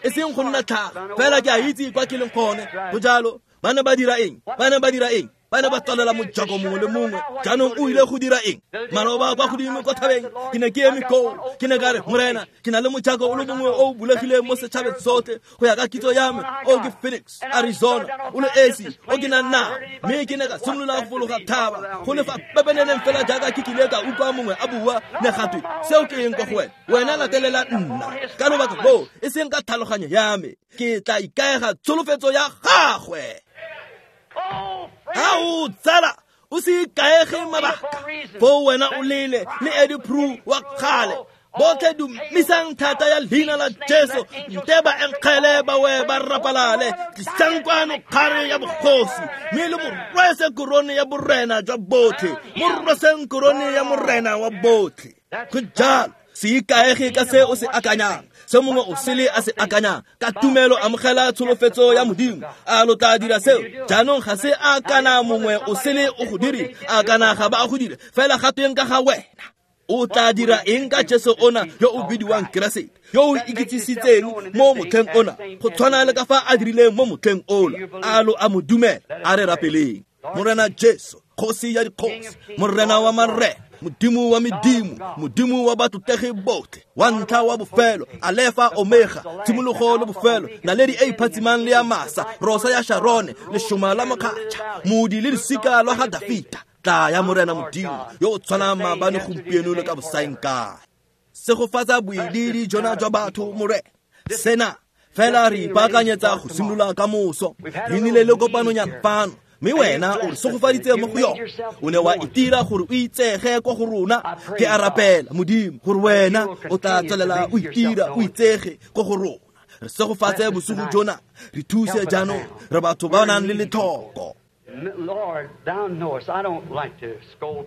e seng go nna tlhaga, fela ke a itse kwa ke leng gone. Go jalo. Ba ne ba dira eng? Ba ne ba dira eng? Ba ne ba tswalela mojako mongwe le mongwe. Jaanong o ile go dira eng? Maloba kwa godimo kwa thabeng, ke ne ke eme koo. Ke ne ka re, Morena, ke na le mojako o le mongwe o o bulegileng mo setšhabeng sotlhe go ya ka kitso ya me. O ke Phoenix, Arizona, o le esi o ke nang nao. Mme ke ne ka simolola go fologa thaba, go le fa pepeneneng fela jaaka ke kile ka utlwa mongwe a bua, ne gatwe, seo ke eng kwa go wena? Wena latelela nna. Ka lobaka loo, e seng ka tlhaloganyo ya me, ke tla ikaega tsholofetso ya gagwe. Ao tsala, o se ikaege mabaka. Foo wena o lele le Eddie Prue wa kgale. Botlhe dumisang thata ya leina la Jesu, nte ba enkgele ba we ba rapalale. Tlisang kwano kgare ya bogosi, mme le mo rwese korone ya borena jwa botlhe. Mo rweseng korone ya morena wa botlhe. Go jalo. Se ikaege ka se o se akanyang, se mongwe o sele a se akanyang. Ka tumelo amogela tsholofetso ya Modimo. A lo tla dira seo? Jaanong ga se a kana mongwe o sele o go dire, a kana ga ba go dire, fela ga tweng ka ga wena? O tla dira eng ka Jesu ona yo o bidiwang Keresete, yo o ikitsisitseng mo motlheng ona, go tshwana le ka fa a dirileng mo motlheng ola? A lo a mo dumela? A re rapeleng. Morena Jesu, kgosi ya dikgosi, Morena wa marena, Modimo wa medimo, Modimo wa batlotlegi botlhe, wa ntlha wa bofelo, Alefa Omega, tshimologo le bofelo, naledi e iphatsimang le ya masa, rosa ya Sharone, leshoma la mokgatšha, modi le losika lwa ga Dafita. Tla ya Morena Modimo yo o tshwanang maabane gompieno le ka bosaeng kae. Segofatsa boidiidi jona jwa batho, Morena. Sena fela re ipaakanyetsa go simolola ka moso. Re nnile le kopanonyana fano, mme wena o re segofaditse mo go yone. O ne wa itira gore o itsege kwa go rona. Ke a rapela, Modimo, gore wena o tla tswelela o itira o itsege kwa go rona. Re segofatse bosigo jona, re thuse jaanong, re batho ba nang le letlhoko.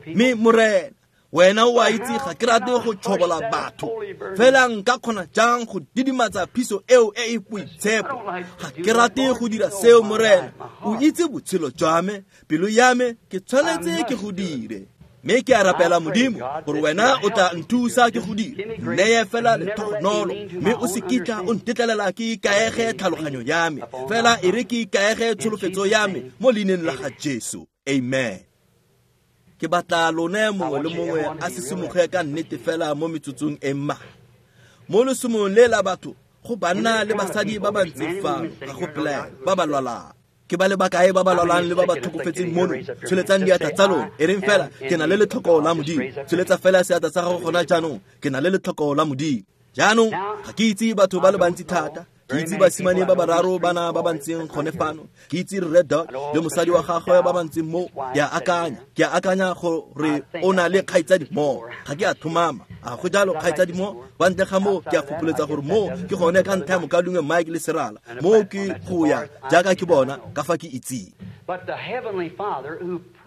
Mme Morena, wena o a itse ga ke rate go tshobola batho, fela nka kgona jang go didimatsa phiso eo e e boitshepo? Ga ke rate go dira seo, Morena. O itse botshelo jwa me, pelo ya me, ke tshwanetse ke go dire. Mme ke a rapela Modimo gore wena o tla nthusa ke go dira, nneye fela letogonolo, mme o se kitla o ntetlelela ke ikaege tlhaloganyo ya me, fela e re ke ikaege tsholofetso ya me mo leineng la ga Jesu. Amen. Ke batla lone mongwe le mongwe a sisimoge ka nnete fela mo metsotsong e mmalwa. Mo lesomong le la batho go banna le basadi ba ba ntseng fano, ga go pelaelo, ba ba lwalang. Ke ba le bakae ba ba lwalang le ba ba tlhokofetseng mono? Tsholetsang diatla tsa lona. E reng fela, ke na le letlhoko la Modimo. Tsholetsa fela seatla sa gago gona jaanong, ke na le letlhoko la Modimo. Jaanong, ga ke itse batho ba le bantsi thata. Ke itse basimane ba bararo bana ba ba ntseng gone fano. Ke itse Rre Dot le mosadi wa gagwe ba ba ntseng mo. Ke a akanya gore o na le kgaitsadi mo. Ga ke a tlhomama. A go jalo kgaitsadi mo? Kwa ntle ga moo ke a fopoletsa gore mo ke gone ka ntlha ya mokaulengwe Mike le Serala. Mo ke go ya jaaka ke bona ka fa ke itseng.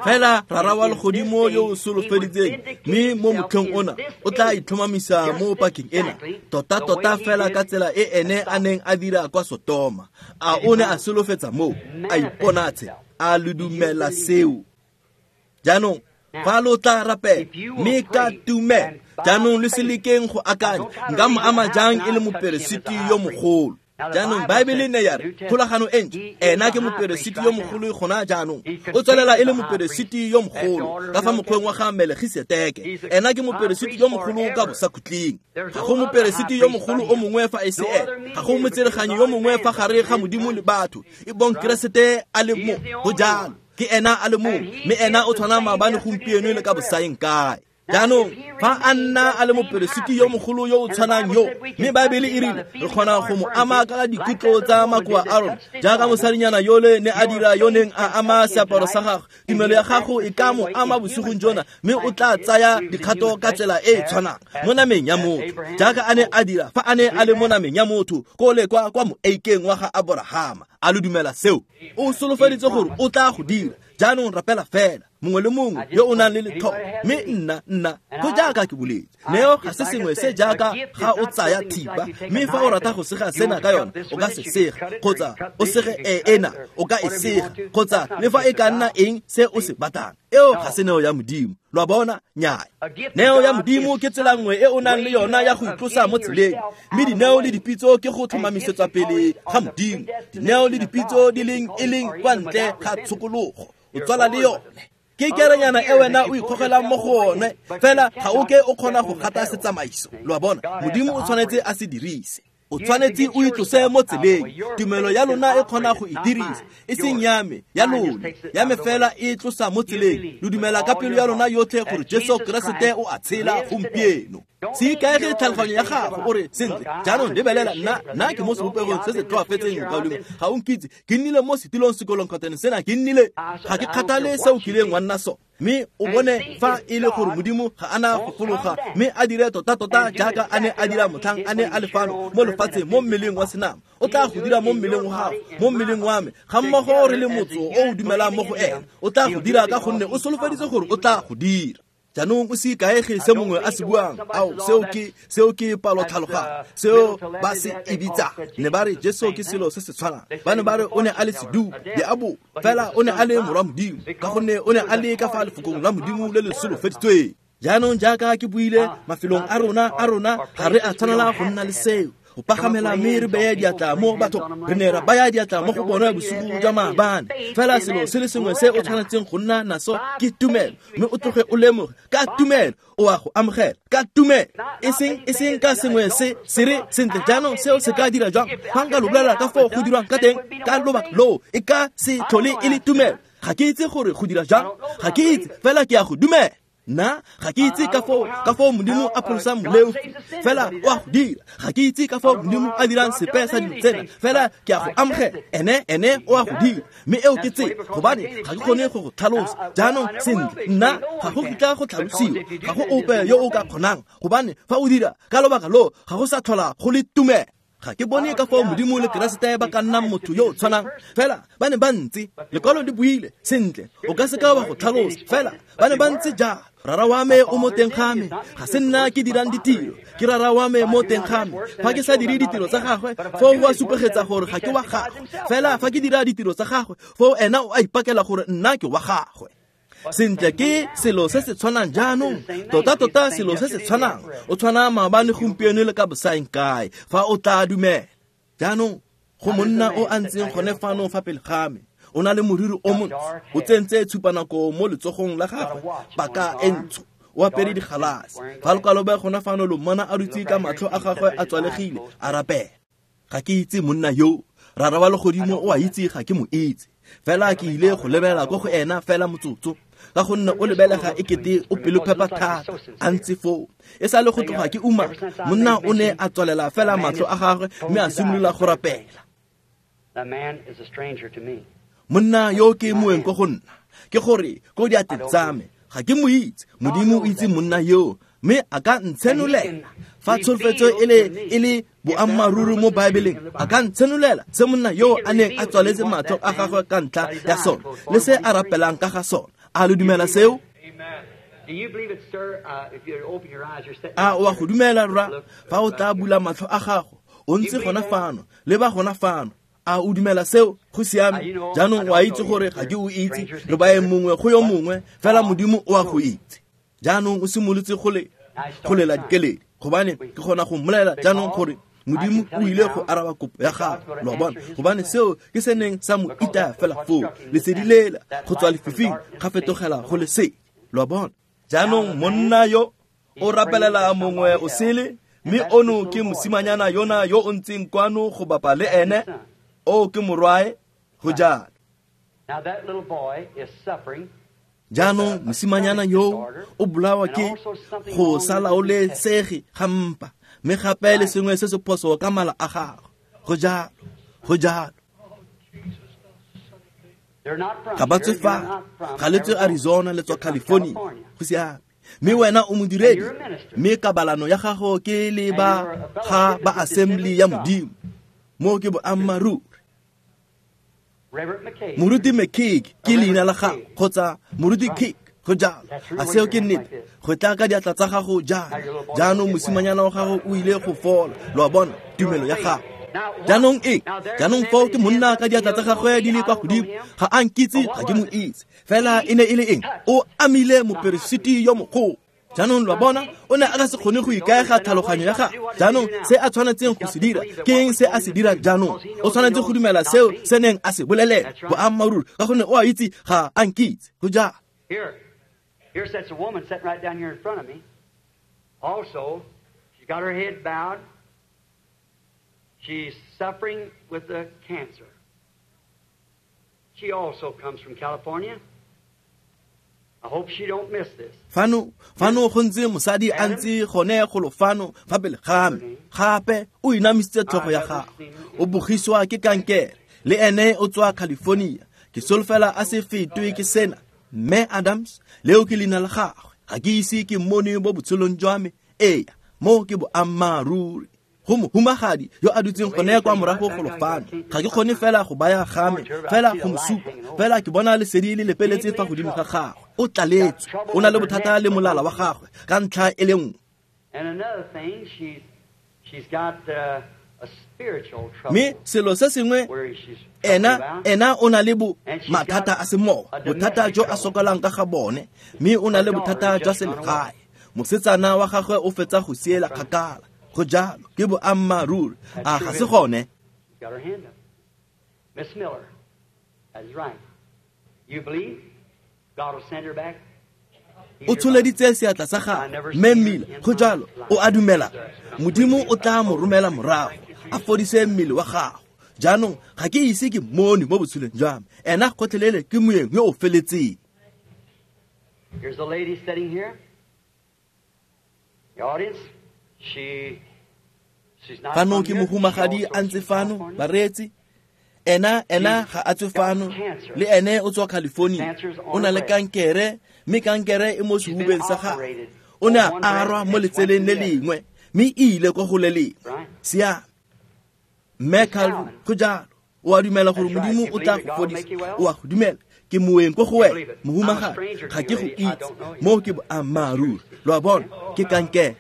Fela Rara wa legodimo yo o solofeditseng, mme mo motlheng ona o tla itlhomamisa mo pakeng ena, tota-tota fela ka tsela e ene a neng a dira kwa Sotoma. A o ne a solofetsa moo, a iponatshe, a le dumela seo. Jaanong fa lo tla rapela mme ka tumelo, jaanong lo se lekeng go akanya nka mo ama jang e le moperesiti yo mogolo. Jaanong Baebele ne ya re kgolagano e ntšha, ena ke moperesiti yo mogolo gona jaanong. O tswelela e le moperesiti yo mogolo ka fa mokgweng wa ga Melkisedeke. Ena ke moperesiti yo mogolo ka bosakhutleng. Ga go moperesiti yo mogolo o mongwe fa e se ene. Ga go motsereganyi yo mongwe fa gare ga Modimo le batho, e bong Keresete a le mo. Go jalo, ke ena a le mongwe, mme ena o tshwana maabane, gompieno le ka bosaeng kae. Jaanong fa a nna a le moperesiti yo mogolo yo o tshwanang yo, mme Baebele e rile re kgona go mo ama ka dikutlo tsa makoa a rona, jaaka mosadinyana yole ne a dira yo neng a ama seaparo sa gagwe. Tumelo ya gago e ka mo ama bosigong jona, mme o tla tsaya dikgato ka tsela e e tshwanang mo nameng ya motho, jaaka a ne a dira fa a ne a le mo nameng ya motho kole kwa moeikeng wa ga Aborahama. A lo dumela seo? O solofeditse gore o tla go dira. Jaanong rapela fela, mongwe le mongwe yo o nang le letlhoko. Mme nna go jaaka ke boletse, neo ga se sengwe se jaaka ga o tsaya thipa, mme fa o rata go sega sena ka yona, o ka se sega, kgotsa o sege ena, o ka e sega, kgotsa le fa e ka nna eng se o se batlang. Eo ga se neo ya Modimo. Lo a bona? Nnyaya. Neo ya Modimo ke tsela nngwe e o nang le yona ya go itlosa mo tseleng, mme dineo le dipitso ke go tlhomamisetswa pele ga Modimo. Dineo le dipitso di leng e leng kwa ntle ga tshokologo, o tswala le yone. Ke kerenyana e wena o ikgogelang mo go one, fela ga o ke o kgona go gata setsamaiso. Lo a bona? Modimo o tshwanetse a se dirise. O tshwanetse o itlose mo tseleng. Tumelo ya lona e kgona go e dirisa, e seng ya me, ya lona. Ya me fela e tlosa mo tseleng. Lo dumela ka pelo ya lona yotlhe gore Jesu Keresete o a tshela gompieno. Se ikaege tlhaloganyo ya gago o re, sentle, jaanong lebelela nna ke mo sebopegong se se tlhoafetseng, mokaulengwe. Ga o nkitse, ke nnile mo setilong sekolong kgotsa sena ke nnile. Ga ke kgathale se o kileng wa nna sone. Mme o bone fa e le gore Modimo ga ana go fologa mme a dire tota-tota jaaka a ne a dira motlhang a ne a le fano mo lefatsheng mo mmeleng wa senama. O tla go dira mo mmeleng wa gago, mo mmeleng wa me, ga mmogo re le motso o o dumelang mo go ena. O tla go dira ka gonne o solofeditse gore o tla go dira. Jaanong o se ikaege se mongwe a se buang. Ao, seo ke palotlhaloganyo, seo ba se e bitsang. Ne ba re Jesu ke selo se se tshwanang. Ba ne ba re o ne a le sedupo, diabolo, fela o ne a le morwa Modimo, ka gonne o ne a le ka fa lefokong la Modimo le le solofeditsweng. Jaanong jaaka ke buile, mafelong a rona ga re a tshwanela go nna le seo. Go pagamela mme re beye diatla mo bathong. Re ne ra baya diatla mo go bona bosigo jwa maabane. Fela selo se le sengwe se o tshwanetseng go nna naso ke tumelo, mme o tloge o lemoge ka tumelo o a go amogela ka tumelo, e seng ka sengwe se se re sentle jaanong seo se ka dira jang. Fa nka lo bolela ka foo go dirwang ka teng ka lobaka loo, e ka se tlhole e le tumelo. Ga ke itse gore go dira jang, ga ke itse, fela ke a go dumela. Nna ga ke itse ka foo Modimo a pholosang moleofi, fela o a go dira. Ga ke itse ka foo Modimo a dirang sepe sa dilo tsena, fela ke a go amogela. Ene o a go dira, mme eo ke tsela, gobane ga ke kgone go go tlhalosa. Jaanong sentle, nna ga go kitla go tlhalosiwa, ga go ope yo o ka kgonang, gobane fa o dira ka lobaka loo ga go sa tlhola go le tumelo. Ga ke bone ka foo Modimo le Keresete ba ka nnang motho yo o tshwanang, fela ba ne ba ntse. Lekwalo le buile sentle, o ka se ka wa go tlhalosa, fela ba ne ba ntse jalo. Rara wa me o mo teng ga me, ga se nna ke dirang ditiro, ke rara wa me mo teng ga me. Fa ke sa dire ditiro tsa gagwe, foo go a supegetsa gore ga ke wa gagwe. Fela fa ke dira ditiro tsa gagwe, foo ena o a ipakela gore nna ke wa gagwe. Sentle ke selo se se tshwanang jaanong, tota-tota selo se se tshwanang. O tshwana maabane, gompieno le ka bosaeng kae, fa o tla dumela. Jaanong go monna o a ntseng gone fano fa pele ga me, o na le moriri o montsho, o tsentse tshupanako mo letsogong la gagwe, paka e ntsho, o apere digalase. Fa lokwalo gona fano lo mmona a dutse ka matlho a gagwe a tswalegile a rapela. Ga ke itse monna yo, Rara wa legodimo o a itse ga ke mo itse. Fela ke ile go lebela ko go ena fela motsotso, ka gonne o lebelega e kete o pelophepa thata a ntse foo. E sa le go tloga ke uma, monna o ne a tswalela fela matlho a gagwe mme a simolola go rapela. Monna yo ke moeng ko go nna, ke gore ko diatleng tsa me, ga ke mo itse. Modimo o itse monna yo, mme a ka ntshenolela fa tsholofetso e le boammaaruri mo Baebeleng. A ka ntshenolela se monna yo a neng a tswaletse matlho a gagwe ka ntlha ya sone le se a rapelang ka ga sone. A lo dumela seo? A o a go dumela, rra? Fa o tla bula matlho a gago, o ntse gona fano, leba gona fano. A o dumela seo? Go siame. Jaanong o a itse gore ga ke o itse, re baeng mongwe go yo mongwe, fela Modimo o a go itse. Jaanong o simolotse go lela dikeledi, gobane ke kgona go mmolelela jaanong gore Modimo o ile go araba kopo ya gagwe. Lo a bona? Gobane seo ke se neng sa mo itaya fela foo, lesedi lela go tswa lefifing ga fetogela go lesedi. Lo a bona? Jaanong monna yo o rapelela mongwe o sele, mme ono ke mosimanyana yona yo o ntseng kwano go bapa le ene, o ke morwae, go jalo. Jaanong mosimanyana yo o bolawa ke go sa laolesege ga mpa, mme gape le sengwe se se phoso ka mala a gagwe. Go jalo, go jalo. Ga ba tswe fa, ga le tswe Arizona, le tswa California. Go siame. Mme wena o modiredi, mme kabalano ya gago ke le ba ga ba Assembly ya Modimo. Mo ke boammaaruri. Moruti McKeek ke leina la gago, kgotsa Moruti Keek, go jalo. A seo ke nnete? Go tla ka diatla tsa gago jana. Jaanong mosimanyana wa gago o ile go fola. Lo a bona, tumelo ya gago. Jaanong eng? Jaanong foo ke monna ka diatla tsa gagwe di le kwa godimo. Ga a nkitse, ga ke mo itse. Fela e ne e le eng? O amile moperesiti yo mogolo. Jaanong lo a bona, o ne a ka se kgone go ikaega tlhaloganyo ya gagwe. Jaanong se a tshwanetseng go se dira ke eng? Se a se dira jaanong, o tshwanetse go dumela seo se neng a se bolelela boammaaruri, ka gonne o a itse ga a nkitse. Go jalo. Here sits a woman sitting right down here in front of me. Also, she's got her head bowed. She's suffering with the cancer. She also comes from California. I hope she don't miss this. Fano go ntse mosadi a ntse gone golo fano fa pele ga me. Gape o inamisitse tlhogo ya gagwe. O bogiswa ke kankere. Le ene o tswa California. Ke solofela a se fetwe ke sena. Mme Adams, leo ke leina la gagwe. Ga ke ise ke mmone mo botshelong jwa me. Ee, mo ke boammaaruri. Go mohumagadi yo a dutseng gone kwa morago golo fano. Ga ke kgone fela go baya game, fela go mo supa. Fela ke bona lesedi le lepeletse fa godimo ga gagwe. O tlaletswe, o na le bothata le molala wa gagwe ka ntlha e le nngwe. Mme selo se sengwe, ena o na le mathata a semowa, bothata jo a sokolang ka ga bone, mme o na le bothata jwa selegae. Mosetsana wa gagwe o fetsa go siela kgakala. Go jalo, ke boammaaruri. A ga se gone? O tsholeditse seatla sa gagwe, mme Miller, go jalo, o a dumela. Modimo o tla mo romela morago, a fodise mmele wa gago. Jaanong ga ke ise ke mmone mo botshelong jwa me. Ena gotlhelele ke moeng yo o feletseng. Here's a lady sitting here. The audience, she's not Fano ke mohumagadi a ntse fano, bareetsi. Ena ga a tswe fano, le ene o tswa California. O na le kankere, mme kankere e mo sehubeng sa gagwe. O ne a arwa mo letseleng le lengwe, mme e ile kwa go le lengwe. Siame. Mme Calvin, go jalo. O a dumela gore Modimo o tla go fodisa. O a go dumela. Ke moeng ko go wena, mohumagadi. Ga ke go itse. Mo ke boammaaruri. Lo a bona, ke kankere.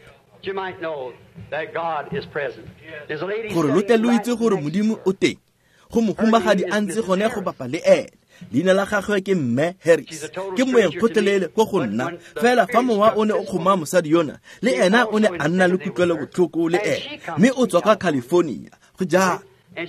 Gore lo tle lo itse gore Modimo o teng. Go mohumagadi a ntse gone go bapa le ene. Leina la gagwe ke Mme Harris. Ke moeng gotlhelele ko go nna. Fela fa mowa o ne o kgoma mosadi yona, le ena o ne a nna le kutlwelobotlhoko le ene. Mme o tswa kwa California. Go jalo.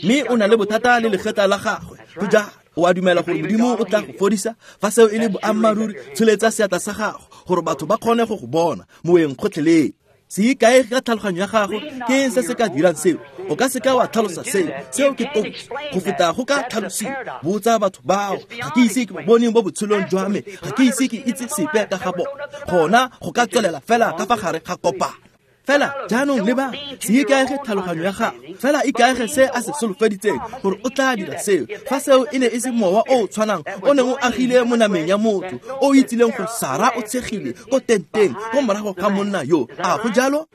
Mme o na le bothata le legetla la gagwe. Go jalo. O a dumela gore Modimo o tla go fodisa? Fa seo e le boammaaruri, tsholetsa seatla sa gago gore batho ba kgone go go bona. Moeng gotlhelele. Se ikaege ka tlhaloganyo ya gago, ke eng se se ka dirang seo? O ka seka wa tlhalosa seo. Seo ke kotsi go feta go ka tlhalosiwa. Botsa batho bao. Ga ke ise ke ba bone mo botshelong jwa me. Ga ke ise ke itse sepe ka ga bona. Gona go ka tswelela fela ka fa gare ga kopano. Fela jaanong leba, se ikaege tlhaloganyo ya gago, fela ikaege se a se solofeditseng gore o tla dira seo. Fa seo e ne e se mowa o o tshwanang o neng o agile mo nameng ya motho, o itsileng gore Sara o tshegile ko tenteng ko morago ga monna yo, a go jalo?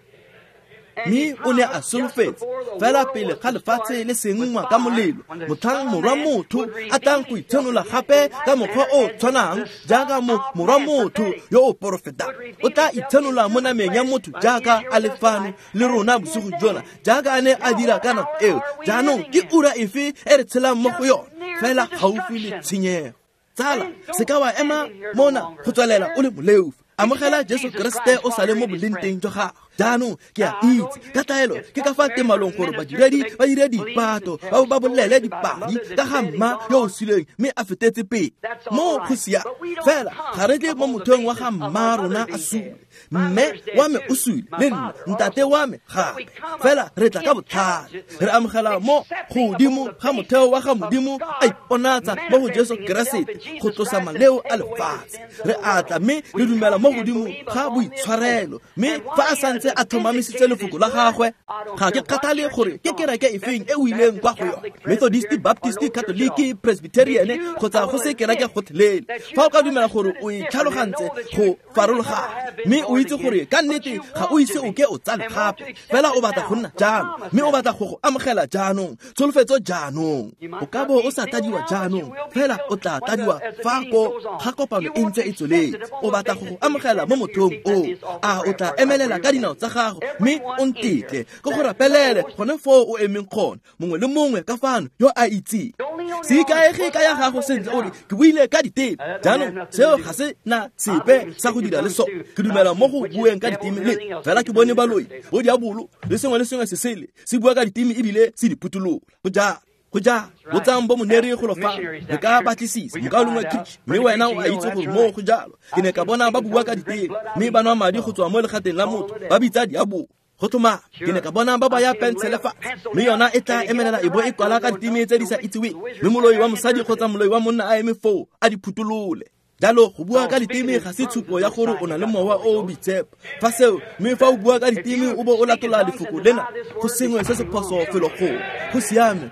Mme o ne a solofetse fela pele ga lefatshe le senngwa ka molelo, motlhang morwa motho a tlang go itshenola gape ka mokgwa o tshwanang jaaka morwa motho yo o porofetang. O tla itshenola mo nameng ya motho jaaka a le fano le rona bosigo jona, jaaka a ne a dira ka nako eo. Jaanong ke ura efe e re tshelang mo go yone? Fela gaufi le tshenyego. Tsala, se ka wa ema mona go tswelela o le moleofi. Amogela Jesu Kriste o sale mo bolenteng jwa gago. Jaanong ke a itse ka taelo ke ka fa temalong gore badiredi ba dire dipato, ba ba bolele dipadi ka ga mma yo o suleng mme a fetetse pele. Mo go siame. Fela ga re tle mo mothong wa ga mma rona a sule. Mme wa me o sule le nna, ntate wa me gape. Fela re tla ka botlhale. Re amogela mo godimo ga motheo wa ga Modimo a iponatsa mo go Jesu Keresete go tlosa maleo a lefatshe. Re atla mme re dumela mo godimo ga boitshwarelo. Mme fa a santse a tlhomamisitse lefoko la gagwe, ga ke kgathale gore ke kereke efeng e o ileng kwa go yone, Methodist, Baptist, Catholic, Presbyterian kgotsa go se kereke gotlhelele. Fa o ka dumela gore o itlhalogantse go farologana, mme o itse gore ka nnete ga o ise o ke o tsale gape, fela o batla go nna jalo, mme o batla go go amogela jaanong, tsholofetso jaanong. O ka bo o sa tladiwa jaanong, fela o tla tladiwa fa ko ga kopano e ntse e tsweletse. O batla go go amogela mo mothong o. A o tla emelela ka dinao tsa gago mme o ntetle ke go rapelele gone foo o emeng gone, mongwe le mongwe ka fano yo a itseng. Se ikaege ka ya gago sentle o re ke buile ka diteme. Jaanong seo ga se na sepe sa go dira le sone. Ke dumela mo go bueng ka diteme le fela ke bone baloi, bo diabolo le sengwe le sengwe se sele se bua ka diteme ebile se di phuthulola. Go jalo. Go jalo. Botsang bo moneri golo fa re ka batlisisa mokaulengwe Kitch, mme wena o a itse gore mo go jalo. Ke ne ka bona ba bua ka diteme mme ba nwa madi go tswa mo legateng la motho, ba bitsa diabolo. Go tlhomama, ke ne ka bona ba baya pensele fatshe, mme yona e tla emelela e bo e kwala ka diteme tse di sa itseweng, mme moloi wa mosadi kgotsa moloi wa monna a eme foo a di phutholole. Jalo go bua ka diteme ga se tshupo ya gore o na le mowa o o boitshepo. Fa seo, mme fa o bua ka diteme o bo o latola lefoko lena, go sengwe se se phoso felo gongwe. Go siame,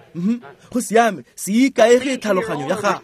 go siame, se ikaege tlhaloganyo ya gago.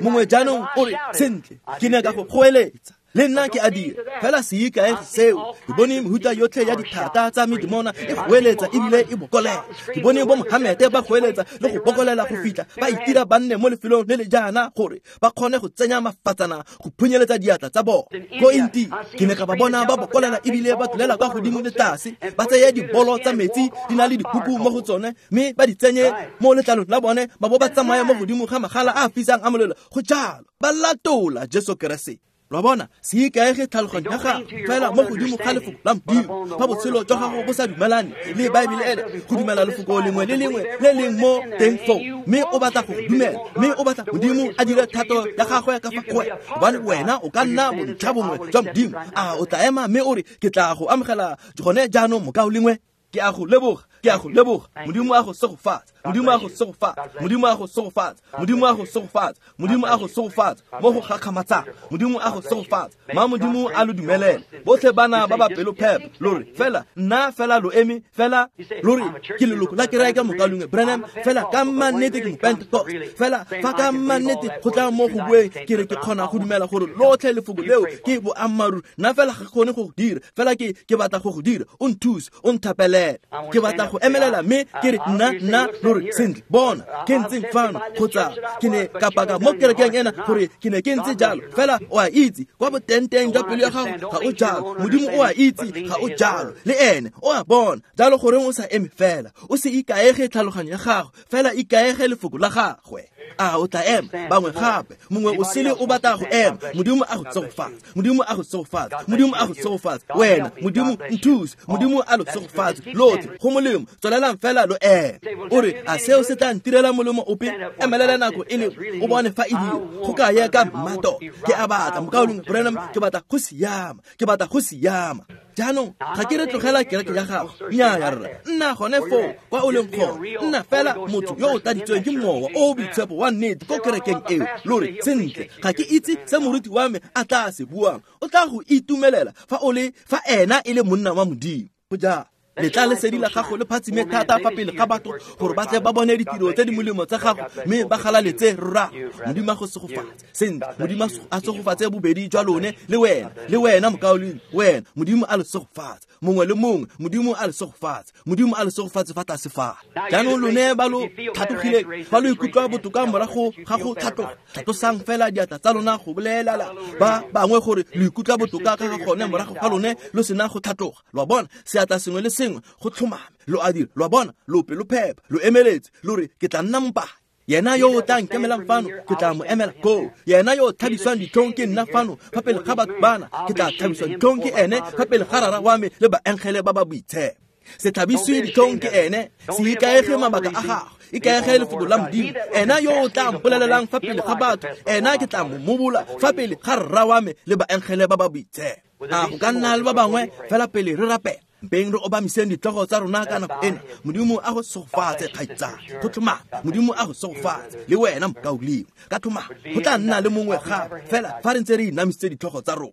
Mongwe jaanong o re, sentle, ke ne ka go goeletsa. Le nna ke a dira, fela se ikaege seo. Ke bone mehuta yotlhe ya dithata tsa medimona e goeletsa ebile e bokolela. Ke bone bo Mohamede ba goeletsa le go bokolela go fitlha ba itira ba nne mo lefelong le le jaana gore ba kgone go tsenya mafatsana go phunyeletsa diatla tsa bona. Ko India ke ne ka ba bona ba bokolela ebile ba tlolela kwa godimo le tlase, ba tseye dibolo tsa metsi di na le dikuku mo go tsone mme ba di tsenye mo letlalong la bone, ba bo ba tsamaya mo godimo ga magala a a fisang a molelo. Go jalo, ba latola Jesu Keresete. Lwa bona, se ikaege tlhaloganyo ya gago fela mo godimo ga lefoko la Modimo. Fa botshelo jwa gago bo sa dumelane le Baebele ena, go dumela lefoko lengwe le lengwe le leng mo teng foo, mme o batla go dumela, mme o batla Modimo a dire thato ya gagwe ka fa go wena, gobane wena o ka nna bontlha bongwe jwa Modimo. A o tla ema mme o re, ke tla go amogela gone jaanong, mokaulengwe? Ke a go leboga, ke a go leboga. Modimo a go segofatsa, Modimo a go segofatsa, Modimo a go segofatsa, Modimo a go segofatsa, Modimo a go segofatsa mo go gakgamatsang. Modimo a go segofatsa. Ma Modimo a lo dumelele. Botlhe bana ba ba pelophepa, lo re fela nna fela lo eme fela lo re ke leloko la kereke mokaulengwe Branham, fela ka mannete ke mopentecost, fela fa ka mannete go tla mo go bueng ke re ke kgona go dumela gore lotlhe lefoko leo ke boammaaruri. Nna fela ga ke kgone go go dira, fela ke batla go go dira. O nthuse, o nthapelele. Ke batla go emelela mme ke re nna lo re sentle, bona ke ntseng fano, kgotsa ke ne ka paka mo kerekeng ena gore ke ne ke ntse jalo. Fela o a itse kwa botenteng jwa pelo ya gago ga o jalo. Modimo o a itse ga o jalo, le ene o a bona. Jalo goreng o sa eme fela? O se ikaege tlhaloganyo ya gago, fela ikaege lefoko la gagwe. A o tla ema bangwe gape mongwe o sele o batla go ema. Modimo a go tsogofatse, Modimo a go tsogofatse, Modimo a go tsogofatse wena. Modimo nthuse, Modimo a lo tsogofatse lotlhe. Go molemo, tswelelang fela lo ema. O re a seo se tla ntirela molemo ope? Emelela nako e le o bone fa e dira go ka ye ka mmato. Ke a batla mokaulengwe Branham, ke batla go siama, ke batla go siama. Jaanong ga ke re tlogela kereke ya gago, nnyaa rra, nna gone foo kwa o leng gone. Nna fela motho yo o tladitsweng ke mowa o o boitshepo wa nnete ko kerekeng eo. Lo re sentle, ga ke itse se moruti wa me a tla se buang. O tla go itumelela fa o le fa ena e le monna wa Modimo. Go jalo letla lesedi la gago le phatsime thata fa pele ga batho gore ba tle ba bone ditiro tse di molemo tsa gago mme ba galaletse rra. Modimo a go segofatse sentle, Modimo a segofatse bobedi jwa lone le wena, le wena mokaulengwe, wena. Modimo a le segofatse mongwe le mongwe, Modimo a le segofatse, Modimo a le segofatse fa tlase fa. Jaanong lone ba lo tlhatlogileng, fa lo ikutlwa botoka morago ga go tlhatloga, tlhatlosang fela diatla tsa lona go bolelala ba bangwe gore lo ikutlwa botoka ka ga gone morago ga lone lo sena go tlhatloga. Lo a bona, seatla sengwe le sengwe go tlhomame lo a dira. Lo a bona, lo pelophepa, lo emeletse, lo re ke tla nna mopaki. Yena yo o tla nkemelang fano, ke tla mo emela koo. Yena yo o tlhabiswang ditlhong ke nna fano fa pele ga batho bana, ke tla tlhabiswa ditlhong ke ene fa pele ga rara wa me le baengele ba ba boitshepo. Se tlhabiswe ditlhong ke ene, se ikaege mabaka a gago, ikaege lefoko la Modimo. Ena yo o tla mpolelelang fa pele ga batho, ena ke tla mo mobola fa pele ga rra wa me le baengele ba ba boitshepo. A go ka nna le ba bangwe fela pele re rapela? Mpeng re obamiseng ditlhogo tsa rona ka nako ena. Modimo a go segofatse kgaitsadi, go tlhomame. Modimo a go segofatse le wena mokaulengwe, ka tlhomame. Go tla nna le mongwe gape fela fa re ntse re inamisitse ditlhogo tsa rona.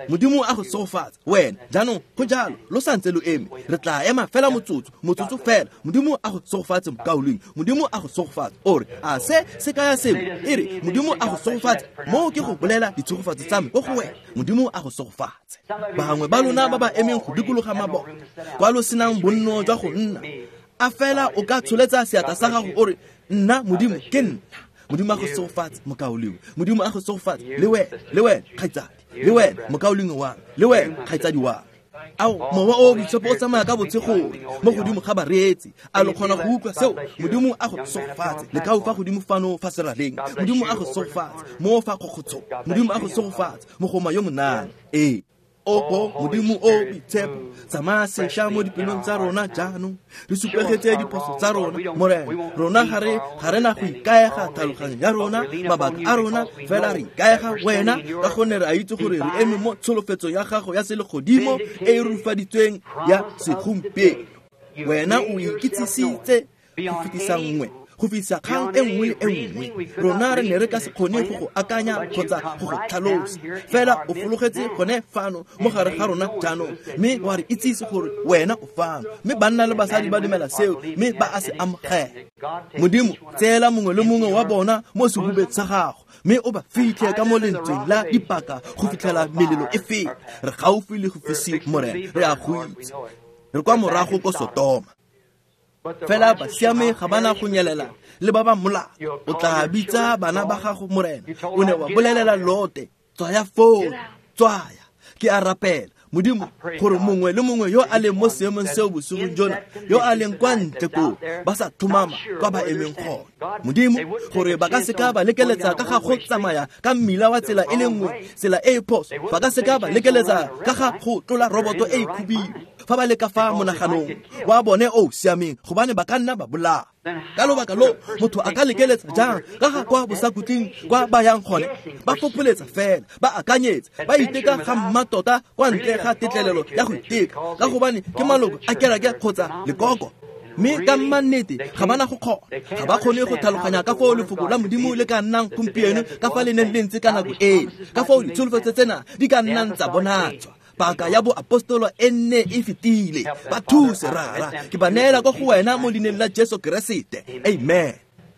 Modimo a go segofatse wena. Jaanong go jalo, lo santse lo eme, re tla ema fela motsotso, motsotso fela. Modimo a go segofatse mokaulengwe, Modimo a go segofatse. O re a se se kaya sengwe? E re Modimo a go segofatse, moo ke go bolela ditshegofatso tsa me ko go wena. Modimo a go segofatse. Bangwe ba lona ba ba emeng go dikologa mabota kwa lo senang bonno jwa go nna, a fela o ka tsholetsa seatla sa gago o re nna Modimo ke nna. Modimo a go segofatse mokaulengwe, Modimo a go segofatse le wena, le wena kgaitsadi, le wena mokaulengwe wa me, le wena kgaitsadi wa me. Ao mowa o boitshepo o tsamaya ka botshegore mo godimo ga bareetsi. A lo kgona go utlwa seo? Modimo a go segofatse lekau fa godimo fano fa seraleng. Modimo a go segofatse mo fa kgokgotsho. Modimo a go segofatse mogoma yo monana. Ee. Oho Modimo o boitshepo, tsamaya sešwa mo dipelong tsa rona jaanong. Re supegetse diphoso tsa rona, Morena. Rona ga re na go ikaega tlhaloganyo ya rona, mabaka a rona, fela re ikaega wena ka gonne re a itse gore re eme mo tsholofetsong ya gago ya selegodimo e e rurifaditsweng ya segompieno. Wena o ikitsisitse go fetisa nngwe, go fetisa kgang e nngwe le e nngwe. Rona re ne re ka se kgone go go akanya kgotsa go go tlhalosa, fela o fologetse gone fano mo gare ga rona jaanong, mme wa re itsise gore wena o fano. Mme banna le basadi ba dumela seo, mme ba a se amogela. Modimo, tseela mongwe le mongwe wa bona mo sehubeng sa gago, mme o ba fitlhe ka mo lentsweng la dipaka go fitlhela melelo e feta. Re gaufi le go fisiwa, Morena, re a go itse. Re kwa morago ko Sotoma. Fela basiame ga bana go nyelela le ba ba molato. O tla bitsa bana ba gago, Morena. O ne wa bolelela Lote, tswaya foo, tswaya. Ke a rapela Modimo gore mongwe le mongwe yo a leng mo seemong seo bosigong jona, yo a leng kwa ntle koo, ba sa tlhomama kwa ba emeng gone, Modimo, gore ba ka seka ba lekeletsa ka ga go tsamaya ka mmila wa tsela e le nngwe, tsela e e phoso. Ba ka seka ba lekeletsa ka ga go tlola roboto e e khubidu fa ba le ka fa monaganong wa bone o siameng, gobane ba ka nna ba bolaya. Ka lobaka lo motho a ka lekeletsa jang ka ga kwa bosakutleng kwa ba yang gone? Ba fopholetsa fela, ba akanyetsa, ba iteka ga mmatota kwa ntle ga tetlelelo ya go iteka, ka gobane ke maloko a kereke kgotsa lekoko. Mme ka mannete ga bana go kgona, ga ba kgone go tlhaloganya ka foo lefoko la Modimo le ka nnang gompieno ka fa le neng le ntse ka nako eo, ka foo ditsholofetso tsena di ka nnang tsa bonatswa. Paka ya boapostolo e nne e fetile. Ba thuse rara, ke ba neela ko go wena mo leineng la Jesu Keresete. Amen.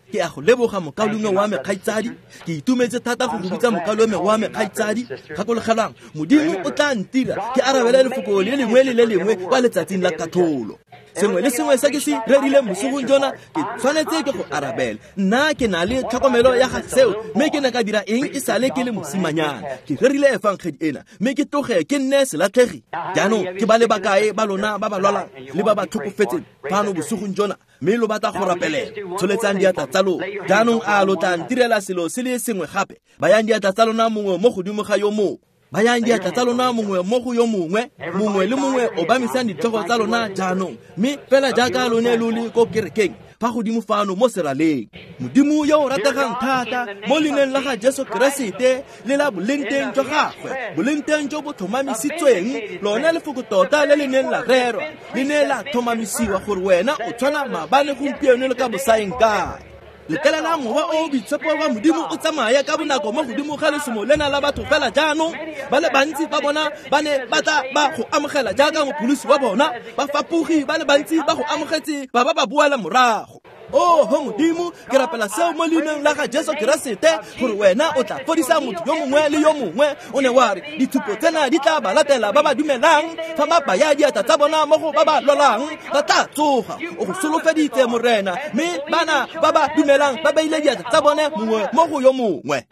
Ke a go leboga mokaulengwe wa me kgaitsadi. Ke itumetse thata go go bitsa mokaulengwe wa me kgaitsadi. Gakologelwang, Modimo o tla ntira ke arabele lefoko le lengwe le le lengwe kwa letsatsing la katlholo. Sengwe le sengwe se ke se rerileng bosigong jona ke tshwanetse ke go arabela. Nna ke na le tlhokomelo ya ga seo, mme ke ne ka dira eng e sale ke le mosimanyana. Ke rerile efangedi ena, mme ke tloge ke nne selatlhegi. Jaanong ke ba le bakae ba lona ba ba lwalang le ba ba tlhokofetseng fano bosigong jona, mme lo batla go rapelela, tsholetsang diatla tsa lona. Jaanong a lo tla ntirela selo se le sengwe gape. Bayang diatla tsa lona mongwe mo godimo ga yo mongwe. Bayang diatla tsa lona mongwe mo go yo mongwe, mongwe le mongwe obamisang ditlhogo tsa lona jaanong, mme fela jaaka lone lo le ko kerekeng fa godimo fano mo seraleng. Modimo yo o rategang thata, mo leineng la ga Jesu Keresete le la bolengteng jwa gagwe, bolengteng jo bo tlhomamisitsweng, lone lefoko tota le le neng la rerwa, le ne la tlhomamisiwa gore wena o tshwana maabane, gompieno le ka bosaeng kae. Letlelela mowa o boitshepo wa Modimo o tsamaya ka bonako mo godimo ga lesomo lena la batho fela jaanong. Ba le bantsi ba bona ba ne ba tla ba go amogela jaaka mopholosi wa bona, bafapogi ba le bantsi ba go amogetse ba ba ba boela morago. Oho Modimo, ke rapela seo mo leineng la ga Jesu Keresete, gore wena o tla fodisa motho yo mongwe le yo mongwe. O ne wa re dithupo tsena di tla ba latela ba ba dumelang, fa ba baya diatla tsa bona mo go ba ba lwalang ba tla tsoga. O go solofeditse Morena, mme bana ba ba dumelang ba beile diatla tsa bone mongwe mo go yo mongwe.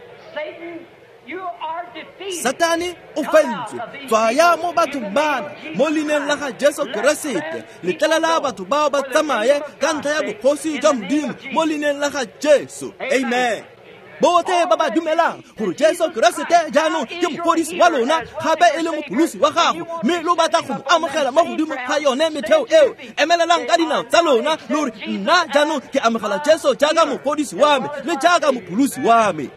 Satane o fentswe, tswaya mo bathong bana mo leineng la ga Jesu Keresete. Letlelela batho bao ba tsamaye ka ntlha ya bogosi jwa Modimo mo leineng la ga Jesu. Amen. Botlhe ba ba dumelang gore Jesu Keresete jaanong ke mofodisi wa lona, gape e le mopholosi wa gago, mme lo batla go mo amogela mo godimo ga yone metheo eo, emelelang ka dinao tsa lona lo re, nna jaanong ke amogela Jesu jaaka mofodisi wa me le jaaka mopholosi wa me.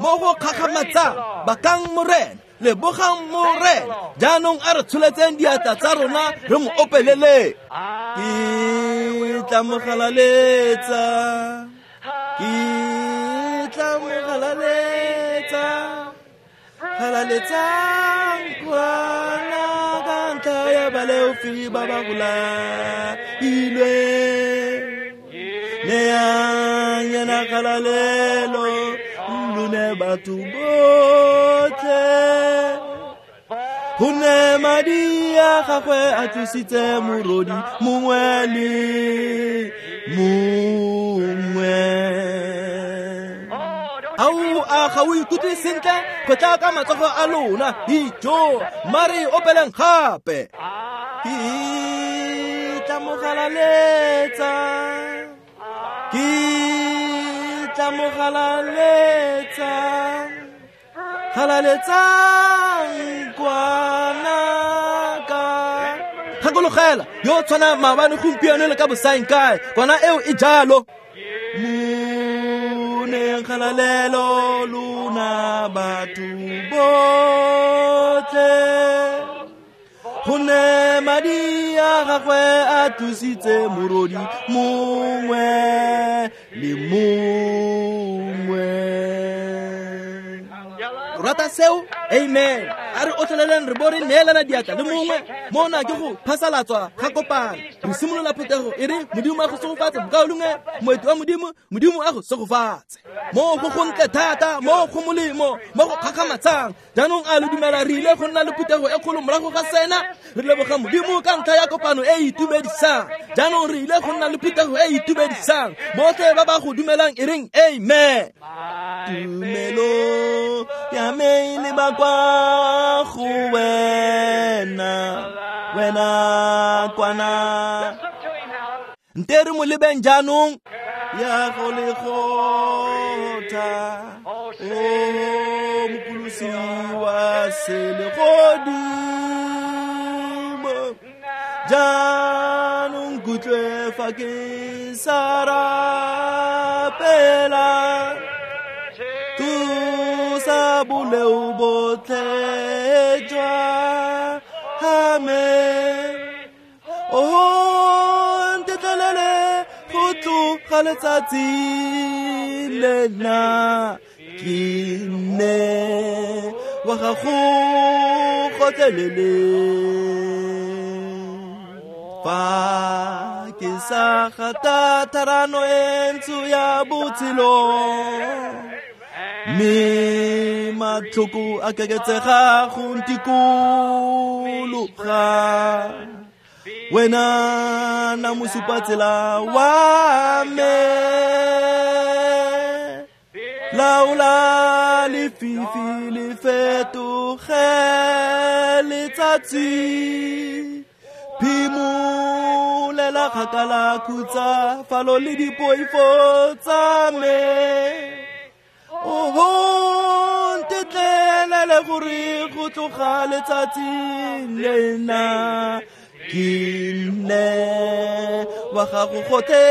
Mo go kgakgamatsang, bakang Morena, lebogang Morena. Jaanong a re tsholetseng diatla tsa rona re mo opelele. Ke tla mo galaletsa, ke tla mo galaletsa, galaletsang kwana ka ntlha ya baleofi ba ba bolailwe. Neang yena kgalalelo, lone batho botlhe, gonne madi a gagwe a tlositse morodi mongwe le mongwe. Ao, a ga o ikutlwe sentle? Kgotla ka matsogo a lona, dijo, mare opeleng gape. Ke tla mo galaletsa, ke tla mo galaletsa, galaletsang kwana ka. Gakologela yo tshwana maabane, gompieno le ka bosaeng kae, kwana eo e jalo. Mo neng kgalalelo lona batho botlhe, gonne madi a gagwe a tlositse morodi mongwe le mongwe. Rata seo? Amen. A re otlheleleng re bo re neelana diatla le mongwe. Mona ke go phasalatswa ga kopano. Re simolola phuthego e re Modimo a go segofatse, mokaulengwe, moeti wa Modimo, Modimo a go segofatse. Mo go gontle thata, mo go molemo, mo go kgakgamatsang. Jaanong a lo dumela re ile go nna le phuthego e kgolo morago ga sena? Re leboga Modimo ka ntlha ya kopano e e itumedisang. Jaanong re ile go nna le phuthego e e itumedisang. Botlhe ba ba go dumelang e reng amen. Tumelo ya me e leba kwa go wena, wena kwana. Nte re mo lebeng jaanong. Ya go le gotha, o mopholosi wa selegodimo. Jaanong kutlwe fa ke sa rapela, tlosa boleo botlhe jwa me. Oho, ntetlelele go tloga letsatsi lena ke nne wa gago gotlhelele. Fa ke sa gata tharano e ntsho ya botshelo, mme matlhoko a keketsega go ntikologa. Wena na mosupatsela wa me, laola lefifi le fetoge letsatsi, phimolela kgakala khutsafalo le dipoifo tsa me. Oho, ntetlelele gore go tloga letsatsing lena ke nne wa gago gotlhelele.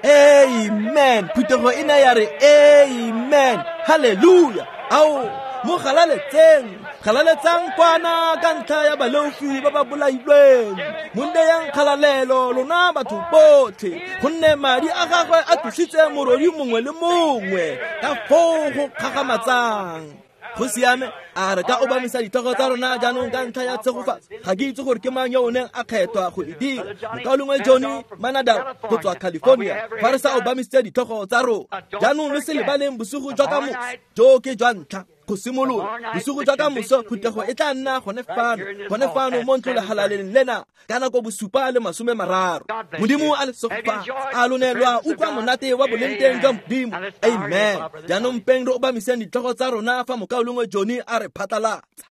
Amen. Phuthego e ne ya re amen. Hallelujah. Ao, mo galaletseng, galaletsang kwana ka ntlha ya baleofi ba ba bolailweng. Mo neyang kgalalelo lona batho botlhe, gonne madi a gagwe a tlositse morodi mongwe le mongwe ka foo go kgakgamatsang. Go siame, a re ka obamisa ditlhogo tsa rona jaanong ka ntlha ya tshegofatso. Ga ke itse gore ke mang yo o neng a kgethwa go e dira, mokaulengwe Johnny Manadal go tswa California, fa re sa obamisitse ditlhogo tsa rona. Jaanong lo se lebaleng bosigo jwa ka moso, jo ke jwa ntlha go simolola. Bosigo jwa ka moso phuthego e tla nna gone fano mo ntlolegalaleng lena ka nako 7:30. Modimo a le segofatse, a lone lwa utlwa monate wa boleng jwa Modimo. Amen. Jaanong mpeng re obamiseng ditlhogo tsa rona fa mokaulengwe Johnny a re phatlalatsa.